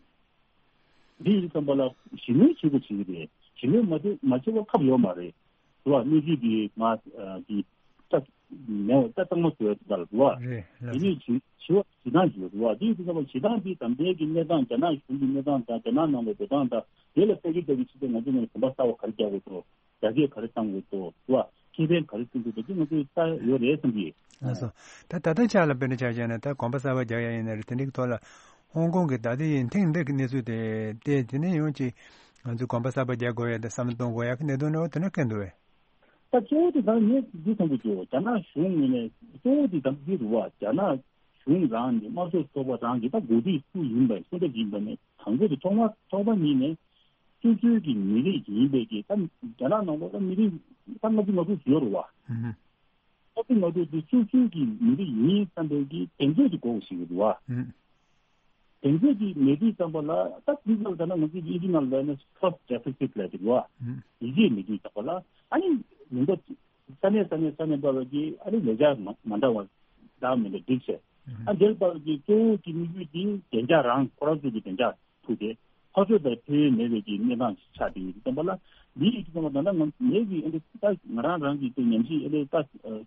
འདི་ཡིན་ཙམ་པ་ལ་ཞི་མོལ་བྱེད་དགོས་བྱེད་ཀྱི་རེད། ཞི་མོལ་མ་བྱེད་མ་བྱེད་པ་ཁབ་ཡོད་མ་རེད། རུ་བ་གནས་ཚུལ་འདི་ང་གི་ད་མེད་ད་གཙང་མ་བཟོས་ད་ལ་རུ་བ། རེད་ལགས། དེ་ནས་ཞི་ཞི་བ་ཞི་སྟངས་ཀྱི་རུ་བ་འདི་ཡིན་ཙམ་པ་ཞི་སྟངས་འདི་དམ་པའི་གི་གནས་སྟངས་རྒྱ་ནག་གཞུང་གི་གནས་སྟངས་དང་རྒྱ་ནག་ནང་ལ་འགྲོ་སྟངས་དང་དེ་ལ་ལྟ་གི་ལྟ་གི་ཕྱི་ཚེ་ང་ཚོ་ནས་གོམ་པ་གསར་བ་ག་རེ་རྒྱག་དགོས་སོ། རྒྱ་སྐད་ག་རེ་བཏང་དགོས་འདུག་བ། ཁེ་ཕན་ག་རེ་བསྐྲུན་དགོས་འདུག་དེ་ང་ཚོས་ལྟ་ཡོད་རེད་བསམ་གྱི། ལགས་སོ། ད་ད་ལྟ་ཆ་ལ་དཔེར་ན་ཆ་བཞག་ན་ད་གོམ་པ་གསར་པ་རྒྱག་ཡ་ཡིན་ན་རེད། དེ་འདྲའི་ཐོག་ལ་ཧོང་ཀོང་གི་ད་ལྟའི་ཐེངས་འདི་གི་གནས་ཚུལ་དེ་དེ་དེ་ནས་ཡོང་ཅིག་ང་ཚོས་གོམ་པ་གསར་པ་རྒྱག་དགོས་ཡ་དང་བསམ་བློ་གཏོང་དགོས་ཡ་གི་གནད་དོན་འདྲ་བོ་དེ་འདྲ་སྐད་འདུག་བས། ད་གཙོ་བོ་དེ་ད་ངས་འདི་བསམ་གྱི་འདུག་རྒྱ་ནག་གཞུང་ངོས་ནས་གཙོ་བོ་དེ་ད་འདི་རུ་བ་རྒྱ་ནག་གཞུང་རང་གི་དམར་ཤོག་ཚོགས་པ་རང་གི་ད་འགོ་ཁྲིད་སུ་ཡིན་པ་སུ་འདྲ་ཡིན་པ་ནས་དང་པོ་དེ་ཐོག་མ་ཐོག་མ་ཉིད་ནས། སོ་སོའི་གི་མི་རིགས་ཡིན་པའི་གི་ད་རྒྱ་ནག་ནང་ལོགས་ལ་མི་རིགས་ད་ལྔ་བཅུ་ང་དྲུག་ཡོད་རེད་བ། ལྔ་བཅུ་ང་དྲུག་དེ་སོ་སོའི་གི་མི་རིགས་ཡིན་བསམ་པའི་གི་གདེང་ཚོད་དེ་དགོས་ཞིག་རེད་བ། གདེང་ཚོད་དེ་མེད་དུས་ཙམ་པ་ལ་ད་དེ་ཙམ་ད་ན་ང་ཚོའི་ཨིན་ཇི་ནང་ལ་ན་first deficit ལབ་དེ་རེད་བ། ཡིད་ཆེས་མེད་དུས་ཙམ་པ་ལ་ཨ་ནི་མི་འདུག་ས་གནས་ས་གནས་ས་གནས་པ་བ་གི་ཨ་ནི་ལས་འཆར་མ་མ་འདྲ་བ་འདྲ་མི་འདྲ་སྒྲིག་བྱས། ཨ་འདིར་པ་བ་གི་གཙོ་བོ་གི་དམིགས་ཡུལ་དེ་བདེ་འཇགས་རང་ཁོ་རང་ཚོ་གི་བདེ་འཇགས། ཐུག་སྟེ། ཕར་ཕྱོགས་དང་ཕན་ཡོན་མེད་པའི་གི་གནས་སྟངས་ཤིག་ཆགས་བསྡད་ཡོད་དུས་ཙམ་པ་ལ། འདི་ཡིན་དུས་ཙམ་པ་ད་ལྟ་ང་ངེད་ཀྱི་ཨ་འདི་ད་ང་རང་རང་གི་དེ་ཉམས་ཞིབ་ཨ་འདི་ད་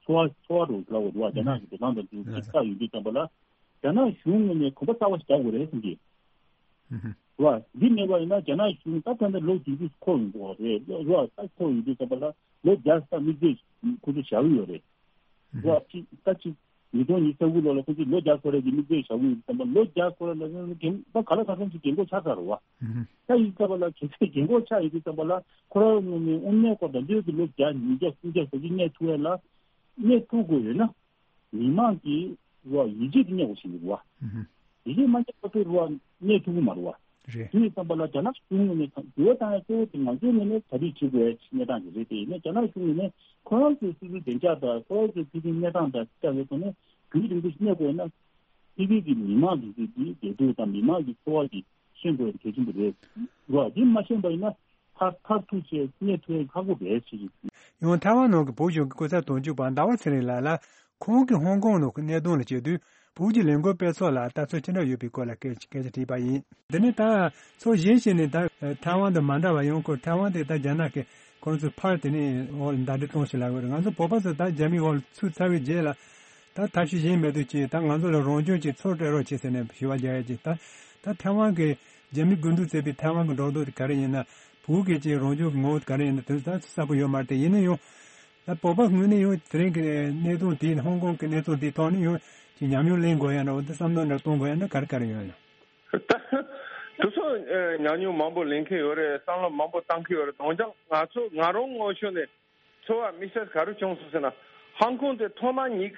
ཚོར་བ་ཚོར་བ་རུ་ལབ་དགོས་འདུག་བ། རྒྱ་ནག་གི་འགྲོ་སྟངས་དང་དུ་ཅིག་ལྟ་ཡོང་དུས་ཙམ་པ་ལ། རྒྱ་ནག་གཞུང་ངོས་ནས་གོམ་པ་གསར་བ་ཞིག་རྒྱག་དགོས་རེད་བསམ་གྱི། རེད་བ། འདི་མེད་པ་ཡིན་ན་རྒྱ་ནག་གཞུང་ད་ད་ལྟ་ལོ་བདུན་ཅུ་འཁོར་ཡོང་གི་རེད། རེད་བ། ད་འཁོར་ཡོང་དུས་ཙམ་པ་ལ་ལོ་བརྒྱ་ས་དམིགས་བསལ་ཁོ་ཚོ་བཞག་གི་ཡོད་རེད། རེད་བ། ཅིག་ད་ཅིག་ཉིས་སྟོང་ཉི་ཤུ་རྩ་དགུ་ལོ་ལ་ཁོ་ཚོས་ལོ་བརྒྱ་འཁོར་ཡས་ཀྱི་དམིགས་བསལ་བཞག་གི་ཡོད་དུས་ཙམ་པ་ལོ་བརྒྱ་འཁོར་ཡས་ལ་རྒན་ད་ག་ལ་ག་ཚོད་ཅིག་རྒན་འཁོགས་ཆགས་ཚར་རེད་བ། ད་ཡིན་ཙམ་པ་ལ་གལ་སྲིད་རྒན་འཁོགས་ཆགས་ཡོང་དུས་ཙམ་པ་ལ་ཁོ་རང་ངོས་ནས་དངོས་གནས་ཁོ་ད་འདོད་ཀྱི་ལོ་བརྒྱ་ཉིས་བརྒྱ་སུམ་བརྒྱ་ཟེར་གྱི་གནས་ཐུབ་ཡས་ལ་གནས་ཐུབ་དགོས་ཡོད་ན། མི་མང་གི་རོ་ཡིད་ཆེས་དེ་རྙེད་དགོས་ཤིག་འདུག་བ། ཡིད་ཆེས་མ་རྙེད་པ་དེ་རོ་གནས་ཐུབ་ཀྱི་མ་རེད་བ། རེད། དེ་ཡིན་ཙམ་པ་ལ་རྒྱ་ནག་གཞུང་ངོས་ནས་འགྱུར་བ་བཏང་ཡ་གཙོ་བོ་དེ་ང་ཚོའི་ངོས་ནས་གྲ་སྒྲིག་བྱེད་དགོས་ཡ་གནས་སྟངས་ཤིག་རེད། དེ་ཡིན་ན་རྒྱ་ནག་གཞུང་ངོས་ནས་ཁོ་རང་ཚོའི་སོ་སོའི་བདེ་འཇགས་དང་ཁོ་རང་ཚོའི་ཕུགས་འདུན་གནས་སྟངས་དང་བཅའ་བའི་ཐོག་ནས་རྒྱུན་རིང་པོ་ཞིག་གནས་དགོས་ན། ཕ་གི་གི་མི་མང་དེ་ཚོའི་གི་བདེ་སྡུག་དང་མི་མང་གི་འཚོ་བ་གི་ཤེས་དགོས་གལ་ཆེན་པོ་རེད། རོ་འདི་མ་ཤེས་པ་ཡིན་ན། མཐར་མཐར་ཐུག་བྱས་གནས་ཐུབ་ཡ་ཁག་པོ་རེད་ཟེར་གྱི། ཡང་ཐའེ་ཝན་ནང་གི་བོད་གཞུང་གི་སྐུ་ཚབ་དོན་གཅོད་པ་ཟླ་བ་ཚེ་རིང་ལགས་ལ་ཁོང་གིས་ཧོང་ཀོང་ནང་གི་གནད་དོན་ལ་བྱེད་དུས་བོད་ཀྱི་ལས་འགུལ་སྤེལ་ཕྱོགས་ལ་ལྟ་ཚུལ་ཅི་འདྲ་ཡོད་པའི་སྐོར་ལ་སྐད་སྐད་ཆ་དྲིས་པ་ཡིན། འདི་ནི་ད་ཕྱོགས་གཞན་ཞིག་ནས་ད་ཐའེ་ཝན་དང་མ་འདྲ་བ་ཡང་ཁོ་ཐའེ་ཝན་དེ་ད་རྒྱ་ནག་གིས་ཁོང་ཚོའི་ཕར་དེ་ནས་འོག་ལ་ཟླ་སྒྲིལ་གཏོང་ཞིག་ལབ་དགོས་རེད། ང་ཚོ་བོད་པ་ཚོ་ད་རྒྱ་མིའི་འོག་ལ་ཚུད་ཚར་བའི་རྗེས་ལ་ད་ཐབས་ཤེས་གཞན་མེད་དུས་ཀྱི་ད་ང་ཚོ་ལ་རང་སྐྱོང་གི་ཚུར་སྤྲད་རོགས་བྱེད་ཟེར་ནས་ཞུ་བ་རྒྱག་ཡ་ཅིག་ད་ད་ཐའེ་ཝན་གྱི་ རྒྱ་མི་དགུན་དུས་བཙས་པའི་ཐའེ་ཝན་གྱི་འགྲོ་ལྡོག་དེ་ག་རེ་ཡིན་ན། བོད་སྐད་ཀྱི་རང་སྐྱོང་གི་ངོ་བོ་དེ་ག་རེ་ཡིན་ན། དེ་ཚོ་ད་གསལ་པོ་ཡོད་མ་རེད་དེ། ཡིན་ན་ཡང་། ད་བོད་པ་ངོས་ནས་ཡང་དེ་རིང་གི་གནས་སྟངས་དེའི། ཧོང་ཀོང་གི་གནས་སྟངས་དེའི་ཐོག་ནས་ཡང་ཅིག་ཉམས་མྱོང་ལེན་དགོས་ཡ་འདྲ་བོ་དེ། བསམ་བློ་འདྲ་གཏོང་དགོས་ཡ་འདྲ་ག་རེ་ག་རེ་ཡོད་ན། ད་དེ་ཚོ་ཨ་ཉམས་མྱོང་མང་པོ་ལེན་མཁན་ཡོད་རེད། བསམ་བློ་མང་པོ་བཏང་མཁན་ཡོད་རེད། འོན་ཀྱང་ང་ཚོ་ང་རང་ངོས་ཕྱོགས་ནས་ཚོར་བ་དམིགས་བསལ་ག་རེ་བྱུང་སོང་ཟེར་ན། ཧོང་ཀོང་དེ་ཐོག་མ་ཉིད་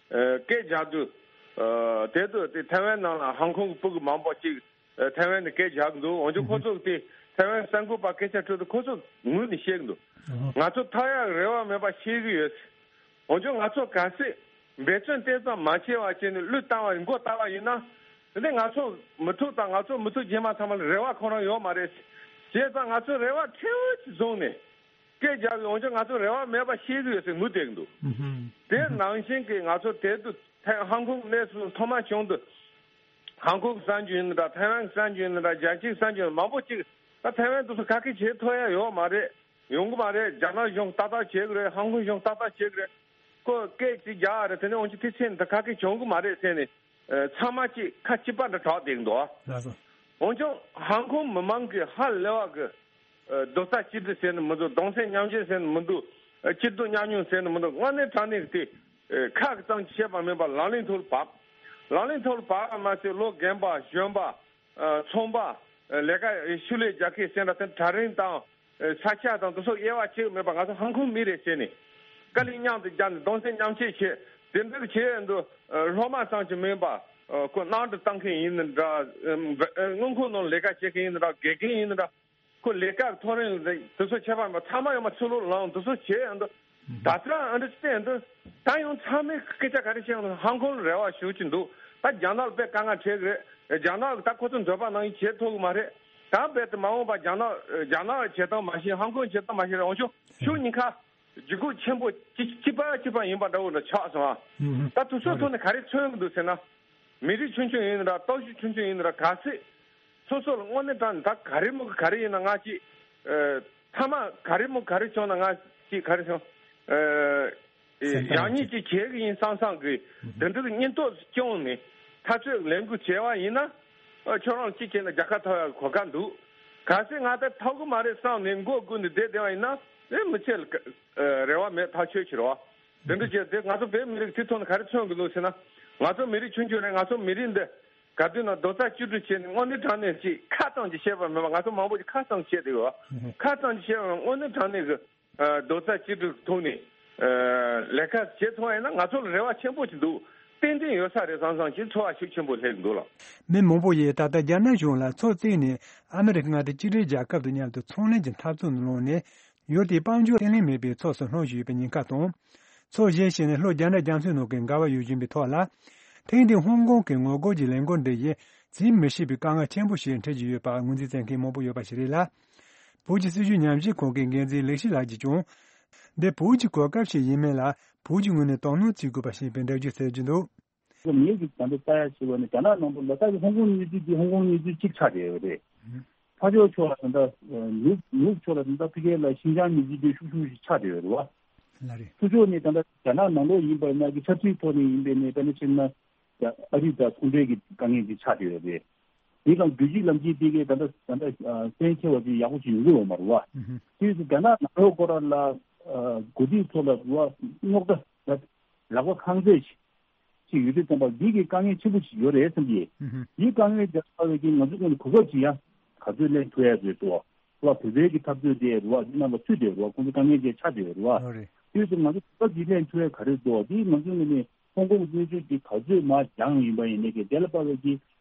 ཨ་སྐད་རྒྱག་དུས། ཨ་དེ་དུས་དེ་ཐའེ་ཝན་ནང་ལ་ཧོང་ཀོང་གི་ཕྲུ་གུ་མང་པོ་ཅིག་ཨ་ཐའེ་ཝན་ནས་སྐད་རྒྱག་གི་འདུག་འོན་ཀྱང་ཁོ་ཚོ་དེ་ཐའེ་ཝན་གསར་འགོད་པ་སྐད་ཆ་དྲིས་དུས་ཁོ་ཚོ་ངོས་ནས་བཤད་གི་འདུག་ང་ཚོ་ཐར་ཡག་རེ་བ་མེད་པ་ཤེས་ཀྱི་ཡོད། འོན་ཀྱང་ང་ཚོ་གལ་སྲིད་འབད་བརྩོན་དེ་ཙམ་མ་བྱས་པ་བྱས་ནས་བློས་བཏང་བ་མགོ་བཏགས་པ་ཡིན་ན། དེ་ནས་ང་ཚོ་མི་ཐུག་དང་ང་ཚོ་མི་ཐུག་རྗེས་མ་ཚང་མ་ལ་རེ་བ་ཁོ་རང་ཡོད་མ་རེད། བྱས་ཙང་ང་ཚོས་རེ་བ་ཕྲན་བུ་ཅིག་བཟུང་ནས་སྐད་རྒྱག་གི། འོན་ཀྱང་ང་ཚོ་རེ་བ་མེད་པ་ཤེས་ཀྱི་ཡོད་ཟེར་ངུས་བསྡད་ཀྱི་འདུག་དེ་ནང་བཞིན་གྱི་ང་ཚོ་དེ་དུས་ཧོང་ཀོང་གནས་ཚུལ་ཐོག་མ་བྱུང་དུས། ཧོང་ཀོང་གསར་འགྱུར་ཡིན་ན་འདྲ། ཐའེ་ཝན་གསར་འགྱུར་ཡིན་ན་འདྲ། རྒྱལ་སྤྱིའི་གསར་འགྱུར་མང་པོ་ཅིག་ད་ཐའེ་ཝན་དེ་ཚོ་ག་གེ་བྱེད་ཐུབ་ཡ་ཡོད་མ་རེད། ཡོང་གི་མ་རེད། རྒྱ་ནག་གཞུང་ཏག་ཏག་བྱེད་གི་རེད། ཧོང་ཀོང་གཞུང་ཏག་ཏག་བྱེད་གི་རེད། ཁོ་སྐད་ཅིག་རྒྱག་རེད། དེ་ནས་འོན་ཀྱང་དེ་ཚེ་ད་ག་གེ་བྱུང་གི་མ་རེད་ཟེར་ནས། ཨ་ཚང་མ་ཅིག་ཁ་གཅིག་པ་འདྲ་གྲགས་བསྡད་ཀྱི་འདུག་ལགས་སོ། འོན་ཀྱང་ཧོང་ཀོང་མི་མང་གི་ཧ་ལས་པ་གི་ཨ་རྡོག་རྩ་གཅིག་སྒྲིལ་ཟེར་ནས་མི་འདུག་གདུང་སེམས་མཉམ་སྐྱེད་ཟེར་ནས་མི་འདུག་ཨ་སྐྱིད་སྡུག་མཉམ་མྱོང་ཟེར་ནས་མི་འདུག་དངོས་གནས་དྲང་གནས་ཀྱི་དེ་ཨ་ཁ་གི་ཙམ་གྱིས་བཤད་པ་མིན་པར་ལག་ལེན་ཐོག་ལ་བབས། ལག་ལེན་ཐོག་ལ་བབས་པ་མ་ཟད། ལོ་རྒན་པ་གཞོན་པ། ཨ་ཚོང་པ། ཨ་ལས་ཀ་ཤུགས་ལས་རྒྱག་མཁན་ཟེར་འདྲ་དེ། གྲལ་རིམ་དང་ཨ་ས་ཆ་དང་དེ་ཚོ་དབྱེ་བ་ཕྱེ་གི་མེད་པར་ང་ཚོ་ཧོང་ཀོང་མི་རེད་ཟེར་ནས་དཀའ་ལས་མཉམ་དུ་བརྒྱབ་ནས་གདུང་སེམས་མཉམ་སྐྱེད་བྱས། དེ་འདྲ་བྱས་འདུག་ཨ་སློབ་མ་ཙམ་གྱིས་མིན་པར། ཨ་ཁོ་གནམ་གྲུ་གཏོང་མཁན་ཡིན་ན་འདྲ། ཨ་དངུལ་ཁང་ནང་ལས་ཀ་བྱེད་མཁན་ཡིན་ན་འདྲ། དགེ་རྒན་ཡིན་ན་འདྲ། ཁོ་ལས་ཀ་གི་ཐོ་རེངས་དེ་ཚོ་ཁྱད་པར་མེད་པར་ཚང་མ་ཡོང་མ་ཚུར་ལོག་ལངས། དེ་ཚོ་བྱས་འདུག་ད་ལྟ་ཨ་འདྲ་བལྟས་འདུག་ད་ཡང་ཚང་མས་སྐད་ཆ་ག་རེ་བཤད་འདུག་ཧོང་ཀོང་ལ་རེ་བ་ཞུ་གི་འདུག་ད་རྒྱ་ནག་ལ་དཔེ་དཀའ་ངལ་འཕྲད་གི་རེད། རྒྱ་ནག་གི་ད་ཁོ་ཚོ་འདོད་པ་ནང་བཞིན་བྱེད་ཐུབ་གི་མ་རེད། ད་རྦད་དེ་མ་འོངས་པ་རྒྱ་ནག་རྒྱ་ནག་བྱེད་སྟངས་མ་ཤེས། ཧོང་ཀོང་བྱེད་སྟངས་མ་ཤེས་རེད། འོན་ཀྱང་ཕྱོགས་གཉིས་ཀ་ལྗིད་ཁོག་ཆེན་པོ་གཅིག་གཅིག་པ་གཅིག་པ་ཡིན་པ་འདྲ་བོ་འདྲ་ཆགས་སོང་ཨ། ད་དེ་ཚོའི་ཐོག་ནས་ག་རེ་མཚོན་གི་འདུག་ཟེར་ན། མི་རིགས་ཆུང་ཆུང་ཡིན་ན་འདྲ། སྟོབས་ཤུགས་ཆུང་ཆུང་ཡིན་ན་འདྲ། གལ་སྲིད་སོ་སོ་ལ་དངོས་གནས་དྲང་ད་ག་རེ་མོ་ག་རེ་ཡིན་ན། ང་ཅིག་ཨ་མཐའ་མ་ག་རེ་མོ་ག་རེ་བྱུང་ན་ང་ཅིག་ག་རེ་བྱུང་། ཨ་སེམས་ཐག་ཡག་ཉིད་ཅིག་བྱེད་གི་ཡིན་བསམ་བསམ་གི་དེ་འདྲ་གི་སྙིང་སྟོབས་སྐྱོང་ནས་འཐབ་རྩོད་ལས་འགུལ་བྱས་པ་ཡིན་ན། ཨ་ཁྱོད་རང་གཅིག་བྱས་ན་རྒྱལ་ཁ་ཐོབ་ཡག་གི་གོ་སྐབས་འདུག་གལ་སྲིད་ང་ད་ཐོབ་གི་མ་རེད་བསམ་ནས་མགོ་སྒུར་ནས་བསྡད་བསྡད་པ་ཡིན་ན། ཨེ་མི་ཚེ་ལ་ཨ་རེ་བ་མེད་ཐག་ཆོད་ཕྱིར་བ། དེ་འདྲ་བྱས་ཏེ་ང་ཚོ་བོད་མི་རིགས་དེ་ཐོག་ནས་ག་རེ་མཚོན་གི་འདུག་ཟེར་ན། ང་ཚོ་མི་རིགས་ཆུང་ཆུང་རེད། ང་ཚོ་མི་རིགས་འདི་ག་དུས་ན་རྡོག་རྩ་གཅིག་སྒྲིལ་བྱས་ནས་དངོས་གནས་དྲང་གནས་ཅིག་ཁ་ཙམ་གྱིས་བཤད་པ་མིན་པར། ང་ཚོ་མང་པོ་ཅིག་ཁ་ཙམ་བཤད་བསྡད་ཡོད། ཁ་ཙམ་གྱིས་བཤད་པ་མིན་པར་དངོས་གནས་དྲང་གནས་ཀྱི་ཨ་རྡོག་རྩ་གཅིག་སྒྲིལ་ཐོག་ནས་ཨ་ལས་ཀ་བྱེད་ཐུབ་པ་ཡིན་ན་ང་ཚོ་ལ་རེ་བ་ཆེན་པོ་ཅིག་འདུག་ཏན་ཏན་ཡོད་ས་རེད་བསམ་བསམ་ཅིག་ཚོར་བ་ཤུགས་ཆེན་པོ་སླེབས་འདུག་ལགས། མི་མང་པོ་ཡིས་ད་ལྟ་རྒྱ་ནག་གཞུང་ལ་ཚོགས་བཙུགས་ནས་ཨ་མི་རི་ཀ་མངའ་སྡེ་གཅིག་སྒྲིལ་རྒྱལ་ཁབ་དང་མཉམ་དུ་ཚོང་ལས་ཀྱི་འཐབ་རྩོད་ནང་ལངས་ནས། ཡུལ་དེའི་དཔལ་འབྱོར་བརྟན་ལྷིང་མེད་པའི་ཕྱོགས་སུ་ལྷུང་བཞིན་ཡོད་པའི་ཉེན་ཁ་དང་། ཚོགས་གཞིར་བཞུགས་ནས་ལྷོ་རྒྱ་ནག་རྒྱ་མཚོའི་ནང་གི་འགལ་བ་ཡོད་བཞིན་པའི་ཐོག་ལ། ཐེངས་འདིའི་ཧོང་ཀོང་གི་ངོ་རྒོལ་གྱི་ལས་འགུལ་འདི་ཡིས་བརྩི་མི་ཤེས་པའི་དཀའ་ངལ་ཆེན་པོ་ཞིག་འཕྲད་ཀྱི་ཡོད་པར་ངོས་འཛིན་མཛད་མཁན་མང་པོ་ཡོད་པ་ཞིག་རེད་ལ། བོད་ཀྱི་སྲིད་བྱུས་ཉམས་ཞིབ་ཁང་གི་འགན་འཛིན་ལེགས་བཤད་ལགས་ཀྱིས་ཀྱང་། འདི་བོད་ཀྱི་གོ་སྐབས་ཤིག་ཡིན་མིན་ལ་བོད་ཀྱི་ངོས་ནས་དོ་སྣང་བྱེད་དགོས་པ་ཞིག་ཡིན་པའི་འགྲེལ་བརྗོད་བྱེད་ཀྱི་འདུག་ངས་ཀྱི་ད་ལྟ་ལྟ་ཡ་ཞིག་བ་ནི་རྒྱ་ནག་ནང་དུ་ལ་དྭགས་ཀྱི་ཧོང་ཀོང་གནས་ཚུལ་འདི་ཧོང་ཀོང་གནས་ཚུལ་གཅིག་ཆགས་བསྡད་ཡོད་རེད། ཕར་ཕྱོགས་ཕྱོགས་ལ་ད་ལྟ་ནུབ་ནུབ་ཕྱོགས་ལ་ད་ལྟ་ཕ་གིར་ལ་ཤིན་ཅང་གནས་ཚུལ་འདི་ཤུགས་ཤུགས་ཤིག་ཆགས་བསྡད་ཡོད་རེད་བ། ལ་རེད། ཕར་ཕྱོགས་ནས་ད་ལྟ་རྒྱ་ནག་ནང་ལོགས་ཡིན་པ་ན་གི་ཆབ་སྲིད་ཐོག་ནས་ཡིན་པ་ནས་དཔེར་ན་ཕྱིན་ན་ཨ་རི་དང་ཚོང་འབྲེལ་གྱི་དཀའ་ངལ་འདི་ཆགས་བསྡད་ཡོད་རེད། དེ་དང་རྒྱུད་གཅིག་ལམ་གཅིག་དེ་གའི་ད་ལྟ་ད་ལྟ་གསན་མཁས་པ་ཅིག་ཡག་པོ་ཅིག་ཡོང་གི་ཡོད་མ་རེད་བ། དེ་ཡོད་ཚེ་རྒྱ་ནག་ནང་ལོགས་སྐོར་ལ་འགོ་ཁྲིད་ཚོ་ལ་རུ་བ་རྙོག་དྲ་ལག་པ་ཁང་བརྩེགས་ཅིག་ཅིག་ཡོད་དུས་ཙམ་པ་འདི་གི་དཀའ་ངལ་ཆེན་པོ་ཞིག་ཡོད་རེད་བསམ་གྱི། ཨུ་ཧུ། འདིའི་དཀའ་ངལ་རྒྱག་པ་བས་ཀྱི་ང་ཚོ་ཀུན་གོ་སྐབས་ཀྱི་ཡང་ག་ཚོད་ལེན་ཐུབ་ཡ་བཟོས་འདུག་བ། བོད་པའི་གི་འཐབ་རྩོད་དེ་རུ་བ་འདི་ནང་ལ་ཚུད་དེ་རུ་བ་ཁོང་ཚོ་དཀའ་ངལ་ཅན་ཆགས་བསྡད་རུ་བ། ཨོ་རེད། དུས་སུ་ང་ཚོ་གོ་སྐབས་ཀྱི་ལེན་ཐུབ་ཡ་ག་རེ་འདུག་འདི་ང་ཚོ་ངོས་ནས་ཧོང་ཀོང་གི་གནས་ཚུལ་འདི་ག་ཚོད་མ་སྦྱངས་ཡིན་པ་ཡིན་ནའི་གི་དེ་ལ་དཔག་པའི་གི་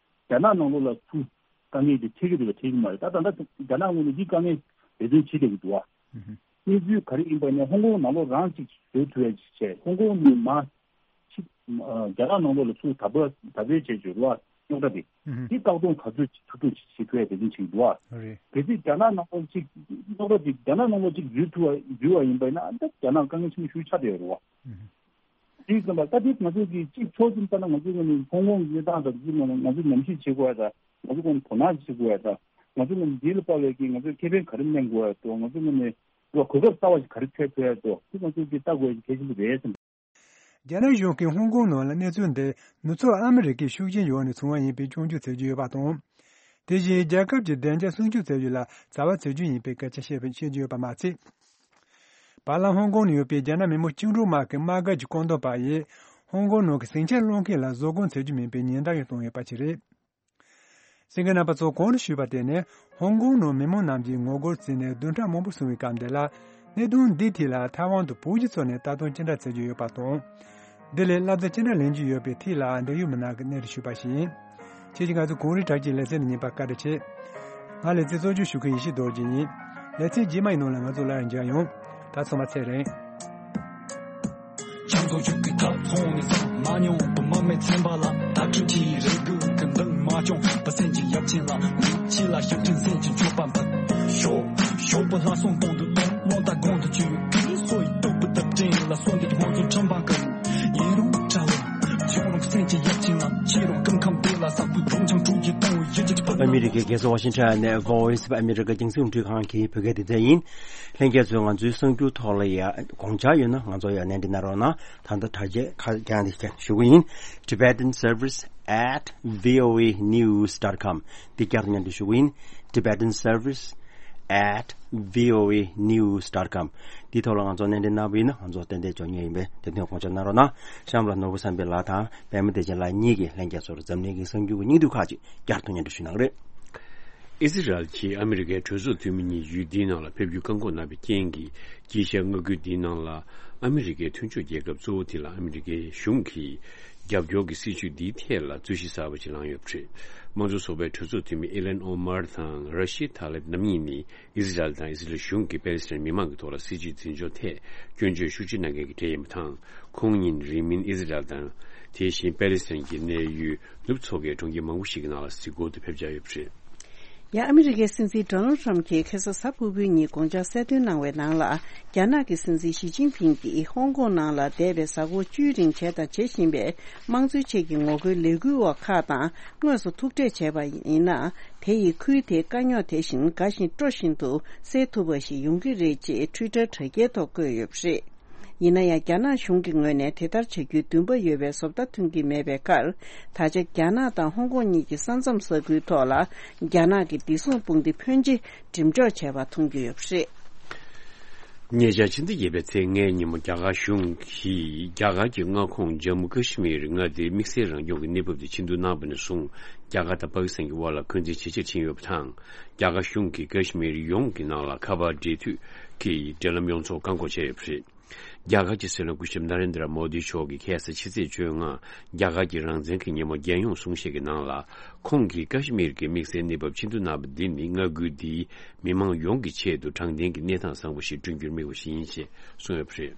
རྒྱ་ནག་ནང་ལོགས་ལ་ཚུར་དཀའ་ངལ་དེ་འཕྲད་ཀྱི་འདུག་བ་འཕྲད་ཀྱི་མ་རེད། ད་ད་ལྟ་རྒྱ་ནག་ངོས་ནས་འདི་དཀའ་ངལ་འབད་བརྩོན་བྱེད་བསྡད་ཀྱི་འདུག་བ། ཨུ་ཧུ། གནས་ཚུལ་ག་རེ་ཡིན་པ་ནས་ཧོང་ཀོང་ནང་ལོགས་རང་ཅིག་བཟོ་ཐུབ་ཡ་ཅིག་བྱས། ཧོང་ཀོང་ནས་མར་ཕྱི་རྒྱ་ནག་ནང་ལོགས་ལ་ཚུར་དར་སྤེལ་དར་སྤེལ་བྱས་བྱས་རུ་བ་རྙོག་དྲ་དེ། ཨུ་ཧུ། དེ་བཀག་སྡོམ་ག་ཚོད་ཅིག་ཐུབ་ཐུབ་ཅིག་བྱེད་ཐུབ་ཡ་དེ་འདྲ་ཅིག་འདུག་བ། རེད། གལ་སྲིད་རྒྱ་ནག་ནང་ལོགས་ཅིག་རྙོག་དྲ་དེ་རྒྱ་ནག་ནང་ལོགས་ཅིག་འཛུལ་ཐུབ་པ་འཛུལ་བ་ཡིན་པ་ཡིན་ན་ད་རྒྱ་ནག་དཀའ་ངལ་ཆེན་པོ་ཞིག་ཆགས་བསྡད་ཡོད་རེད་བ། ཨུ་ཧུ། དེ་ཙམ་པ་ད་དེ་ང་ཚོ་གི་གཅིག་ཕྱོགས་ཙམ་ལྟ་ན་ང་ཚོ་ངོས་ནས་ཧོང་ཀོང་གི་གནས་སྟངས་དང་དེ་ཚོ་ང་ཚོ་ཉམས་ཞིབ་བྱེད་དགོས་ཡ་དང་། ང་ཚོ་ངོས་ནས་དོ་སྣང་བྱེད་དགོས་ཡ་དང་། ང་ཚོ་ངོས་ནས་འདི་ལ་དཔག་པའི་གི་ང་ཚོས་ཁེ་ཕན་ག་རེ་ལེན་དགོས་ཡ་དང་། ང་ཚོ་ངོས་ནས་གོ་སྐབས་གསར་བ་ཞིག་ག་རེ་འཚོལ་ཐུབ་ཡ་དང་། དེ་ང་ཚོས་དེ་ལྟ་དགོས་ཡ་གལ་ཆེན་པོ་རེད་བསམ། རྒྱ་ནག་གཞུང་གིས་ཧོང་ཀོང་ནང་ལ་གནས་ཚུལ་འདི་ནུབ་ཕྱོགས་ཨ་མི་རི་ཀའི་ཤུགས་རྐྱེན་འོག་ནས་བྱུང་བ་ཡིན་པའི་སྐྱོན་བརྗོད་བྱེད་ཀྱི་ཡོད་པ་དང་། དེ་བཞིན་རྒྱལ་ཁབ་ཀྱི་བདེ་འཇགས་སྲུང་སྐྱོབ་བྱ་ཡུལ་ལ་བྱ་བ་བྱེད་རྒྱུ་ཡིན་པའི་སྐད་ཆ་བཤད་པ་བཤད་རྒྱུ་ཡོད་པ་མ་ཚད། བར་ལམ་ཧོང་ཀོང་ནང་ཡོད་པའི་རྒྱ་ནག་མི་དམངས་བཅིངས་འགྲོལ་དམག་གི་དམག་སྒར་གྱི་སྐུ་མདུན་པ་ཡིས་ཧོང་ཀོང་ནང་གི་ཟིང་ཆ་སློང་མཁན་ལ་བཟོད་སྒོམ་བྱེད་རྒྱུ་མིན་པའི་ཉེན་བརྡ་ཡང་བཏང་ཡོད་པ་ཞིག་རེད། གསན་མཁན་རྣམ་པ་ཚོ་གོང་དུ་ཞུས་པ་དེ་ནི་ཧོང་ཀོང་ནང་མི་མང་རྣམས་ཀྱིས་ངོ་རྒོལ་བྱས་ནས་བདུན་ཕྲག་མང་པོ་སོང་བའི་སྐབས་འདི་ལ། གནད་དོན་འདིའི་ཐད་ལ་ཐའེ་ཝན་དུ་བོད་བརྒྱུད་ཚོ་ནས་ལྟ་སྟངས་ཅི་འདྲ་བྱེད་ཀྱི་ཡོད་པ་དང་། འདི་ལས་བསླབ་བྱ་ཅི་འདྲ་ལེན་རྒྱུ་ཡོད་པའི་ཐད་ལ་འབྲེལ་ཡོད་མི་སྣ་གིས་གནས་རིགས་ཞུས་པ་ཞིག་ཡིན། ཁྱེད་ཀྱིས་ང་ཚོའི་གངས་རི་བྲག་ཅའི་ལེ་ཚན་ལ་ཉན་པར་བཀའ་དྲིན་ཆེ། ང་ལེ་ཚན་གཙོ་སྐྱོང་ཞུ་མཁན་ཡེ་ཤེས་རྡོ་རྗེ་ཡིན། ལེ་ཚན་རྗེས་མ་ཡི་ནང་ལ་ང་ཚོ་སླར་ཡང་མཇལ་ཡོང་། ད་ཚང་མ་ཚེ་རིང་། ཅང་ཚོ་ཆུ་ཀི་ཐབ་ཚོང་ནས་ཚང་མ་མྱོང་བུ་མ་མེད་ཚན་པ་ལ་ད་ཁྲི་ཁྲི་རེ་དགོས་ཀི་འདང་མ་བྱུང་བ་སེམས་ཀྱི་ཡབ་ཆེན་ལ་མི་ཕྱི་ལ་ཞབས་ཕྲེང་སེམས་ཀྱི་མཆོད་པ་འབུལ། ཞོག་ཞོག་པ་ལྷ་སྲུང་གཏོང་དུ་གཏོང་བློ་ལྟ་དགོང་དུ་བཅུག་ཀི་སོ་ཡི་སྟོབས་པུ་སྟབས་ཅན་ལ་སོ་འདི་ཀི་ཧོང་ཚོ་ཁྲམ་པ་ཀི་ཡིན་རུང་གྲྭ་བ་ཆོག་རུང་སེམས་ཀྱི་ཡབ་ཆེན་ལ་ཕྱི་རུང་སྐུ་ཁམས་བདེ་ལ་ས་བུ་རུང་ཆང་དྲུག་ཅུ་གཏོང་བའི་ཡུལ་གྱི་ཨ་མི་རི་ཀའི་རྒྱལ་ས་ཝ་ཤིང་ཊོན་ནས་Voice of America་རྒྱང་སྲིང་རླུང་འཕྲིན་ཁང་གི་བོད་སྐད་སྡེ་ཚན་ཡིན། ལྷན་རྒྱས་ཚོས་ང་ཚོའི་གསར་འགྱུར་ཐོག་ལ་ཡ་དགོངས་འཆར་ཡོད་ན་ང་ཚོ་ཡ་གནས་འདྲི་གནང་རོགས་གནང་། ད་ལྟ་དྲ་རྒྱའི་ཁ་བརྒྱངས་ཏེ་ཞུ་གི་ཡིན། Tibetan Service at voa news dot com། འདི་བསྐྱར་དུ་སྙན་སྒྲོན་ཞུ་གི་ཡིན། Tibetan Service at voa news dot com། འདི་ཐོག་ལ་ང་ཚོ་གནས་འདྲི་གནང་བ་ཡིན་ན་ང་ཚོ་ཏན་ཏན་འཇོག་མཁན་ཡིན་པས་དེ་དོན་དགོངས་འཆར་གནང་རོགས་གནང་། གཤམ་ལ་ནོར་བུ་བསམ་འཕེལ་ལགས་དང་པད་མ་བདེ་ཆེན་ལགས་གཉིས་ཀྱིས་ལྷན་རྒྱས་ཚོར་འཛམ་གླིང་གི་གསར་འགྱུར་གྱི་སྙིང་བསྡུས་ཁག་ཅིག་བསྐྱར་དུ་སྙན་སྒྲོན་ཞུ་གནང་གི་རེད། ཨི་ཟི་རལ་གྱིས་ཨ་མི་རི་ཀའི་གྲོས་ཚོགས་འཐུས་མི་གཉིས་ཡུལ་འདིའི་ནང་ལ་ཕེབས་རྒྱུའི་བཀག་འགོག་གནང་བའི་རྐྱེན་གྱིས། དཀྱིལ་ཤར་མངའ་ཁུལ་འདིའི་ནང་ལ་ཨ་མི་རི་ཀའི་མཐུན་ཕྱོགས་རྒྱལ་ཁབ་གཙོ་བོ་དེ་ལ་ཨ་མི་རི་ཀའི་གཞུང་གིས་རྒྱབ་སྐྱོར་གྱི་སྲིད་བྱུས་འདིའི་ཐད་ལ་རྩོད་གཞི་གསར་པ་ཞིག་ལངས་ཡོད་པ་རེད། དམངས་གཙོ་ཚོགས་པའི་གྲོས་ཚོགས་འཐུས་མི་ཨི་ལན་ཨོ་མར་དང་ར་ཤིད་ཐ་ལེབ་རྣམ་གཉིས་ནི། ཨི་ཟི་རལ་དང་ཨི་ཟི་རལ་གཞུང་གིས་པེ་ལེ་སི་ཐན་མི་མང་གི་ཐོག་ལ་སྲིད་བྱུས་འཛིན་སྐྱོང་ཐད་སྐྱོན་བརྗོད་ཤུགས་ཆེ་གནང་མཁན་གྱི་གྲས་ཡིན་པ་དང་། ཁོང་ཉིད་རིང་མིན་ཨི་ཟི་རལ་དང་། དེ་བཞིན་པེ་ལེ་སི་ཐན་གྱི་གནས་ཡུལ་ནུབ་མཚོ་ཁའི་གྲོང་ཁྱེར་མང་པོ་ཞིག་གི་ནང་ལ་གཟིགས་སྐོར་དུ་ཕེབས་འཆར་ཡོད་པ་རེད། ཡང་ཨ་མི་རི་ཀའི་སྲིད་འཛིན་ཌོ་ནལ་ཊམ་གྱིས་ཁ་སང་གཟའ་ཕུར་བུའི་ཉིན་དགོངས་འཆར་གསལ་སྟོན་གནང་བའི་ནང་ལ། རྒྱ་ནག་གི་སྲིད་འཛིན་ཞི་ཅིན་ཕིང་གིས་ཧོང་ཀོང་ནང་ལ་འདས་པའི་གཟའ་འཁོར་བཅུའི་རིང་བྱས་དང་བྱེད་བཞིན་པའི་དམངས་གཙོའི་ཆེད་ཀྱི་ངོ་རྒོལ་ལས་འགུལ་བ་ཁག་དང་དངོས་སུ་ཐུག་འཕྲད་བྱས་པ་ཡིན་ན། དེ་ཡིས་ཁུལ་དེའི་དཀའ་རྙོག་དེ་བཞིན་དགའ་ཞིང་སྤྲོ་བཞིན་དུ་སེལ་ཐུབ་པ་ཞིག་ཡོང་གི་རེད་ཅེས་ཊུའི་ཊར་དྲ་རྒྱའི་ཐོག་བཀོད་ཡོད་པ་རེད། ཡིན་ན་ཡང་རྒྱ་ནག་གཞུང་གི་ངོས་ནས་དེ་ལྟར་བྱ་རྒྱུའི་འདུན་པ་ཡོད་པའི་བཟོ་ལྟ་ཐོན་གྱི་མེད་པའི་ཁར། ད་ཆ་རྒྱ་ནག་དང་ཧོང་ཀོང་གཉིས་ཀྱི་ས་མཚམས་ས་ཁུལ་ཐོག་ལ་རྒྱ་ནག་གི་བདེ་སྲུང་དཔུང་སྡེ་ཕོན་ཆེ་འགྲེམས་འཇོག་བྱས་པ་མཐོང་རྒྱུ་ཡོད་པ་རེད། ཉེ་ཆར་ཕྱི་ཟླ་བརྒྱད་པའི་ཚེས་ལྔའི་ཉིན་མོ་རྒྱ་གར་གཞུང་གིས་རྒྱ་གར་གྱི་མངའ་ཁོངས་ཇམ་མུ་ཀ་ཤི་མིར་མངའ་སྡེའི་དམིགས་བསལ་རང་སྐྱོང་གི་གནས་བབ་དེ་ཕྱིར་བསྡུ་གནང་བ་ནས་བཟུང་། རྒྱ་གར་དང་པ་ཀི་སི་ཐན་གྱི་དབར་ལ་འཁོན་འཛིན་ཇེ་ཆེར་ཕྱིན་ཡོད་པ་དང་། རྒྱ་གར་གཞུང་གིས་ཀ་ཤི་མིར་ཡོངས་ཀྱི་ནང་ལ་ཁ་པར་འབྲེལ་མཐུད་ཀྱི་འབྲེལ་ལམ་ཡོངས་རྫོགས་བཀག་འགོག་བྱས་ཡོད་པ་རེད། རྒྱ་གར་གྱི་སྲིད་བློན་སྐུ་ཞབས་ན་རེན་དྲ་མོ་དི་མཆོག་གིས་ཁ་སང་ཕྱི་ཚེས་བཅོ་ལྔ། རྒྱ་གར་གྱི་རང་བཙན་གྱི་ཉིན་མོ་རྒྱལ་ཡོངས་གསུང་བཤད་ཀྱི་ནང་ལ། ཁོང་གིས་ཀ་ཤི་མིར་གྱི་དམིགས་བསལ་གནས་བབ་ཕྱིར་བསྡུ་གནང་བ་འདི་ནི་མངའ་ཁུལ་འདིའི་མི་མང་ཡོངས་ཀྱི་ཆེད་དུ་དྲང་བདེན་གྱི་གནས་སྟངས་བཟང་པོ་ཞིག་བསྐྲུན་རྒྱུར་དམིགས་པ་ཞིག་ཡིན་ཞེས་གསུངས་ཡོད་པ་རེད།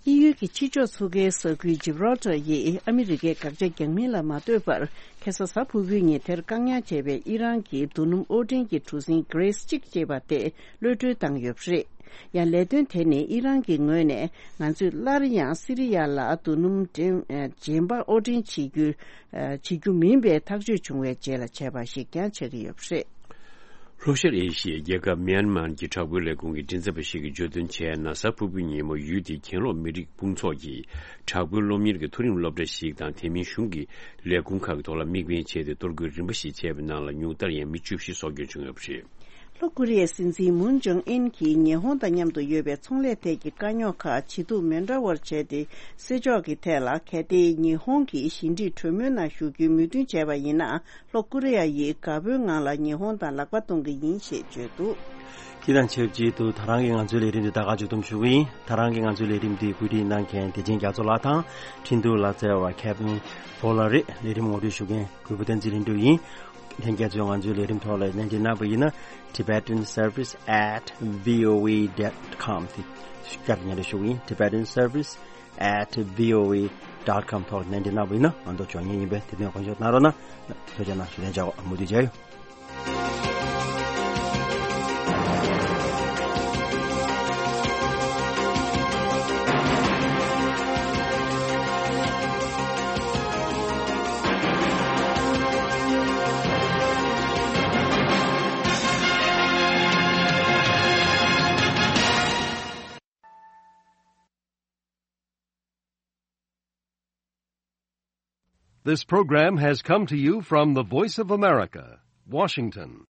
དབྱིན་ཡུལ་གྱི་ཕྱི་ཕྱོགས་མཚོ་ཁའི་ས་ཁུལ་ཇིབ་རོལ་ཊར་ཡིས་ཨ་མི་རི་ཀའི་དགག་བྱ་རྒྱག་མིན་ལ་མ་ལྟོས་པར། ཁ་སང་གཟའ་ཕུར་བུའི་ཉིན་དེར་བཀག་ཉར་བྱས་པའི་ཨི་རན་གྱི་རྡོ་སྣུམ་དབོར་འདྲེན་གྱི་གྲུ་གཟིངས་Grace་གཅིག་ཅེས་པ་དེ་གློད་གྲོལ་བཏང་ཡོད་པ་རེད། ཡང་ལས་དོན་དེ་ནི་ཨི་རན་གྱི་ངོས་ནས་ང་ཚོས་སླར་ཡང་སི་རི་ཡ་ལ་རྡོ་སྣུམ་འདྲེན་གཞན་པ་དབོར་འདྲེན་བྱེད་རྒྱུ། བྱེད་རྒྱུ་མིན་པའི་ཐག་གཅོད་བྱུང་བའི་རྗེས་ལ་བྱས་པ་ཞིག་ཀྱང་ཆགས་ཀྱི་ཡོད་པ་རེད། ལྷོ་ཤར་ཨེ་ཤི་ཡའི་རྒྱལ་ཁབ་མིའན་མཱར་གྱི་དྲག་པོའི་ལས་ཁུངས་ཀྱི་མགྲིན་ཚབ་པ་ཞིག་གིས་བརྗོད་དོན་བྱས་ན། གཟའ་ཕུར་བུའི་ཉིན་མོ་ཡུལ་དེའི་གྱེན་ལོག་མི་རིགས་དཔུང་ཚོགས་ཀྱིས་དྲག་པོའི་སློབ་གཉེར་གྱི་མཐོ་རིམ་སློབ་གྲྭ་ཞིག་དང་དེ་མིན་གཞུང་གི་ལས་ཁུངས་ཁག་གི་ཐོག་ལ་དམིགས་འབེན་བྱས་ཏེ་གཏོར་རྒོལ་རིམ་པ་ཞིག་བྱས་པའི་ནང་ལ་ཉུང་མཐར་ཡང་མི་བཅུ་བཞི་སྲོག་སྐྱོན་བྱུང་ཡོད་པ་རེད། ལྷོ་ཀོ་རི་ཡའི་སྲིད་འཛིན་མུན་ཇོང་ཨིན་གྱིས་ཉི་ཧོང་དང་མཉམ་དུ་ཡོད་པའི་ཚོང་ལས་ཐད་ཀྱི་དཀའ་རྙོག་ཁག་ཇེ་སྡུག་མི་འདྲ་བར་བྱས་ཏེ་སེལ་ཕྱོགས་ཀྱི་ཐད་ལ། གལ་ཏེ་ཉི་ཧོང་གིས་ཞི་འགྲིག་གྲོས་མོལ་ནང་ཞུགས་རྒྱུའི་མོས་མཐུན་བྱས་པ་ཡིན་ན། ལྷོ་ཀོ་རི་ཡ་ཡིས་དགའ་པོའི་ངང་ལ་ཉི་ཧོང་དང་ལག་པ་གཏོང་གི་ཡིན་ཞེས་བརྗོད་འདུག་དེ་དང་ཆབས་ཅིག་ཏུ་ད་རང་གི་ང་ཚོའི་ལས་རིམ་འདི་ད་ག་མཇུག་བསྡོམས་ཞུ་གི་ཡིན། ད་རང་གི་ང་ཚོའི་ལས་རིམ་འདི་གོ་སྒྲིག་གནང་མཁན་བདེ་ཆེན་རྒྱ་མཚོ་ལགས་དང་། འཕྲིན་གཏོང་ལག་རྩལ་བ་ཁེབ་ཏིན་ཕོ་ལགས་རེད། ལས་རིམ་ངོ་སྤྲོད་ཞུ་མཁན་གུས་པ་བསྟན་འཛིན་ལྷུན་གྲུབ་ཡིན། ལྷན་རྒྱས་ཚོས་ང་ཚོའི་ལས་རིམ་ཐོག་ལ་གནས་འདྲི་གནང་བ་ཡིན་ན། Tibetan Service at voa dot com དེ་བསྐྱར་དུ་སྙན་སྒྲོན་ཞུ་གི་ཡིན། Tibetan Service at voa dot com ཐོག་གནས་འདྲི་གནང་བ་ཡིན་ན་ང་ཚོ་འབྱོར་ཉེན་ཡིན་པས་དེ་དོན་དགོངས་ཞུ་གནང་རོགས་གནང་། ཐུགས་རྗེ་གནང་། ཞུ་ལན་བྱ་འོ། མུ་མཐུད་མཇལ་ཡོང་། This program has come to you from the Voice of America, Washington.